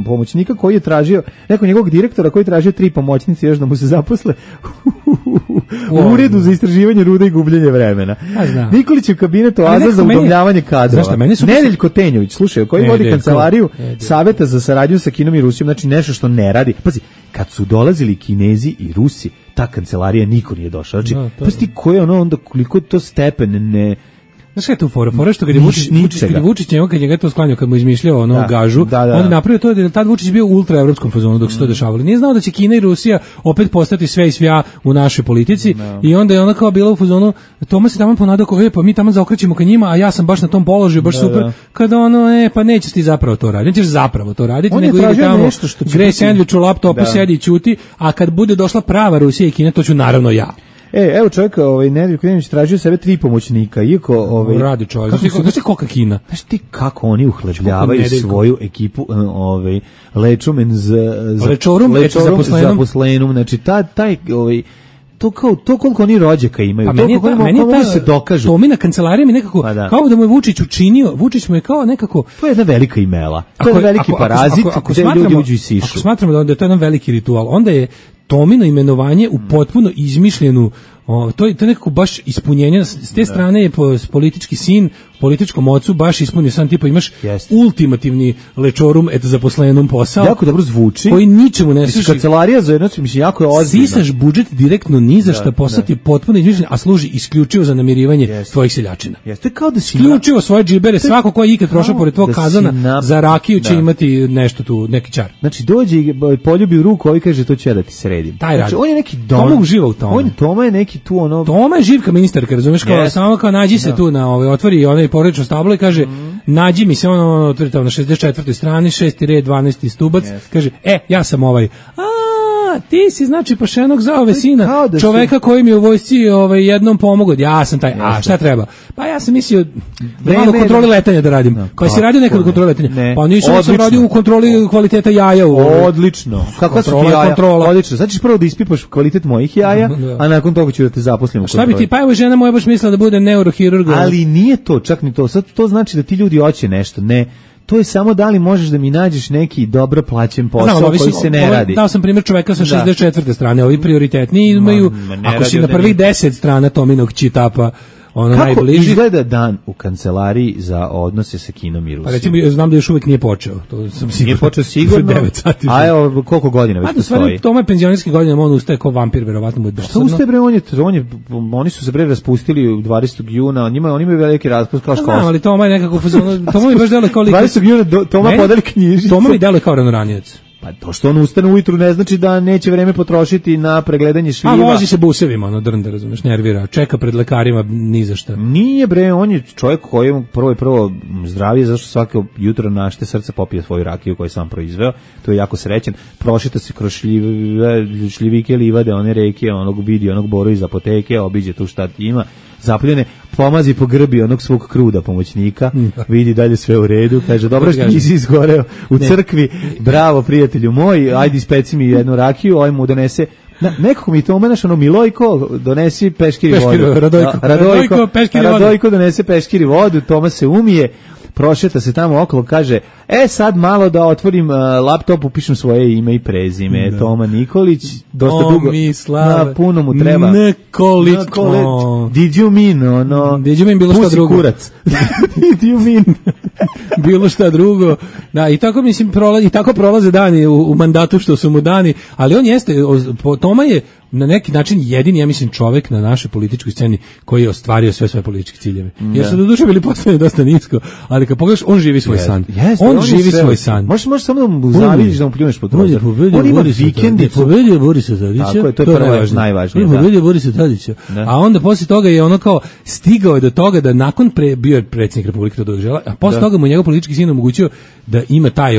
pomoćnika koji je tražio, nekog njegovog direktora koji je tražio 3 pomoćnice još da mu se zaposle u uredu za istraživanje ruda i gubljenje vremena. Nikolić je u kabinetu Aza za udomljavanje kadrova. Nedeljko Tenjović, slušaj, koji vodi kancelariju Saveta za saradnju sa Kinom i Rusijom, znači nešto što ne radi. Pazi, kad su dolazili Kinezi i Rusi, ta kancelarija niko nije došao. Znači, pazi ko je onda koliko to stepen ne...
Znaš kaj je tu fora što kad je Vučić njegov, kad je to sklanjao, kad mu izmišljao gažu, on je napravio to da je tad Vučić bio u ultraevropskom fazonu dok se to dešavalo. Nije znao da će Kina i Rusija opet postati sve i svja u našoj politici i onda je ona kao bila u fazonu, Toma se tamo ponadao kao, pa mi tamo zaokrećemo ka njima, a ja sam baš na tom položaju, baš super, kada pa nećeš ti zapravo to raditi, nećeš zapravo to raditi, nego ide tamo, grej sendvič u laptopu, sedi i ćuti, a kad bude došla prava Rusija i Kina, to ću naravno ja.
Evo čovjek, Nedeljko Tenjović tražio sebe 3 pomoćnika, iako
radi čovjek. Znaš ti kolika Kina?
Znaš ti kako oni uhlebljavaju svoju ekipu, lečorum zaposlenom, znači taj to koliko oni rođaka imaju,
to koliko se dokažu. To mi na kancelariji mi nekako, kao da mu je Vučić učinio, Vučić mu je kao nekako...
To je jedna velika imela, to je veliki parazit gde ljudi uđu i sišu.
Ako smatramo da je to jedan veliki ritual, onda je Tomino imenovanje u potpuno izmišljenu, to je nekako baš ispunjenje, s te strane je politički sin, političkom ocu baš ispunio sam tipa imaš ultimativni lečorum et zaposlenom posao.
Jako dobro zvuči.
Koji ničemu ne služi.
Kancelarija za jedno, mislim, jako je ozbiljno.
Sisaš budžet direktno ni za šta, posao ti potpuno izmišljen, a služi isključivo za namirivanje tvojih seljačina.
Jeste kao da si
isključivo svoje džibere, svako ko je ikad prošao pored tvog kazana za rakiju će imati nešto tu, neki čar.
Znači dođe i poljubi u ruku, ovaj kaže to će da ti sredim.
Znači
on je neki
Toma uživa u tome.
Toma je neki tu ono.
Toma je živka ministarka, razumeš, kao samo kao nađi se tu na otvori onaj porodično stablo i kaže nađi mi se ono otvori tamo na 64. strani 6. red 12. stubac, kaže ja sam ovaj. Ti si znači pašenog za ove sina, čoveka koji mi je u vojsci jednom pomogao, ja sam taj, šta treba? Pa ja sam mislio malo kontroli letanja da radim, pa si radio nekad u kontroli letanja, pa nisam sam radio u kontroli kvaliteta jaja.
Odlično, kakva su ti jaja? Odlično, znači prvo da ispipaš kvalitet mojih jaja, a nakon toga ću da te zaposlim u kontroli.
Šta bi ti, pa evo žena moja baš mislila da bude neurohirurg.
Ali nije to, čak ni to, sad to znači da ti ljudi hoće nešto, ne. To je samo da li možeš da mi nađeš neki dobro plaćen posao koji se ne radi.
Dao sam primjer čoveka sa 64. strane, ovi prioritetni imaju, ako si na prvih 10 strana Tominog čitapa, ono
kako
najbliži.
Kako izgleda dan u kancelariji za odnose sa Kinom i Rusijom?
Pa recimo, znam da još uvijek nije počeo. To sam sigurno.
Nije počeo sigurno?
9 sati.
A evo, koliko godina već postoji?
Toma je penzionerski godina, on ustaje kao vampir, verovatno mu je dosadno.
Šta ustaje bre, oni su se bre raspustili u 20. juna, oni imaju veliki raspust kao školstvo.
Znam, ali Toma je nekako, Toma mi baš deluje kao lik.
20. juna Toma podeli knjižicu.
Toma mi deluje kao ranoranjac.
Pa to što on ustane ujutru ne znači da neće vreme potrošiti na pregledanje šljiva.
A vozi se busevima, ono drnda, razumeš, nervira, čeka pred lekarima ni za šta.
Nije bre, on je čovjek koji je prvo zdravije, zašto svako jutro našte srce popije svoju rakiju koju je sam proizveo, to je jako srećan, prošeta se kroz šljivike, livade, one reke, vidi onog boru iz apoteke, obiđe tu šta ima, zapljene, pomazi po grbi onog svog kruda pomoćnika, vidi dalje sve u redu, kaže, dobro što nisi izgoreo u crkvi, bravo prijatelju moj, ajde ispeci mi jednu rakiju, ovaj mu donese, nekako mi to omenaš, Milojko, donesi peškiri vodu. Radojko donese peškiri vodu, Toma se umije, prošeta se tamo okolo, kaže, sad malo da otvorim laptop, upišem svoje ime i prezime, Toma Nikolić, dosta dugo, puno mu treba.
Nikolić.
Did you mean,
Did you mean bilo što drugo?
Kurac. Did you mean?
bilo šta drugo. Da, i tako mislim tako prolaze dani u mandatu što su mu dani, ali on jeste, Toma je na neki način jedini, ja mislim, čovek na našoj političkoj sceni koji je ostvario sve svoje političke ciljeve. Jer su do duše bili postavljeni dosta nisko, ali kad pogledaš, on živi svoj san. On živi svoj san.
Možeš samo da mu zavidiš, da mu pljuneš po prozor. On ima vikendicu.
Pobedio Borisa Tadića.
Tako je, to je najvažnije.
Pobedio Borisa Tadića. A onda posle toga je ono kao stigao je do toga da nakon bio je predsjednik Republike to dožela, a posle toga mu njegov politički sin omogućio da ima taj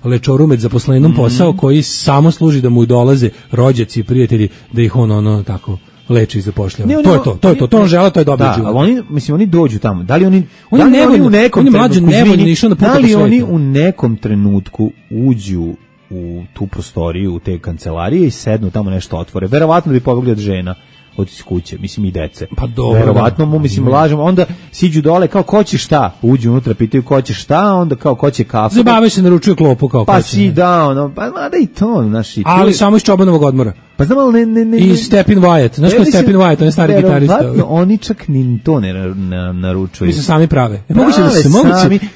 lečorumet zaposlenom posao koji samo služi da mu dolaze rođaci i prijatelji da ih on tako leči i zapošljava. To je to on žele, to je dobro život.
Da, oni dođu tamo. Da li oni
u nekom trenutku,
da li oni u nekom trenutku uđu u tu prostoriju, u te kancelarije i sednu tamo nešto otvore? Verovatno bi pobegli od žena, od kuće, mislim i dece.
Pa dobro.
Verovatno mislim lažemo, onda siđu dole kao ko će šta, uđu unutra, pitaju ko će šta, onda kao ko će kafu.
Zabave se, naručuju klopu kao
pa si da, pa mada i to, znaš, i
ali samo iz Čobanovog odmora.
Pa znam, ali ne.
I Stepin Wyatt, znaš ko je Stepin Wyatt, on je stari gitarista.
Verovatno oni čak ni to ne naručuju.
Mislim, sami prave. Moguće da se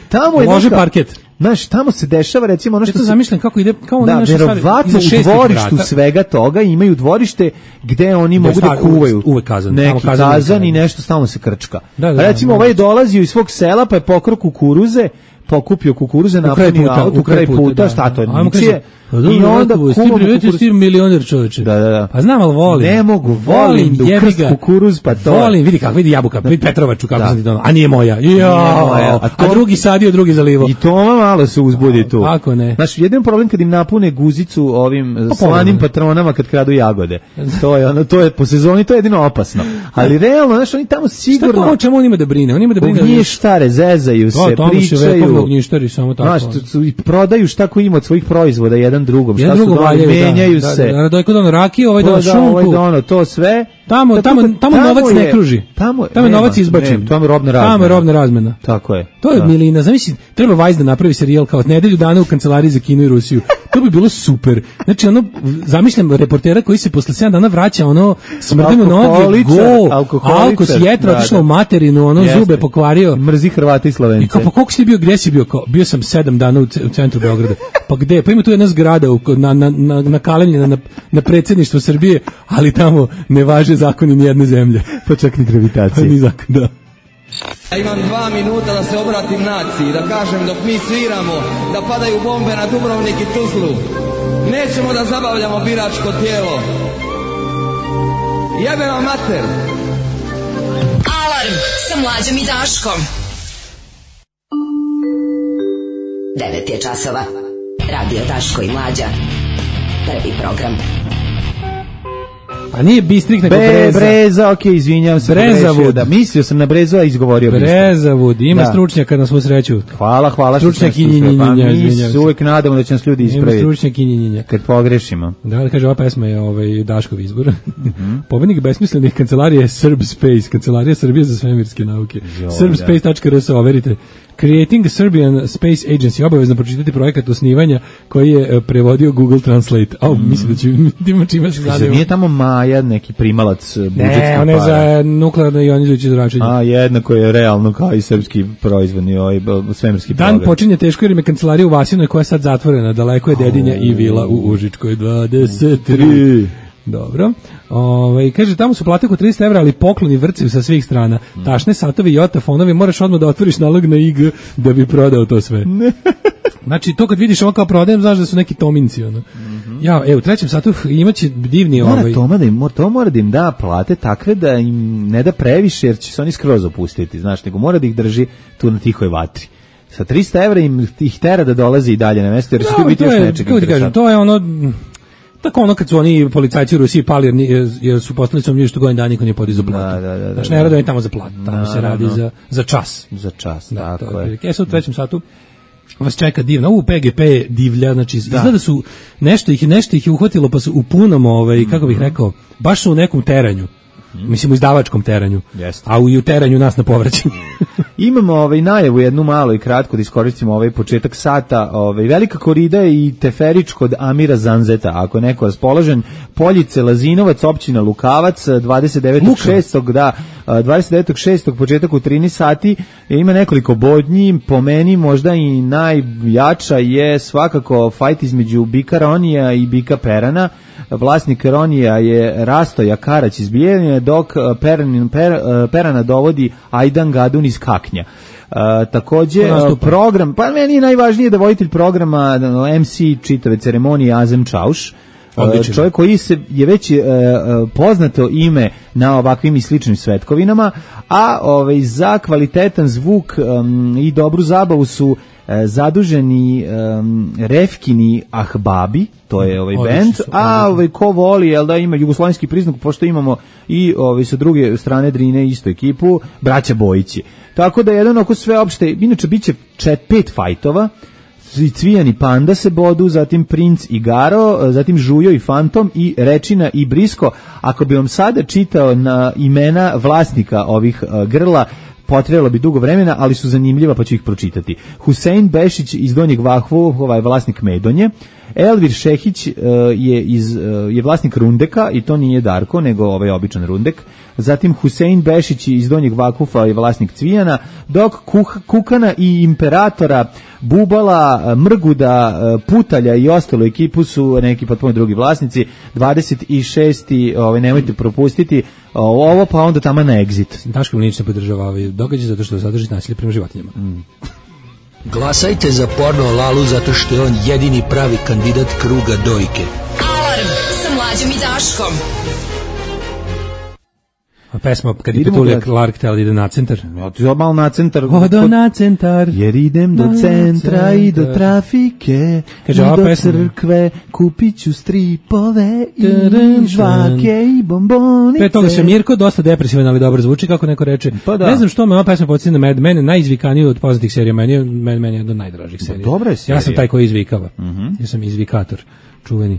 tamo je
lože parket.
Znaš, tamo se dešava recimo ono što
se zamišljam kako ide, kao ono
nešto stvari. Verovatno u dvorištu svega toga imaju dvorište gde oni mogu da kuvaju.
Uvek kazan.
Neki kazan i nešto stalno se krčka. Recimo ovaj je dolazio iz svog sela pa je pokrao kukuruze, pokupio kukuruze, napunio auto, kraj puta, šta to je, ničije. I onda
ti milioner čoveče.
Da.
Pa znam, ali volim.
Ne mogu, volim da ukrst kukuruz, pa to.
Volim, vidi jabuka, vidi Petrovaču kako sam ti donao. A nije moja. A drugi sadio, drugi zalivo.
I Toma malo se uzbudi tu.
Kako ne?
Znaš, jedan problem kad im napune guzicu ovim slanim patronama kad kradu jagode. To je po sezoni, to je jedino opasno. Ali realno, znaš, oni tamo sigurno.
Šta to, čemu on ima da brine? On ima da brine.
Ognjištare, zezaju se, pričaju.
Ognjištari samo tako.
Znaš, prodaju šta ko ima od svojih proizvoda jedan drugom, šta su dali, menjaju se.
Da, je kod ono rakije, ovaj dono šunku.
Ovaj dono, to sve.
Tamo novac ne kruži. Tamo je novac izbačen.
Tamo je robna razmena.
Tamo je robna razmena.
Tako je.
To je milina. Zamisli, treba Vajs da napravi serijal kao nedelju dana u kancelariji za Kinu i Rusiju. To bi bilo super. Znači, zamišljam reportera koji se posle 7 dana vraća, smrdimo noge, alko s jetra, otišlo u materinu, zube pokvario.
Mrzi Hrvata i Slovence.
I kao, pa koliko si bio, gdje si bio? Bio sam 7 dana u centru Beograda. Pa gde? Pa ima tu jedna zgrada na Kalemlje, na predsjedništvo Srbije, ali tamo ne važe zakoni ni jedne zemlje.
Pa čak ni gravitacije.
Ni zakon, da.
Ja imam 2 minuta da se obratim naciji, da kažem dok mi sviramo, da padaju bombe na Dubrovnik i Tuzlu. Nećemo da zabavljamo biračko tijelo. Jebe vam mater.
Alarm sa Mlađom i Daškom. 9 je časova. Radio Daško i Mlađa. Prvi program.
A nije Bistrik nego
Breza, okej, izvinjavam se.
Brezavud.
Da, mislio sam na Brezu, a izgovorio Bistrik.
Brezavud, ima stručnjaka na svu sreću.
Hvala.
Stručnjak i njinjinja.
Mi se uvek nadamo da će nas ljudi ispraviti.
Ima stručnjak i njinjinja.
Kad pogrešimo.
Da, kaže, ova pesma je Daškov izbor. Pobednik besmislenih kancelarija je Serb Space, kancelarija Srbije za svemirske nauke. Serbspace.rs, overite. Creating Serbian Space Agency, obavezno pročitati projekat osnivanja koji je prevodio Google Translate. Mislim da će ima čime se zadeva.
Nije tamo Maja neki primalac budžetskih para?
Ne, on je za nuklearno ionizujuće zračenje.
A, jednako je realno kao i srpski proizvodni svemirski program.
Dan počinje teško jer im je kancelarija u Vasinoj koja je sad zatvorena. Daleko je Dedinja i vila u Užičkoj 23. Dobro. Kaže, tamo su plate oko 300 evra, ali pokloni vrcaju sa svih strana. Tašne, satovi, jota, fonovi, moraš odmah da otvoriš nalog na IG da bi prodao to sve. Znači, to kad vidiš ovo kao prodajem, znaš da su neki tominci, Ja, u 3. satu imaće divni
To mora da im da plate takve da im ne da previše, jer će se oni skroz opustiti, znaš, nego mora da ih drži tu na tihoj vatri. Sa 300 evra im ih tera da dolazi i dalje na mesto, jer će tu biti još nečega interesantno.
To je tako kad su oni policajci u Rusiji pali jer su postali su što godin dana niko nije podizao platu. Znači ne rade oni tamo za platu, tamo se radi za čas.
Za čas, tako je.
Sad u 3. satu vas čeka divna, PGP divlja, znači izgleda da su nešto ih je uhvatilo pa su u punom, kako bih rekao, baš su u nekom teranju. Mislim u izdavačkom teranju, a u teranju nas na povraćanju.
Imamo najavu jednu malo i kratko da iskoristimo početak sata. Velika korida i teferič kod Amira Zanzeta, ako je neko raspoložen. Poljice, Lazinovac, općina Lukavac, 29.6. da 29.6. početak u 13 sati, ima nekoliko bodnji, po meni možda i najjača je svakako fajt između Bika Ronija i Bika Perana. Vlasnik Ronija je Rastoja Karać iz Bijeljine, dok Perana dovodi Ajdan Gadun iz Kaknja. Takođe program, pa meni je najvažnije da voditelj programa MC čitave ceremonije Azem Čauš, čovjek koji je već poznato ime na ovakvim i sličnim svetkovinama, a za kvalitetan zvuk i dobru zabavu su zaduženi Refkini Ahbabi, to je bend, a ko voli, jel da, ima jugoslovenski priznak, pošto imamo i sa druge strane Drine istu ekipu, braća Bojići. Tako da jedan oko sve opšte, inače biće 5 fajtova, Cvijan i Panda se bodu, zatim Princ i Garo, zatim Žujo i Fantom i Rečina i Brisko. Ako bi vam sada čitao na imena vlasnika ovih grla, potrebalo bi dugo vremena, ali su zanimljiva pa ću ih pročitati. Husein Bešić iz Donjeg Vahvu, vlasnik Medonje. Elvir Šehić je vlasnik Rundeka i to nije Darko, nego običan Rundek. Zatim Husein Bešić iz Donjeg Vakufa je vlasnik Cvijana, dok Kukana i Imperatora, Bubala, Mrguda, Putalja i ostalo ekipu su neki potpuno drugi vlasnici. 26. Nemojte propustiti ovo, pa onda tamo na Exit.
Daško Mlinić ne podržava događaj zato što sadrži nasilje prema životinjama.
Glasajte za Porno Lalu zato što je on jedini pravi kandidat kruga dojke.
Alarm sa Mlađom i Daškom.
Pesma kad je Petulija Clark htjela da ide na centar.
Ja malo na centar.
Odo na centar.
Jer idem do centra i do trafike.
Kaže,
i do crkve. Kupit ću stripove i žvake i bombonice.
Pre toga se Mirko dosta depresivan, ali dobro zvuči, kako neko reče.
Pa da.
Ne znam što me ova pesma podsjeća na mene najizvikaniju od poznatih serija. Meni je jedna od najdražih serija.
Dobra je serija.
Ja sam taj koji izvikava. Ja sam izvikator. Čuveni.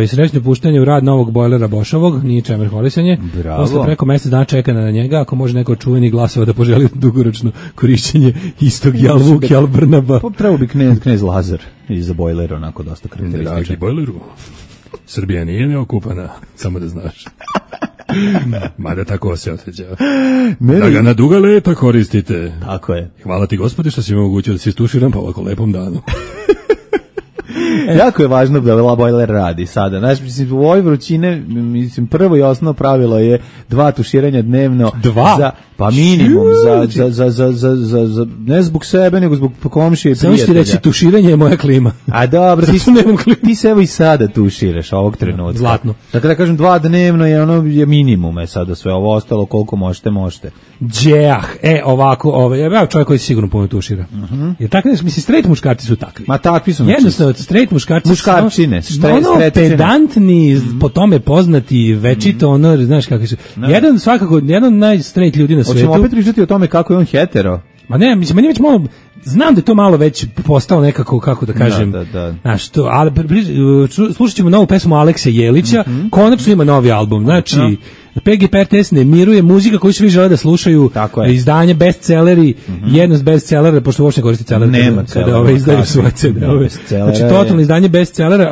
Srećno puštanje u rad novog bojlera Bošovog, nije čemer hvalisanje. Posle preko mjesec dana čekana na njega, ako može neko čuveni glasova da poželi dugoročno korišćenje istog Jalvuk, Jalbrnaba.
Trebao bi knez Lazar iza bojlera, onako dosta karakterističan.
Dragi bojleru, Srbija nije neokupana, samo da znaš. Mada tako se osjeća. Da ga na duga leta koristite.
Tako je.
Hvala ti Gospodi što si mi omogućio da se istuširam po ovako lepom danu.
Jako je važno da bojler radi sada. Znaš, mislim, u ovoj vrućine, mislim, prvo i osnovno pravilo je 2 tuširanja dnevno.
2?
Pa minimum, za ne zbog sebe, nego zbog komšije i prijatelja.
Samo ću ti reći, tuširanje je moja klima.
A dobro, ti se evo i sada tuširaš ovog trenutka.
Zlatno.
Dakle, da kažem, 2 dnevno je minimum, sada sve ovo ostalo, koliko možete.
Ovako, ja čovjek koji se sigurno puno tušira. Jer tako, mislim, straight muškarci su takvi.
Ma takvi su.
Jednostavno, straight
muškarčine,
pedantni, po tome poznati, večito, znaš kakvi su. Jedan najstraight ljudi na svijetu.
Hoćemo opet pričati o tome kako je on hetero?
Ma ne, mislim, meni već malo, znam da je to malo već postao nekako, kako da kažem, znaš, to, ali slušat ćemo novu pesmu Alekse Jelića, konačno ima novi album, znači, PGP RTS ne miruje, muzika koju svi žele da slušaju, izdanje bestselleri, jednost bestsellera, pošto uopšte koristi celer, kada izdaju svoje CD-ove. Znači, totalno izdanje bestsellera.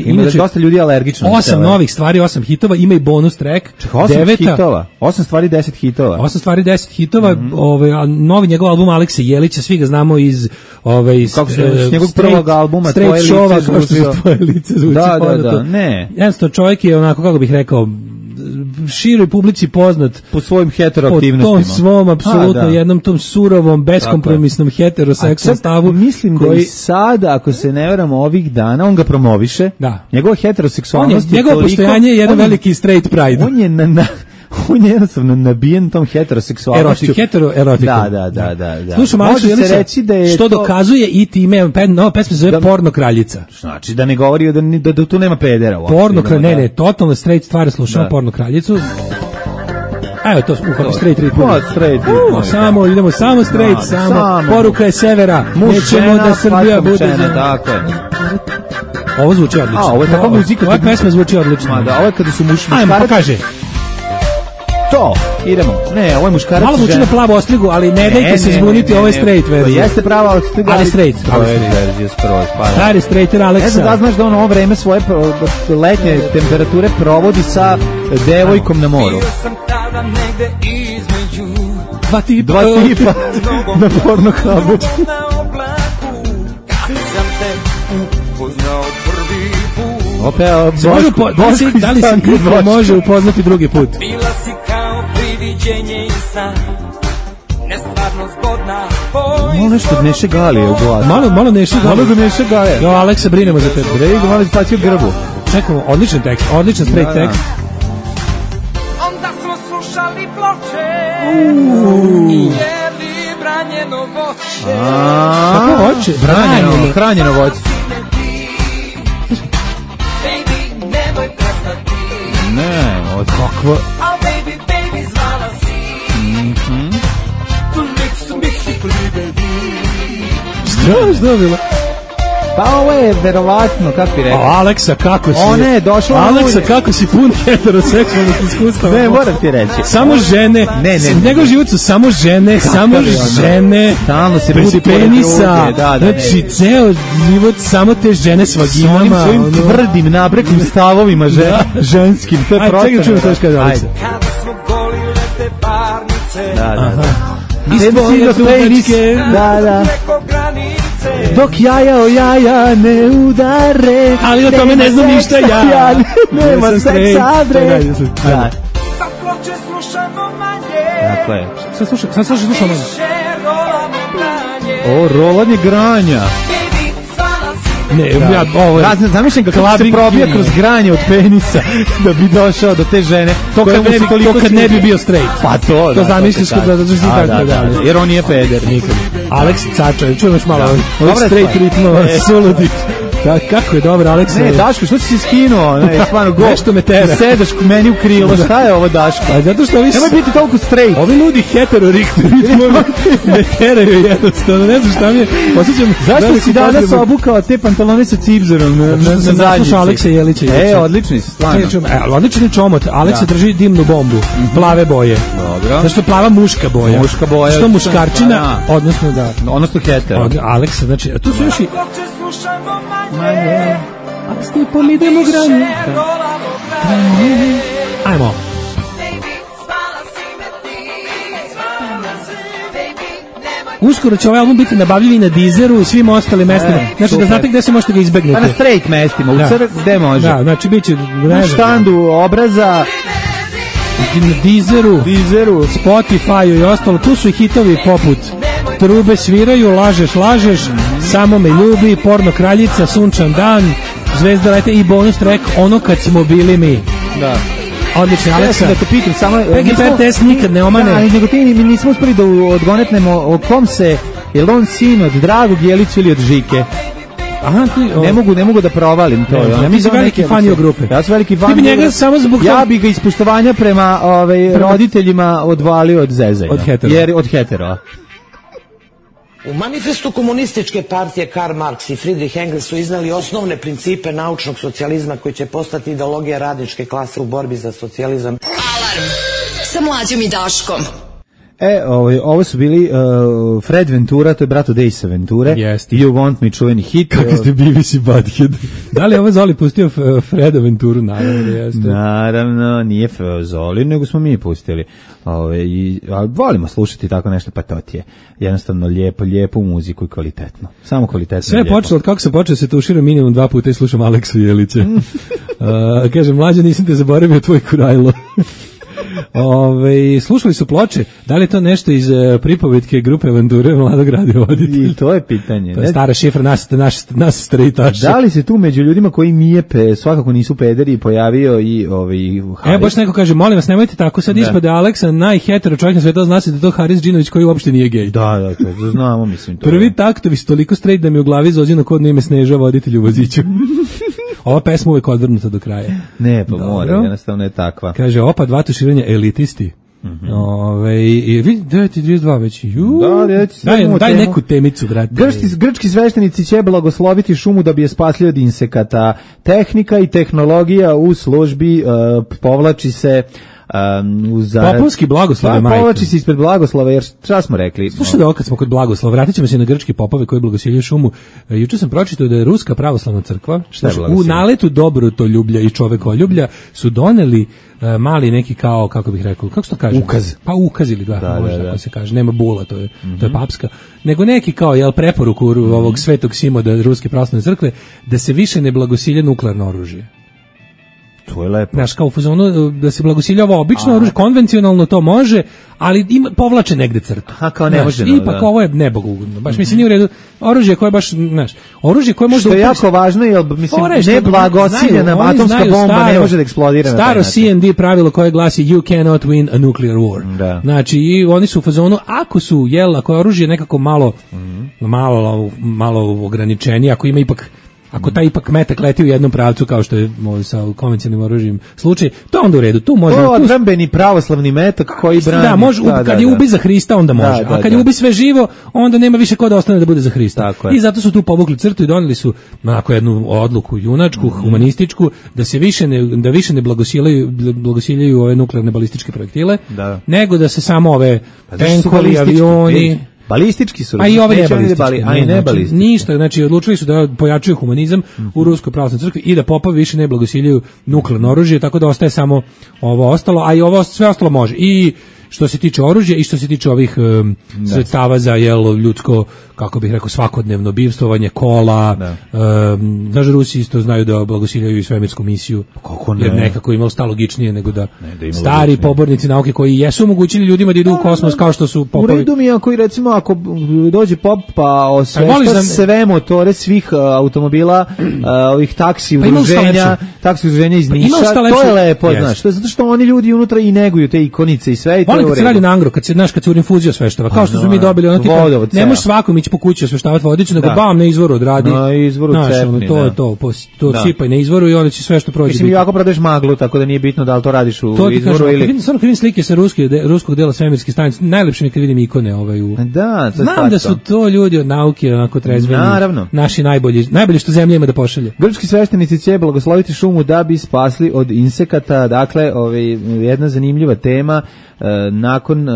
Ima da dosta ljudi alergično.
8 novih stvari, 8 hitova, ima i bonus track.
8 hitova, 8 stvari, 10 hitova.
8 stvari, 10 hitova, novi njegov album Alekse Jelića, svi ga znamo iz
njegovog prvog albuma
Tvoje lice zvuči.
Da, ne.
Jednostavno, čovjek je onako, kako bih rekao, široj publici poznat
po svojim heteroaktivnostima.
Po tom svom, apsolutno jednom tom surovom, beskompromisnom heteroseksualnom stavu.
Mislim da i sada, ako se ne varam, ovih dana, on ga promoviše.
Da.
Njegova heteroseksualnost je
njegovo postojanje je jedan veliki straight pride.
On je jednostavno nabijen tom heteroseksualnošću.
Erotikom.
Da.
Slušam, može se reći da je što dokazuje i time, nova pesma se zove Porno kraljica.
Znači da ne govori da tu nema pedera.
Porno kraljica, ne, totalno straight stvari, slušamo Porno kraljicu. Evo to, straight rit. Samo, idemo samo straight, samo. Poruka je severa. Nećemo da Srbija bude.
Tako je.
Ovo zvuči odlično.
Ovo je takva muzika.
Ova pesma zvuči odlično.
Da, ovo je kada su muškarci.
Ajmo, pokaže.
To, idemo. Ne, ovo je muškarac.
Malo vuči na plavu ostrigu, ali ne dajte se zbuniti, ovo je straight verzija.
Jeste prava ostriga,
ali straight. Stari straighter Aleksa.
Ne znam da znaš da on ovo vreme svoje letnje temperature provodi sa devojkom na moru.
Bio sam tada negde između
Dva tipa
na porno hubu.
Da li se niko može upoznati drugi put?
Bila si kao priviđenje i san, nestvarno zgodna.
Malo nešto od Neše Galije u glasu.
Malo Neše Galije.
Malo do Neše Galije.
Jo, Aleksa, brinemo za tebe.
Brejgo, malo izbacio grbu.
Čekamo, odličan tekst, odličan straight tekst.
Onda smo slušali ploče i jeli branjeno voće.
Kako voće?
Hranjeno voće. Ne, od kakva.
Oh baby, baby, zvala si. Tu nek mich i pribevi.
Što je bilo?
Pa ovo je verovatno, kako bi rekao.
Aleksa, kako si?
Ona je došla.
Aleksa, kako si pun heteroseksualnih iskustava.
Ne, moram ti reći.
Samo žene.
Ne.
Njegov život su samo žene, samo žene.
Stalno se budi
penisa. Znači, ceo život samo te žene s vaginama.
S onim svojim tvrdim, nabreklim stavovima ženskim. To je prosto.
Čekaj, čujem što još kaže Aleksa.
Kada smo golile te parnice.
Da.
Da.
Dok jaja o jaja ne udare.
Ali o tome ne znam ništa ja.
Nema seksa bre.
Sa ploče slušamo manje.
Tako je.
Sad slušamo manje.
Rolamo granje.
O, rolanje granja. Ne, ja ovo. Zamišljam kako se probija kroz granje od penisa da bi došao do te žene.
To kad ne bi bio straight.
Pa to.
To zamisliš da si tako da.
Jer on nije peder nikad.
Aleks Cača, čujemo još malo ovih straight ritmova, suludi. Kako je dobro, Aleksa.
Ne, Daško, što si se skinuo? Ne, stvarno, go.
Nešto me tera.
Sedaš meni u krilo, šta je ovo, Daško?
A zato što ovi...
Nemoj biti toliko straight.
Ovi ljudi hetero-ritmova me teraju jednostavno, ne znam šta mi je. Osjećam...
Zašto si danas obukao te pantalone sa cipzerom na zadnjici?
Slušao Aleksa Jelića.
Odlični si, stvarno.
Odlični čomot. Aleksa drži dimnu bombu. Plave boje.
Dobro.
Zašto je plava muška boja?
Muška boja.
Što muškarčina, odnosno da.
Odnosno hetero.
Aleksa, znači, tu su još i... Manje, a stipom idemo granje. Ajmo. Uskoro će ovaj album biti nabavljiv i na Deezeru i svim ostalim mestima. Znači da znate gde se možete ga izbegnete.
Na straight mestima, u crk gde može.
Da, znači bit će
na štandu obraza,
na Deezeru, Spotify i ostalo. Tu su i hitovi poput Trube sviraju, lažeš, Samo me ljubi, Porno kraljica, Sunčan dan, Zvezda lete i bonus track Ono kad smo bili mi.
Da.
Odlično, Aleksa.
Da te pitam, samo
PGPTS nikad ne omane.
Da, nego ti mi nismo uspeli da odgonetnemo o kom se, je on sin od Dragog Jelića ili od Žike?
Aha,
ne mogu da provalim to.
Ja mislim veliki fan je grupe.
Ja sam veliki fan.
Ti bi njega samo zbog
ja bi ga iz poštovanja prema roditeljima odvalio od Zezaja. Od hetero.
U manifestu komunističke partije Karl Marx i Friedrich Engels su iznali osnovne principe naučnog socijalizma koji će postati ideologija radničke klase u borbi za socijalizam.
Alarm sa Mlađom i Daškom.
Ovo su bili Fred Ventura, to je brat od Ace Venture.
Jeste.
You Want Me, čuveni hit.
Kako ste BBC Butthead. Da li je ovo Zoli pustio Freda Venturu?
Naravno, nije Zoli, nego smo mi pustili. Volimo slušati tako nešto, pa to ti je jednostavno lijepu muziku i kvalitetno. Samo kvalitetno.
Sve je počelo od kako sam počeo se tuširam minimum 2 puta i slušam Aleksu Jelića. Kaže, Mlađa, nisam te zaboravio, tvoj kurajlo. Slušali su ploče, da li je to nešto iz pripovetke grupe Venture Mladog radiovoditelja?
I to je pitanje.
To je stara šifra nas strejtaša.
Da li se tu među ljudima koji mijepe, svakako nisu pederi, pojavio i Haris?
Baš neko kaže, molim vas, nemojte tako, sad ispade Aleksa najhetero čovjek na svetu, zna se da je to Haris Džinović koji uopšte nije gej.
Da, to znamo, mislim. To
prvi taktovi su toliko strejt da mi u glavi zođeno kodno ime Sneža, voditelj u voziću. Ova pesma uvek odvrnuta do kraja.
Ne, pa mora, jednostavno je takva.
Kaže, opa, 2 tuširanja elitisti. I vidi, 9:32 već. Daj neku temicu, brate.
Grčki sveštenici će blagosloviti šumu da bi je spasli od insekata. Tehnika i tehnologija u službi povlači se
Popovski blagoslove majke.
Povlači se ispred blagoslova, jer šta smo rekli?
Slušaj da kad smo kod blagoslova, vratit ćemo se na grčke popove koji blagosiljaju šumu. Juče sam pročitao da je Ruska pravoslavna crkva, u naletu dobrotoljublja i čovekoljublja su doneli mali neki kao, kako bih rekao, kako se to kaže?
Ukaz.
Pa ukaz ili možda tako se kaže, nema bula, to je papska, nego neki kao, preporuku ovog Svetog Simoda Ruske pravoslavne crkve, da se više ne blagosilja nuklearno oružje.
To je lepo.
Znaš, kao u fazonu da se blagosilja ovo obično oružje, konvencionalno to može, ali povlače negde crtu.
Kao ne može.
Ipak ovo je nebogugodno. Baš mislim nije u redu. Oružje koje baš, znaš, oružje koje može
što je jako važno, jer mislim ne blagociljena atomska bomba ne može da eksplodira.
Staro CND pravilo koje glasi you cannot win a nuclear war.
Da.
Znači i oni su u fazonu ako je oružje nekako malo ograničenije, ako ima ipak ako taj ipak metak leti u jednom pravcu kao što je sa konvencionalnim oružjem slučaj, to onda u redu. Tu može
odbrambeni pravoslavni metak koji brani.
Da, može kad je ubi za Hrista onda može. A kad je ubi sve živo, onda nema više ko da ostane da bude za Hrista. I zato su tu povukli crtu i doneli su onako jednu odluku junačku, humanističku, da se više ne blagosiljaju ove nuklearne balističke projektile, nego da se samo ove tenkovi, avioni.
Balistički su.
A i ove nebalistički. Ništa, znači odlučili su da pojačaju humanizam u Ruskoj pravoslavnoj crkvi i da popovi više ne blagosiljaju nuklearno oružje, tako da ostaje samo ovo ostalo, a i ovo sve ostalo može. I što se tiče oružja i što se tiče ovih sredstava za ljudsko, kako bih rekao, svakodnevno bivstvovanje, kola. Znaš, Rusi isto znaju da blagosiljaju i svemirsku misiju.
Kako ne?
Jer nekako imalo sta logičnije nego da stari pobornici nauke koji jesu omogućili ljudima da idu u kosmos kao što su popovi.
U redu mi ako ako dođe pop pa osvešta sve motore svih automobila, ovih taksi udruženja iz Niša, to je lepo, znaš. To je zato što oni ljudi unutra i neguju te ikonice i sve.
Kad se radi na angro, kad se u rinfuziju osveštava, kao što su mi dobili ono tipa, ne možeš svakom ići po kući osveštavati vodicu, nego bam, na izvoru odradi.
Na izvoru cepni,
to sipaj na izvoru i onda će sve što prođe.
Mislim, jako prodaješ maglu, tako da nije bitno da li to radiš u izvoru ili...
Samo kad vidim slike sa ruskog dela svemirske stanice, najlepše mi kad vidim ikone znam da su to ljudi od nauke, onako trezveni, naši najbolji što zemlja ima da pošalje.
Grčki sveštenici će blagosloviti šumu da bi spasli od insekata, dakle, jedna zanimljiva tema. Nakon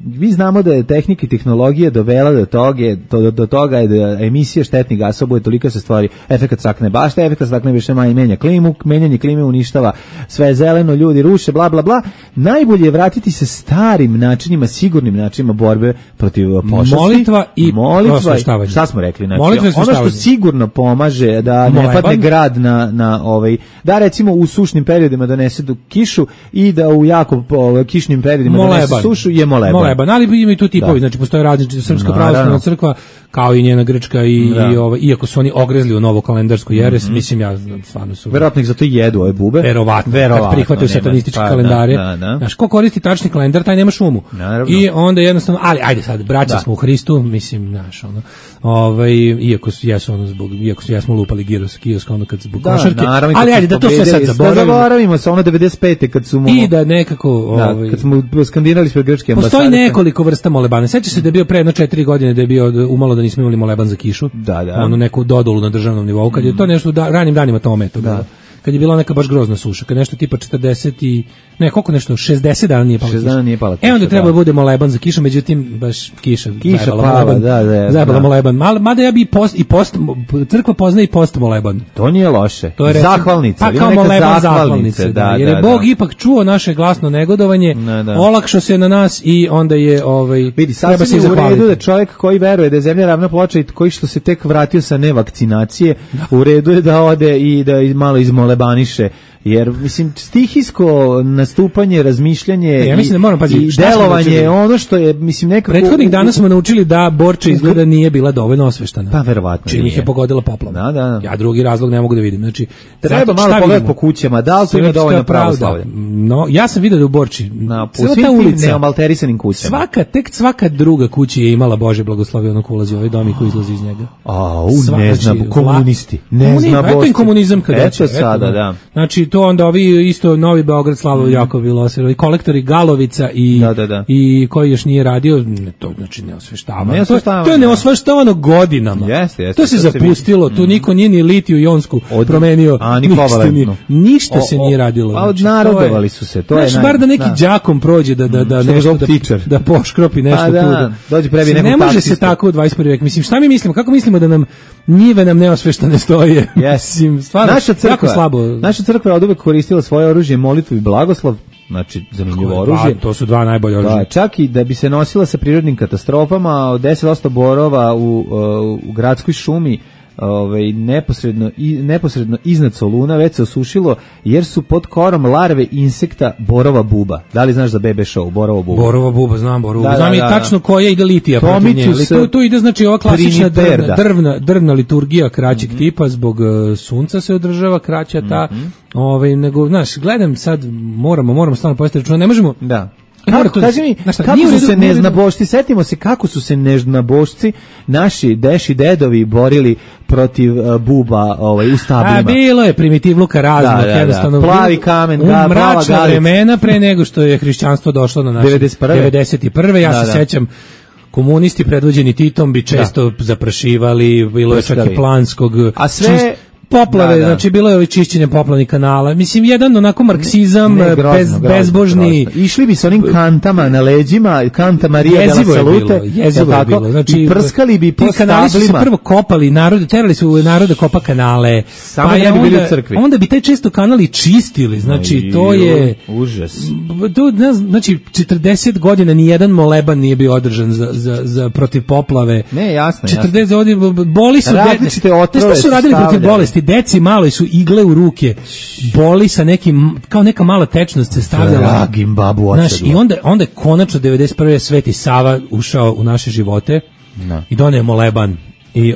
vi znamo da je tehnika i tehnologija dovela do toga je da emisija štetnih gasova bude toliko se stvari efekat staklene bašte, efekat staklene bašte menja klimu, menjanje klime uništava sve zeleno, ljudi ruše, bla bla bla. Najbolje je vratiti se starim načinima, sigurnim načinima borbe protiv pošasti.
Molitva i prosveštavanje.
Šta smo rekli? Znači, ono što sigurno pomaže da ne padne grad na da recimo u sušnim periodima donese kišu i da u jako kišnim periodima donese sušu je moleban.
Ali ima i tu tipovi, znači postoje različite Srpska pravoslavna crkva kao i njena grčka i iako su oni ogrezli u novo kalendarsku jeres, mislim ja stvarno su.
Verovatno ih zato i jedu ove bube.
Verovatno. Kad prihvataju satanističke kalendare. Znaš, ko koristi tačni kalendar, taj nema šumu. I onda jednostavno, ali ajde sad, braća smo u Hristu, mislim, znaš, iako jesmo lupali giros kioska ono kad zbog košarke, ali ajde da to sve sad
zaboravimo se ono 95. kad su
i da nekako
kad smo skandinali sve grčke ambasade.
Postoji nekoliko vrsta molebana. Sećaš se da je bio pre 4 godine da je bio umalo da nismo imali moleban za kišu. Ono neku dodolu na državnom nivou kad je to nešto ranim danima to bilo. Kad je bila neka baš grozna suša, kad nešto tipa 40 i koliko nešto 60 dana nije pala kiša.
60 dana nije pala kiša.
Onda treba da bude moleban za kišu, međutim baš kiša
pala,
zajebala moleban. Mada ja bi crkva poznaje i post moleban.
To nije loše.
To je
zahvalnica,
pa kao moleban zahvalnice, jer je Bog ipak čuo naše glasno negodovanje, olakšao se na nas i onda je
vidi, sasvim je u redu da čovjek koji veruje da je zemlja ravna ploča i koji što se tek vratio sa nevakcinacije, u redu je da ode i da malo izmolebaniše. Jer, mislim, stihijsko nastupanje, razmišljanje i delovanje, ono što je, mislim, nekako...
Prethodnih dana smo naučili da Borča izgleda nije bila dovoljno osveštana.
Pa, verovatno
čim ih je pogodila poplava.
Da.
Ja drugi razlog ne mogu da vidim. Znači,
treba malo pogledati po kućama, da li to ima dovoljno pravoslavlja?
No, ja sam vidio da u Borči,
po svim tim neomalterisanim kućama.
Svaka druga kuća je imala Bože blagoslovio ono ko ulazi u ovaj dom i ko izlazi iz njega.
Ne znam, komunisti. Ne znam,
Bože. Eto im komunizam kada
sada, da.
Znači, to onda ovi isto Novi Beograd, Slavo Jakov Vilosero i kolektori Galovica i koji još nije radio, to znači neosveštavano. To je neosveštavano godinama. To se zapustilo, tu niko nije ni litiju jonsku promenio. Ništa se nije radilo.
A odnarodovali su se. To je
bar da neki đakom prođe da nešto da poškropi nešto tu.
Dođe prebi nekog
ne može se tako u 21. vek. Mislim, šta mi mislimo? Kako mislimo da nam njive nam neosveštane stoje? Mislim, stvarno, jako slabo.
Naša crkva je od uvek koristila svoje oružje, molitvu i blagoslov, znači zanimljivo oružje.
To su dva najbolje oružja.
Čak i da bi se nosila sa prirodnim katastrofama, 10% borova u gradskoj šumi neposredno iznad Soluna već se osušilo jer su pod korom larve insekta borova buba. Da li znaš za BB show borova buba?
Borova buba, znam borovu. Znam i tačno koja ide litija protiv nje. Tu ide znači ova klasična drvna liturgija kraćeg tipa, zbog sunca se održava kraća ta. Nego, znaš, gledam sad, moramo stvarno postaviti računa, ne možemo...
Da. Kaži mi, kako su se neznabošci, setimo se kako su se neznabošci naši deši dedovi borili protiv buba u stablima.
Bilo je primitivluka raznog, jednostavno.
Plavi kamen,
plava mračna vremena pre nego što je hrišćanstvo došlo na naše 91. Ja se sećam, komunisti predvođeni Titom bi često zaprašivali, bilo je čak i planskog...
A sve...
Poplave, znači bilo je čišćenje poplavnih kanala. Mislim, jedan onako marksizam, bezbožni.
Išli bi s onim kantama na leđima, kanta Marija de la Salute.
Jezivo je bilo. Znači,
i prskali bi po stablima.
Kanali su se prvo kopali, terali su narod da kopa kanale.
Samo pa ne bi bili u crkvi.
Onda bi taj često kanali čistili. Znači, to je...
Užas.
Znači, 40 godina nijedan moleban nije bio održan za protiv poplave.
Ne, jasno.
40 godina, boli su...
Različite otrove
su radili protiv bolesti. Deci malo su igle u ruke, boli sa nekim, kao neka mala tečnost se stavljala.
Dragim babu odsedla.
I onda je konačno 91. Sveti Sava ušao u naše živote i doneo moleban. I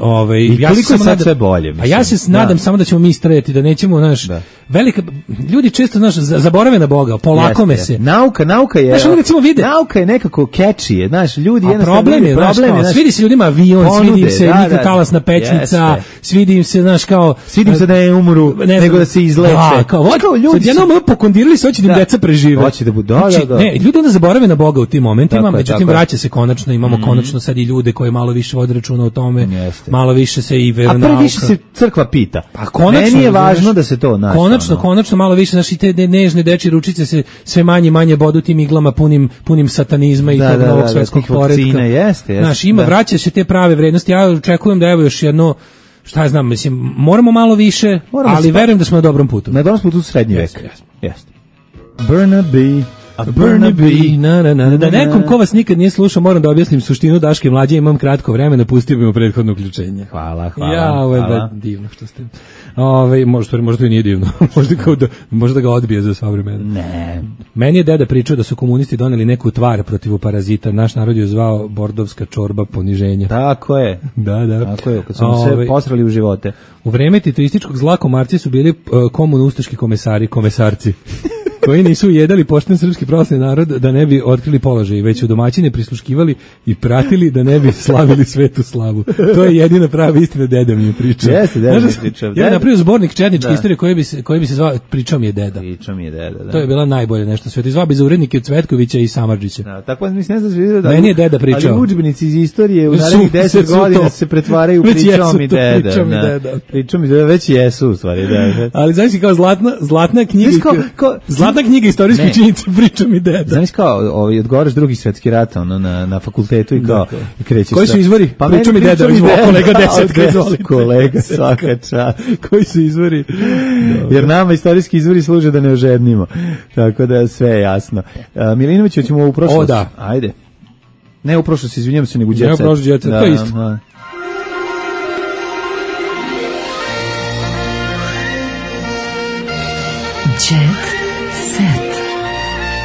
koliko je sad sve bolje.
A ja se nadam samo da ćemo mi istrajati, da nećemo, velika, ljudi često, zaborave na Boga, polakome se.
Nauka je, nauka je nekako catchy, ljudi jednostavno...
Problem je, svidi se ljudima avion, svidi im se nikotalasna pećnica, svidi im se,
svidi im se da ne umru, nego da se izleče.
Sad jednom pokondirali se, hoće da im deca prežive.
Hoće da budu,
Ne, ljudi onda zaborave na Boga u tim momentima, međutim vraća se konačno, imamo konačno sad i ljude koji malo više vode računa o tome, malo više se i veronauka.
A previše se crkva pita. Meni je važno da se to naša.
Konačno malo više, znaš, i te nežne dečje ručice se sve manje bodu tim iglama punim satanizma i tog novog svetskog poretka. Znaš, vraća se te prave vrednosti. Ja očekujem da evo još jedno, šta ja znam, mislim, moramo malo više, ali verujem da smo na dobrom putu.
Na dobrom putu u srednji vek. Jeste.
Burnaby, da nekom ko vas nikad nije slušao, moram da objasnim suštinu Daške mlađe, imam kratko vremena, pustio bi mu prethodno uključenje.
Hvala.
Ovo je divno što ste. Možda to i nije divno. Možda da ga odbije za sva vremena.
Ne.
Meni je deda pričao da su komunisti doneli neku tvar protiv parazita. Naš narod je zvao bordovska čorba poniženja.
Tako je.
Da.
Tako je, kad su se posrali u živote.
U vreme titoističkog zla komarci su bili komunistički komesarci. koji nisu jedali pošten srpski pravoslavni narod da ne bi otkrili položaj, već su domaćine prisluškivali i pratili da ne bi slavili svetu slavu. To je jedina prava istina, deda mi je pričao.
Jeste, deda mi je pričao.
Ja napravio zbornik četničke istorije koji bi se zvao Pričao mi je deda.
Pričao mi je deda, da.
To je bila najbolje nešto sveta. Zvao bi za urednike od Cvetkovića i Samardžića.
Da, tako mislim ne znam se vidio da.
Meni je deda pričao.
Ali udžbenici iz istorije u narednih 10 godina se pretvaraju Pričao mi deda. Pričao mi deda već jesu u stvari, da.
Ali znači kao zlatna knjiga. Zlatna knjiga istorijskih činjenica, Pričao mi deda.
Znaš kao, odgovaraš Drugi svjetski rat na fakultetu i kao i krećeš.
Koji su izvori?
Pa
Pričao mi deda, kolega 10,
kolega svaka čast.
Koji su izvori?
Jer nama istorijski izvori služe da ne ožednimo. Tako da sve je jasno. Milinović, hoćemo u prošlost.
O da.
Ajde. Ne u prošlost, izvinjam se, nego u Jet Set.
Ne u prošlost, Jet Set, to je isto.
Jet Set.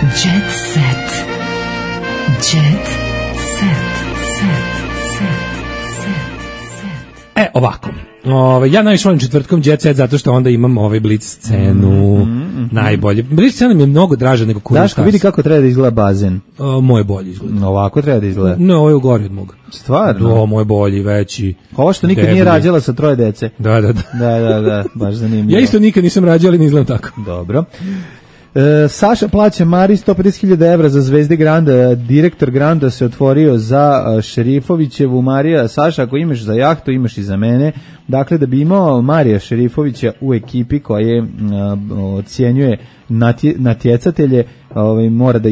Jet Set. Jet Set.
Ovako. Ja najviše volim četvrtkom Jet Set zato što onda imam Blitz scenu. Najbolje. Blitz scena mi je mnogo draža nego Kurus.
Daško, vidi kako treba da izgleda bazen.
Moje bolje izgleda.
Ovako treba da izgleda.
Ne, ovo je ugori od moga.
Stvarno?
Moje bolji, veći.
Ovo što nikad nije rađala sa 3 dece.
Da,
baš zanimljivo.
Ja isto nikad nisam rađao, ali ne izgledam tako.
Dobro. Saša plaća Mari 150.000 evra za Zvezde Granda. Direktor Granda se otvorio za Šerifovićevu. Marija, Saša, ako imaš za jahtu, imaš i za mene. Dakle, da bi imao Marija Šerifovića u ekipi koja ocjenjuje natjecatelje, mora da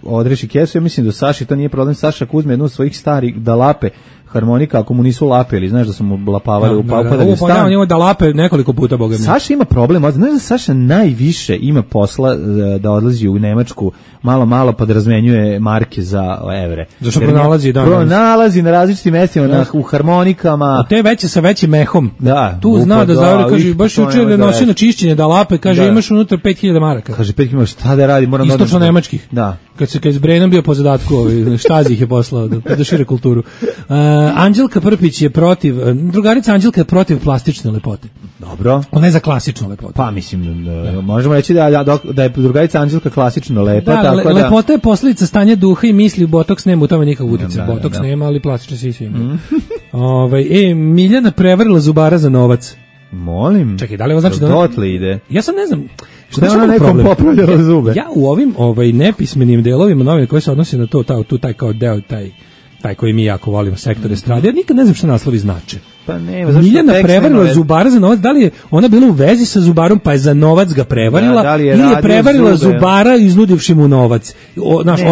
odreši kesu. Ja mislim da Saši to nije problem. Saša ako uzme jednu od svojih starih da lape harmonika, ako mu nisu lapeli, znaš da su mu lapavali u upadali u stan.
Ovo da lape nekoliko puta, boga mi.
Saša ima problem, znaš da Saša najviše ima posla da odlazi u Nemačku, malo pa da razmenjuje marke za evre.
Zašto pronalazi?
Pronalazi na različitim mestima, u harmonikama.
A te veće sa većim mehom.
Da.
Tu zna da zavere, kaže, baš jučer da nosio na čišćenje da lape, kaže, imaš unutra 5.000 maraka.
Kaže, 5.000, šta da radi?
Istočno nemačkih.
Da.
Kad je s Brenom bio po zadatku, Štazi ih je poslao da šire kulturu. Anđelka Prpić je protiv, drugarica Anđelka je protiv plastične lepote.
Dobro.
Ona je za klasičnu lepotu.
Pa mislim, možemo reći da je drugarica Anđelka klasično lepa.
Da, tako lepota je posljedica stanja duha i misli, botoks nema u tome nikakvog utjecaja. Botoks nema, ali plastične sisi ima. Miljana prevarila zubara za novac.
Molim.
Čekaj, da li ovo znači da
dotle ide?
Ja sam ne znam.
Šta je ona nekom popravljala zube?
Ja u ovim nepismenim delovima novine koji se odnosi na to, taj kao deo, taj koji mi jako volimo, sektor estrade, ja nikad ne znam šta naslovi znače.
Pa nema, zašto
Miljana prevarila zubara za novac, da li je ona bila u vezi sa zubarom pa je za novac ga prevarila, ili je prevarila zubara iznudivši mu novac,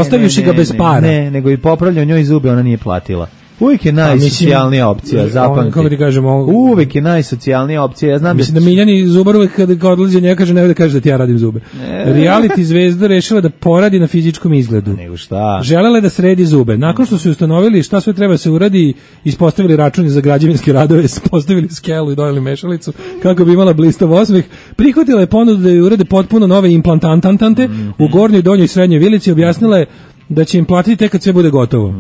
ostavivši ga bez para?
Ne, nego i popravljao njoj zube, ona nije platila. Uvijek je najsocijalnija opcija, zapamti.
Kako ti kažemo?
Uvijek je najsocijalnija opcija. Ja znam
mislim da Miljani zubar uvijek kad odlazi njega kaže ne da kaže da ti ja radim zube. Reality zvezda rešila da poradi na fizičkom izgledu.
Nego šta?
Želela je da sredi zube. Nakon što su ustanovili šta sve treba se uradi, ispostavili računi za građevinske radove, postavili skelu i dodali mešalicu kako bi imala blistav osmeh, prihvatila je ponudu da joj urade potpuno nove implantantante u gornjoj, donjoj i srednjoj vilici, objasnila je da će im platiti tek kad sve bude gotovo.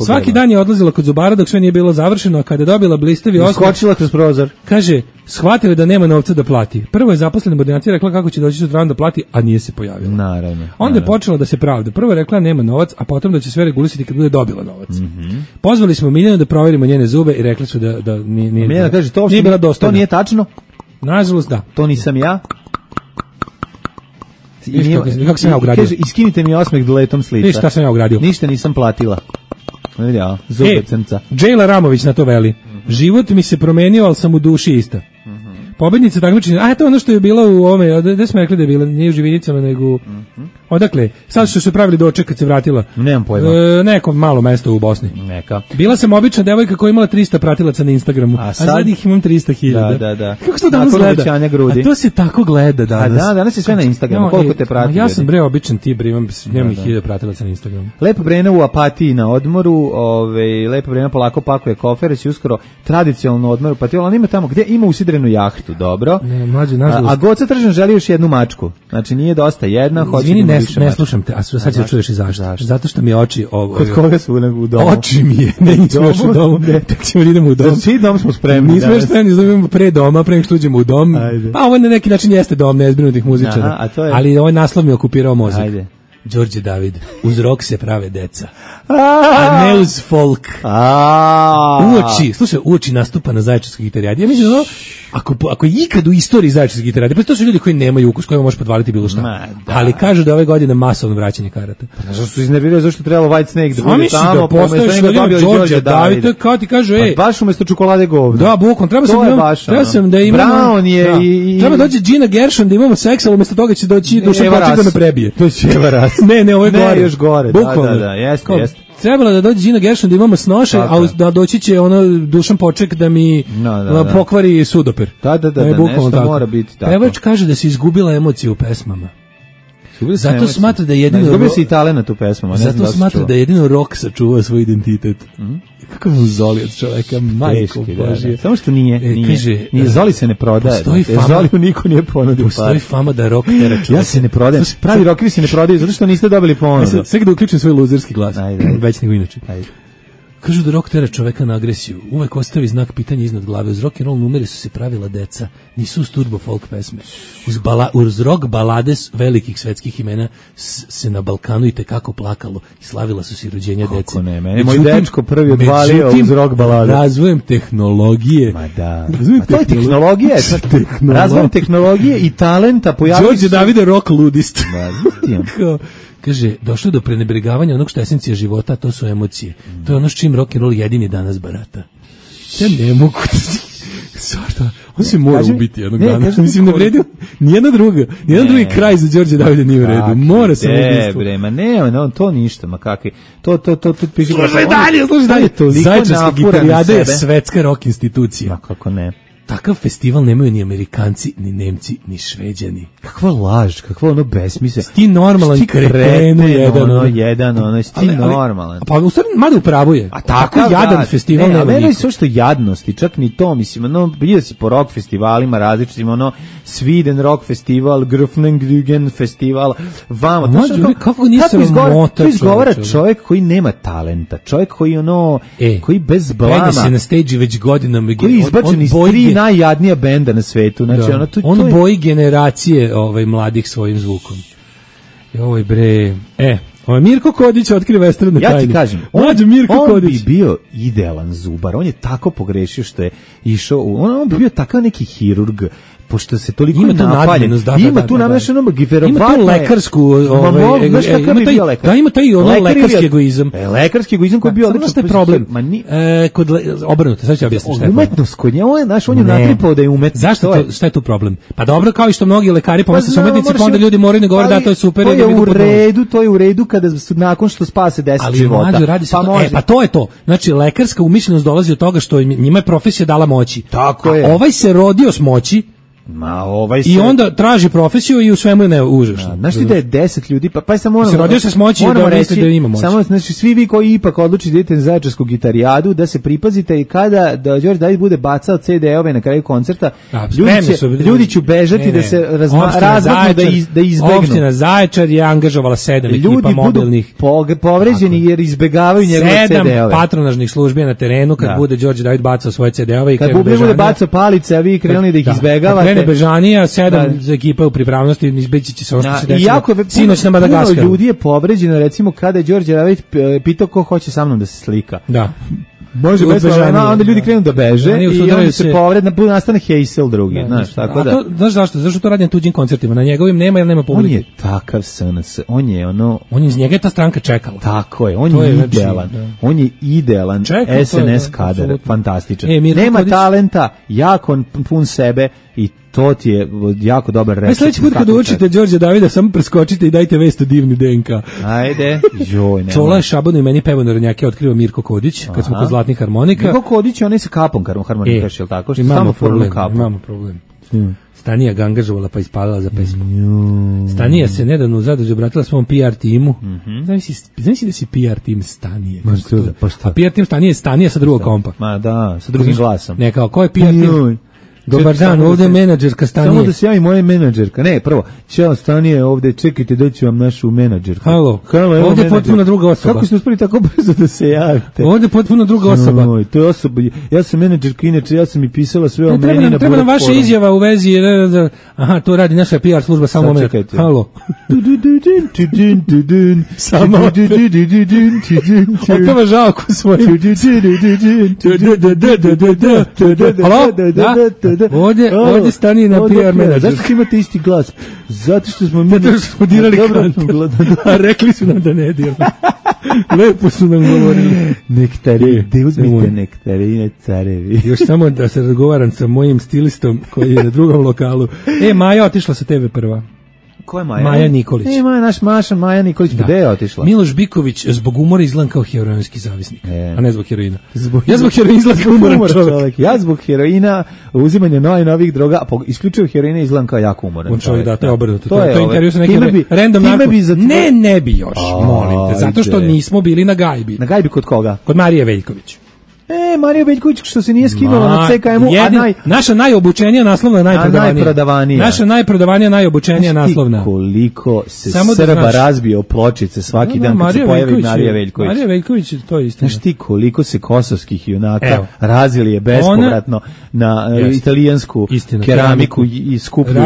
Svaki dan je odlazila kod zubara dok sve nije bilo završeno, a kada je dobila blistavi osmeh,
skočila kroz prozor.
Kaže, shvatila da nema novca da plati. Prvo je zaposlena u ordinaciji rekla kako će doći sutradan da plati, a nije se pojavila.
Naravno.
Onda je počela da se pravda. Prvo je rekla nema novac, a potom da će sve regulisati kad bude dobila novac. Pozvali smo Miljanu da proverimo njene zube i rekli su da nije.
Miljana kaže, to nije tačno?
Nažalost, da.
To nisam ja.
Kako sam ja ugradio?
Kaže, iskinite mi osmeh letom s lica.
Šta sam ja ugradio?
Ništa nisam platila. Vidio, zube crnca.
Džejla Ramović na to veli. Život mi se promenio, ali sam u duši ista. Pobednica takmičenja, to je ono što je bila u ovome, gde smo rekli da je bila, nije u Živinicama, nego odakle, sad su se pravili doček kad se vratila.
Nemam pojma.
Neko malo mesto u Bosni.
Neka.
Bila sam obična devojka koja imala 300 pratilaca na Instagramu, a sad ih imam 300.000.
Da.
Kako se to danas gleda? A to se tako gleda danas.
Danas je sve na Instagramu, koliko te prati?
Ja sam običan tip, nemam 1000 pratilaca na Instagramu.
Lepa Brena u apatiji na odmoru, Lepa Brena polako pakuje kofer, će uskoro tradicionalno odmoru, pa ona ima tamo gdje ima usidrenu jahtu, dobro.
Ne, mlađe, nažalost.
A Goca Tržan želi još jednu mačku. Znači nije dosta jedna, hoće
da više. Ne slušam te, a sad ćeš čuješ i zašto. Zato što mi oči
Kod koga su u domu?
Oči mi je, ne nismo još u domu. Tek ćemo idemo u dom.
Svi dom smo spremni.
Nismo još spremni, idemo pre doma, pre nego što uđemo u dom. Pa ovo na neki način jeste dom nezbrinutih muzičara. Ali ovaj naslov mi je okupirao mozak.
Ajde.
Đorđe David, uz rok se prave deca, a ne uz folk. Uoči nastupa na Zaječarskoj gitarijadi. Ja mislim da ako ikad u istoriji Zaječarske gitarijadi, pa to su ljudi koji nemaju ukus, kojima može podvaliti bilo šta. Ali kažu da ove godine masovno vraćanje karata.
Pa zašto su iznervirali, zašto trebalo White Snake da bude tamo,
da postojiš da Đorđe David, kao ti kaže,
baš umjesto čokolade govno.
Da, bukom, treba sam da imamo
Brown je i
treba dođe Gina Gershon da imamo seks, ali umjesto toga će doći Dušan Poček da me prebije.
To će varas.
Ne, ovo je gore.
Ne, još gore. Da, jeste.
Trebalo da dođe Gina Gershon da imamo snoše, a da doći će Dušan Poček da mi pokvari sudoper.
Da, nešto mora biti tako.
Pevač kaže da se izgubila emocija u pesmama. Zato smatra da jedino
izgubio se i talent u pesmama.
Zato smatra da jedino rock sačuva svoj identitet. Kako je Zoli od čoveka, majko Božije.
Samo što nije. Zoli se ne prodaje. Zoli niko nije ponudio.
Postoji fama da rock tera čoveka.
Ja se ne prodajem. Pravi rockeri se ne prodaju zato što niste dobili ponudu.
Sve da uključim svoj luzerski glas. Već nego inače. Kažu da rock tera čoveka na agresiju. Uvek ostavi znak pitanja iznad glave. Uz rock and roll numeri su se pravila deca. Nisu uz turbo folk pesme. Uz rock balade velikih svetskih imena se na Balkanu i tekako plakalo i slavila su se rođenja dece.
Kako ne, meni moj dečko prvi odvalio uz rock balade.
Razvojem tehnologije.
Ma da. To je tehnologija. Razvojem tehnologije i talenta pojavili
Đorđe Davide rock ludist.
Da,
kaže, došlo do prenebregavanja onog što je esencija života, a to su emocije. To je ono s čim rock and roll jedini danas barata. Ja ne mogu... Svarta, on se mora ubiti jednog dana. Mislim, ne vredi nijedan drugi kraj za Đorđe Davide nije u redu. Mora se ubiti.
Bre, ma ne, to ništa, ma kakvi. To piše...
Slušaj dalje. Zaječarska gitarijada je svetska rock institucija.
Ma kako ne.
Takav festival nemaju ni Amerikanci, ni Nemci, ni Šveđani.
Kakva laž, kakva ono besmisle.
Sti normalan kretenu
jedan, sti normalan.
Pa u stvari, mada upravo je.
A tako
jadan festival nema niko.
Ne, je sve što jadnosti, čak ni to, mislim, bio si po rock festivalima različitim, Sweden rock festival, Grufnengrügen festival, vamo.
Kako nisam mota.
To izgovara čovjek koji nema talenta, čovjek koji koji bez blama.
Penje se na stage već godinama.
Koji izbačen iz 3 najjadnija benda na svetu. Znači,
on boji generacije mladih svojim zvukom. Joj bre. Mirko Kodić otkriva estradne tajne.
Ja ti kažem, on bi bio idealan zubar. On je tako pogrešio što je išao, on bi bio takav neki hirurg, pošto se toliko napaljen. Ima tu namešano
giverovatno. Ima tu lekarsku, ima taj lekarski egoizam.
Lekarski egoizam koji je bio
odličan. Što je problem? Kod obrnuto, sad ću objasniti šta je.
Umetnost kod nje, on je natripao da je umetnost.
Zašto šta je tu problem? Pa dobro, kao i što mnogi lekari pomisle su umetnici, pa onda ljudi moraju ne govore da to je super.
To je u redu kada su nakon što spase 10 života.
Pa to je to. Znači lekarska umišljenost dolazi od toga što njima je profesija dala moći.
Tako je.
Ovaj se rodio s moći. I onda traži profesiju i u svemu je ne užasno.
Znaš ti da je 10 ljudi, pa samo moramo...
Se rodio se s moći i da reći da ima moći.
Samo, znači, svi vi koji ipak odlučite da idete na Zaječarsku gitarijadu, da se pripazite i kada da Đorđe David bude bacao CD-ove na kraju koncerta, ljudi će bežati da se razmaknu da izbegnu.
Opština Zaječar je angažovala 7 ekipa mobilnih.
Ljudi budu povređeni jer izbegavaju njegove CD-ove.
7 patronažnih službi na terenu kad bude Đorđe David bacao svoje CD-ove i
kad bude bacao palice, a vi krenuli da ih izbegavate.
Bežanija, 7 za ekipa u pripravnosti, izbeći će se ovo što se desilo sinoć na Madagaskaru.
Puno ljudi je povređeno, recimo kada je Đorđe David pitao ko hoće sa mnom da se slika.
Da.
Može bez bežanija, onda ljudi krenu da beže i onda se povrede, nastane hejsel drugi, znaš, tako da.
Znaš zašto? Zašto to radi na tuđim koncertima? Na njegovim nema jer nema publike.
On je takav SNS, on je
iz njega je ta stranka čekala.
Tako je, on je idealan. On je idealan SNS kadar, fantastičan. Nema talenta, jako pun sebe i to ti je jako dobar recept.
Sljedeći put kad učite Đorđe Davida, samo preskočite i dajte vest o divni DNK.
Ajde.
Čola je Šabanu i meni pevo narodnjake otkriva Mirko Kodić, kad smo kod zlatnih harmonika.
Mirko Kodić je onaj sa kapom harmonikaš, je li tako?
Imamo problem. Stanija ga angažovala pa ispalila za pesmu. Stanija se nedavno u Zadružju obratila svom PR timu. Znači da si PR tim Stanije. A PR tim Stanije je Stanija sa drugog kompa.
Ma da, sa drugim glasom.
Ne, kao, ko je PR tim? Dobar dan, ovdje je menadžerka Stanije.
Samo da se javi moja menadžerka. Ne, prvo, ćao Stanije, ovdje čekajte, doći vam našu menadžerku.
Halo, ovdje je potpuno druga osoba.
Kako ste uspeli tako brzo da se javite?
Ovdje je potpuno druga osoba.
To je osoba, ja sam menadžerka, inače ja sam i pisala sve o meni na
treba nam vaša izjava u vezi, aha, to radi naša PR služba, samo moment. Halo. Samo opeva žalku svoju. Halo, da? Ovdje Stanije na PR menadžer.
Zašto imate isti glas? Zato što smo
dirali kantu. A rekli su nam da ne dirali. Lepo su nam govorili.
Nektari, gde uzmite nektarine carevi?
Još samo da se razgovaram sa mojim stilistom koji je na drugom lokalu. Maja otišla sa TV prva.
Ko je Maja?
Maja Nikolić.
Maja Nikolić, gde je otišla?
Miloš Biković zbog umora izgleda kao heroinski zavisnik, a ne zbog heroina. Ja zbog heroina izgleda kao umoran čovjek.
Ja zbog heroina, uzimanja novih droga, a isključivo heroina izgleda kao jako umoran čovjek.
Da, to je obrnuto. To je intervju sa nekim random narko. Ne bi još, molim te, zato što nismo bili na gajbi.
Na gajbi kod koga?
Kod Marije Veljković.
Marija Veljković što se nije skinula na CKM-u,
naša najobučenija naslovna je najprodavanija. Naša najprodavanija, najobučenija naslovna.
Koliko se Srba razbio pločice svaki dan kad se pojavi Marija Veljković.
Marija Veljković, to je istina.
Znaš ti koliko se kosovskih junaka razili je bespovratno na italijansku keramiku i skuplju.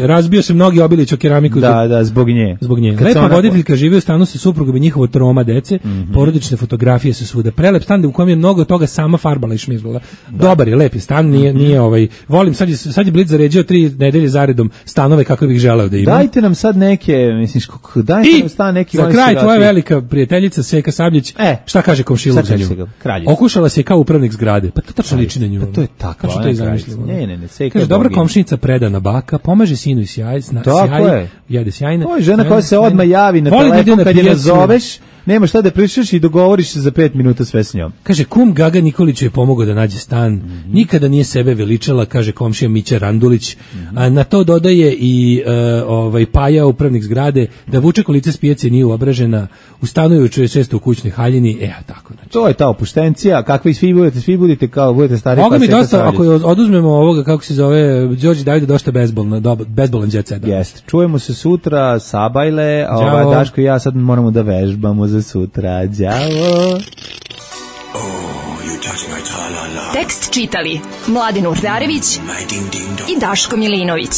Razbio se mnogi Obilić o keramiku.
Da, zbog nje.
Lepa voditeljka živi u stanu sa suprugom i njihovo troma dece, porodične fotografije su svuda. Prelep stan u kojem je mnogo toga sama farbala i šmirgala. Dobar je, lep je stan, nije volim, sad je Blic zaređio 3 nedelje zaredom stanove kako bih želeo da imam.
Dajte nam sad neke, dajte nam stan neki.
Za kraj, tvoja velika prijateljica Seka Sabljić, šta kaže komšiluk za nju? Okušala se kao upravnik zgrade. Pa to tačno liči na nju.
Pa to je takva.
Što je zamišljeno?
Ne, Seka.
Kaže, dobra komšinica, predana baka, pomaže sinu i sjaj, jede sjajna.
To je žena koja se odmah javi na telefon kad je nazoveš. Nema šta da pričaš i dogovoriš se za 5 minuta sve s njom.
Kaže, kum Gaga Nikoliću je pomogao da nađe stan. Nikada nije sebe veličala, kaže komšija Mića Randulić. Na to dodaje i Paja, upravnik zgrade, da vuče kolice s pijace nije uobražena, ustanuju često u kućnoj haljini, tako. Znači.
To je ta opuštencija, kakvi svi budete kao budete stari.
Moga mi dosta, ako oduzmemo ovoga, kako se zove, Đorđe Davide, dosta bezbolan jet set.
Jeste, čujemo se sutra, sabajle, a Daško i ja sad moramo da vežbamo za sutra, đavo.
Tekst čitali Mladin Urdarević i Daško Milinović.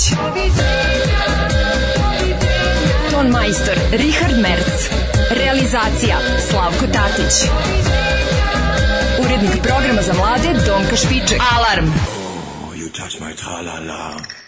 Ton majstor Richard Merc. Realizacija Slavko Tatić. Urednik programa za mlade Donka Špiček. Alarm! You touch my tra-la-la.